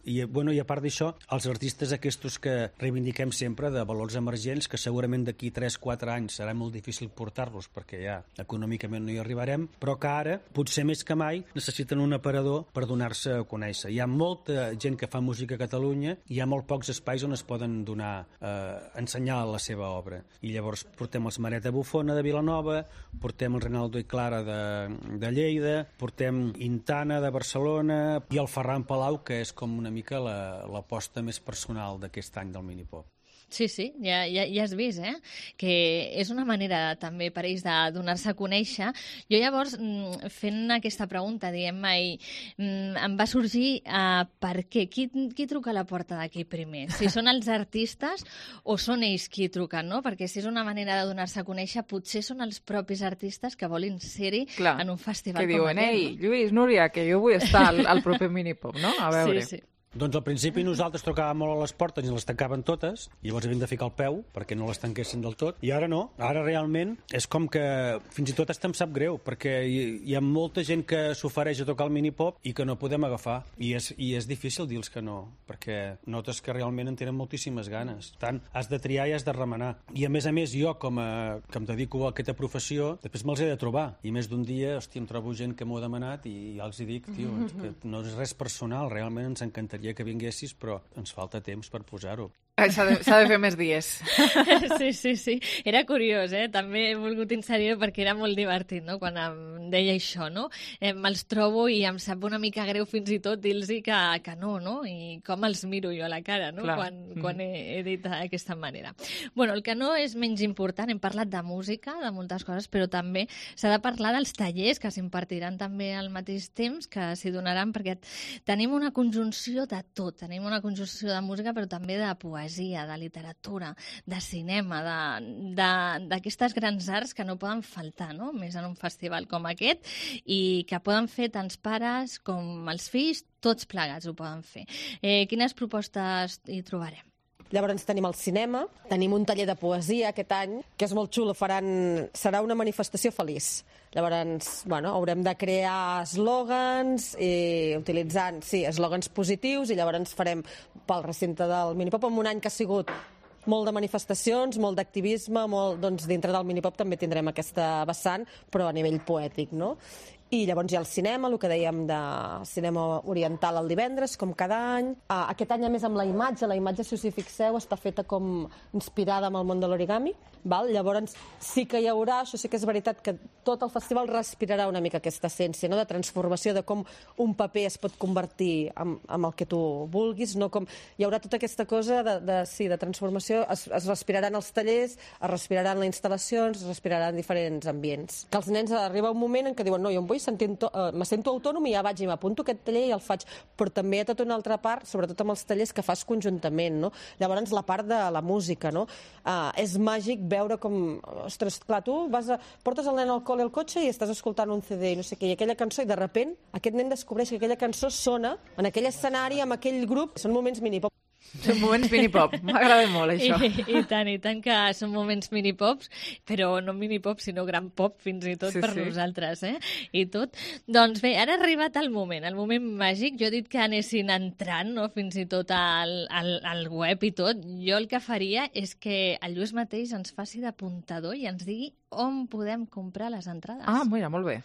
Speaker 9: I, bueno, i a part d'això, els artistes aquests que reivindiquem sempre de valors emergents, que segurament d'aquí tres quatre anys serà molt difícil portar-los perquè ja econòmicament no hi arribarem, però que ara, potser més que mai, necessiten un aparador per donar-se a conèixer. Hi ha molta gent que fa música a Catalunya i hi ha molt pocs espais on es poden donar, eh, ensenyar la seva obra. I llavors portem els Mareta Bufona de Vilanova, portem el Renaldo i Clara de, de Lleida, portem Intana de Barcelona i el Ferran Palau, que és com una mica l'aposta més personal d'aquest any del Minipop.
Speaker 5: Sí, sí, ja, ja, ja has vist, eh? Que és una manera també per ells de donar-se a conèixer. Jo llavors, fent aquesta pregunta, diguem-me, em va sorgir uh, per què? Qui, qui truca a la porta d'aquí primer? Si són els artistes o són ells qui truquen, no? Perquè si és una manera de donar-se a conèixer, potser són els propis artistes que volen ser-hi en un festival
Speaker 3: que
Speaker 5: com
Speaker 3: diuen,
Speaker 5: aquest.
Speaker 3: Ei, Lluís, Núria, que jo vull estar al, al proper Minipop, no? A veure.
Speaker 5: Sí, sí.
Speaker 9: Doncs al principi nosaltres tocàvem molt a les portes i les tancaven totes, i llavors havíem de ficar el peu perquè no les tanquessin del tot, i ara no. Ara realment és com que fins i tot hasta em sap greu, perquè hi, hi ha molta gent que s'ofereix a tocar el minipop i que no podem agafar, i és, i és difícil dir-los que no, perquè notes que realment en tenen moltíssimes ganes. Tant has de triar i has de remenar. I a més a més jo, com a, que em dedico a aquesta professió, després me'ls he de trobar, i més d'un dia, hòstia, em trobo gent que m'ho ha demanat i ja els hi dic, tio, que no és res personal, realment ens encantaria que vinguessis, però ens falta temps per posar-ho.
Speaker 3: S'ha de, s'ha de fer més dies.
Speaker 5: Sí, sí, sí. Era curiós, eh? També he volgut inserir perquè era molt divertit, no?, quan em deia això, no? Eh, me'ls trobo i em sap una mica greu fins i tot dir-los que, que no, no? I com els miro jo a la cara, no?,
Speaker 3: Clar.
Speaker 5: quan, quan he, he dit d'aquesta manera. Bueno, el que no és menys important, hem parlat de música, de moltes coses, però també s'ha de parlar dels tallers que s'impartiran també al mateix temps, que s'hi donaran, perquè tenim una conjunció de tot. Tenim una conjunció de música, però també de poesia, de literatura, de cinema, d'aquestes grans arts que no poden faltar, no?, més en un festival com aquest, i que poden fer tants pares com els fills, tots plegats ho poden fer. Eh, quines propostes hi trobarem?
Speaker 6: Llavors tenim el cinema, tenim un taller de poesia aquest any, que és molt xulo, faran... serà una manifestació feliç. Llavors, bueno, haurem de crear eslògans, i utilitzant, sí, eslògans positius, i llavors farem pel recinte del Minipop, en un any que ha sigut molt de manifestacions, molt d'activisme, molt, doncs dintre del Minipop també tindrem aquesta vessant, però a nivell poètic, no? I llavors hi ha el cinema, el que dèiem de cinema oriental el divendres, com cada any. Ah, aquest any, a més, amb la imatge, la imatge, si us hi fixeu, està feta com inspirada amb el món de l'origami. Val? Llavors, sí que hi haurà, això sí que és veritat, que tot el festival respirarà una mica aquesta essència, no?, de transformació, de com un paper es pot convertir en, en el que tu vulguis, no? Com hi haurà tota aquesta cosa de, de, sí, de transformació, es, es respiraran els tallers, es respiraran les instal·lacions, es respiraran diferents ambients. Que els nens arriba un moment en què diuen, no, jo em vull Sentint, uh, me sento autònom i ja vaig i m'apunto aquest taller i el faig, però també hi ha tota una altra part, sobretot amb els tallers que fas conjuntament, no? Llavors la part de la música, no? Uh, és màgic veure com, ostres, clar, tu vas a, portes el nen al col·le al cotxe i estàs escoltant un C D i no sé què, i aquella cançó, i de repent aquest nen descobreix que aquella cançó sona en aquell escenari, amb aquell grup, són moments minipop.
Speaker 3: Són moments minipop, m'agrada molt això.
Speaker 5: I, I tant, i tant que són moments minipops, però no minipop, sinó gran pop fins i tot sí, per sí. nosaltres, eh? I tot. Doncs bé, ara ha arribat el moment, el moment màgic. Jo he dit que anessin entrant, no?, fins i tot al, al, al web i tot. Jo el que faria és que el Lluís mateix ens faci d'apuntador i ens digui on podem comprar les entrades.
Speaker 3: Ah, mira, molt bé.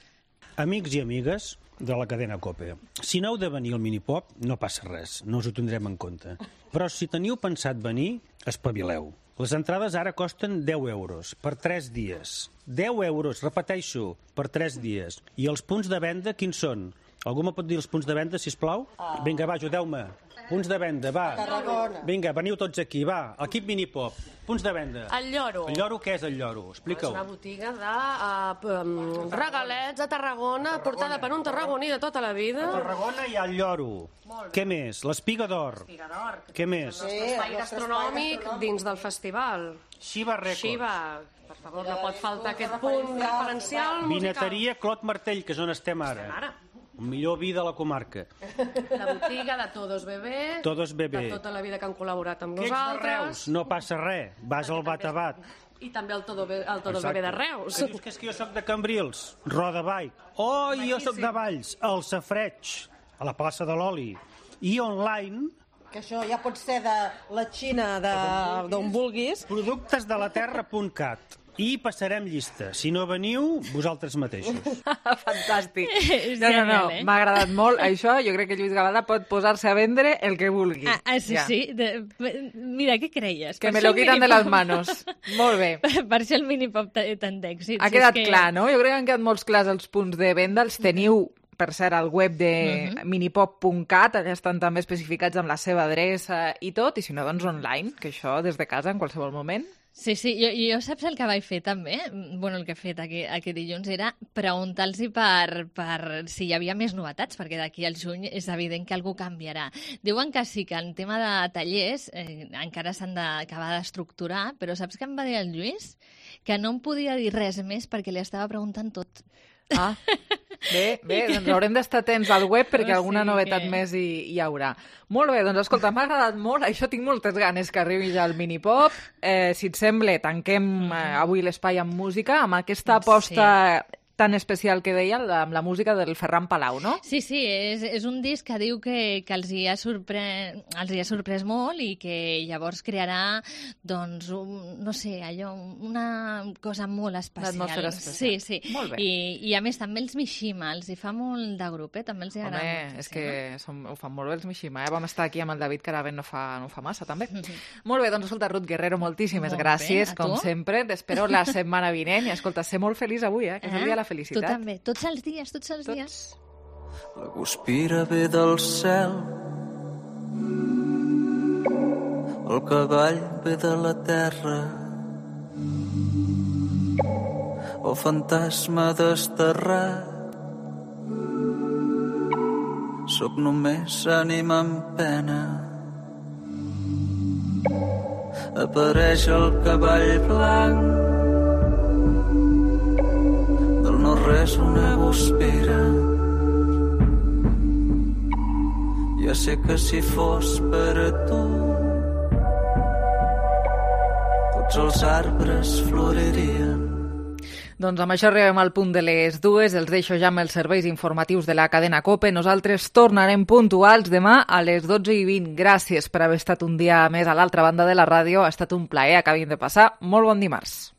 Speaker 9: Amics i amigues de la cadena COPE, si no heu de venir al Minipop, no passa res, no us ho tindrem en compte. Però si teniu pensat venir, espavileu. Les entrades ara costen deu euros per tres dies. deu euros, repeteixo, per tres dies. I els punts de venda, quins són? Algú me pot dir els punts de venda, sisplau? Ah. Vinga, va, ajudeu-me. Punts de venda, va.
Speaker 6: Tarragona.
Speaker 9: Vinga, veniu tots aquí, va. Equip Minipop. Punts de venda.
Speaker 1: El Lloro.
Speaker 9: El Lloro, què és el Lloro? Explica-ho.
Speaker 1: És una botiga de uh, um, regalets a Tarragona, portada per un tarragoní de tota la vida.
Speaker 9: A Tarragona hi ha el Lloro. Què més? L'espiga d'or.
Speaker 1: L'espiga d'or.
Speaker 9: Què més?
Speaker 1: El nostre espai gastronòmic dins del festival.
Speaker 9: Xiva Records.
Speaker 1: Xiva. Per favor, no pot faltar aquest punt referencial musical.
Speaker 9: Vineteria Clot Martell, que és on estem ara.
Speaker 1: Estem ara.
Speaker 9: El millor vi de la comarca.
Speaker 1: La botiga de Todos Bebé.
Speaker 9: Todos Bebé.
Speaker 1: De tota la vida que han col·laborat amb
Speaker 9: que
Speaker 1: nosaltres.
Speaker 9: Ets de Reus? No passa res. Vas al bat a bat.
Speaker 1: I també el Todo, el Todos Bebé de Reus.
Speaker 9: Que dius que és que jo soc de Cambrils, Roda Bike. Oh, i jo soc de Valls, al Safreig, a la plaça de l'Oli. I online...
Speaker 6: Que això ja pot ser de la Xina, d'on vulguis.
Speaker 9: Productes de la terra punt cat. I passarem llista. Si no veniu, vosaltres mateixos.
Speaker 3: Fantàstic. No, no, no, m'ha agradat molt això. Jo crec que Lluís Gavada pot posar-se a vendre el que vulgui.
Speaker 5: Ah, ah sí, ja. sí. De, mira, què creies?
Speaker 3: Que per me lo quitan de les manos. Molt bé.
Speaker 5: Per això el Minipop té tant d'èxit.
Speaker 3: Ha quedat que... clar, no? Jo crec que han quedat molts clars els punts de venda. Els teniu, per cert, al web de uh-huh. minipop punt cat, allà estan també especificats amb la seva adreça i tot, i si no, doncs online, que això des de casa en qualsevol moment.
Speaker 5: Sí, sí, jo, jo saps el que vaig fer també? Bueno, el que he fet aquest, aquest dilluns era preguntar-los per, per si hi havia més novetats, perquè d'aquí al juny és evident que algú canviarà. Diuen que sí, que en tema de tallers eh, encara s'han d'acabar d'estructurar, però saps què em va dir el Lluís? Que no em podia dir res més perquè li estava preguntant tot.
Speaker 3: Ah, bé, bé, doncs haurem d'estar atents al web perquè
Speaker 5: O
Speaker 3: alguna
Speaker 5: sigui
Speaker 3: novetat
Speaker 5: que-
Speaker 3: més hi, hi haurà. Molt bé, doncs escolta, m'ha agradat molt, això tinc moltes ganes que arribi ja el minipop. Eh, si et sembla, tanquem eh, avui l'espai amb música, amb aquesta aposta tan especial que deia, la- amb la música del Ferran Palau, no?
Speaker 5: Sí, sí, és, és un disc que diu que, que els, hi ha sorpre... els hi ha sorprès molt i que llavors crearà, doncs, un, no sé, allò, una cosa molt especial.
Speaker 3: L'atmosfera especial.
Speaker 5: Sí, sí.
Speaker 3: Molt bé.
Speaker 5: I, I a més també els Mishima, els hi fa molt de grup, eh? També els hi agrada
Speaker 3: Home,
Speaker 5: molt.
Speaker 3: és que som, ho fan molt bé els Mishima, eh? Vam estar aquí amb el David Caraven no fa, no fa massa, també.
Speaker 5: Mhm.
Speaker 3: Molt bé, doncs escolta, Ruth Guerrero, moltíssimes
Speaker 5: Molt bé,
Speaker 3: gràcies,
Speaker 5: a
Speaker 3: com
Speaker 5: tu.
Speaker 3: sempre. T'espero la setmana vinent i, escolta, ser molt feliç avui, eh? Que és el dia de la
Speaker 5: Tu
Speaker 3: felicitat.
Speaker 5: també, tots els dies, tots els tots. dies.
Speaker 2: La guspira ve del cel, el cavall ve de la terra, el fantasma desterrat. Sóc només ànima en pena. Apareix el cavall blanc, del no-res una guspira. Ja sé que si fos per a tu, tots els arbres floririen.
Speaker 3: Doncs amb això arribem al punt de les dues. Els deixo ja amb els serveis informatius de la cadena COPE. Nosaltres tornarem puntuals demà a les dotze i vint. Gràcies per haver estat un dia més a l'altra banda de la ràdio. Ha estat un plaer. Acabin de passar molt bon dimarts.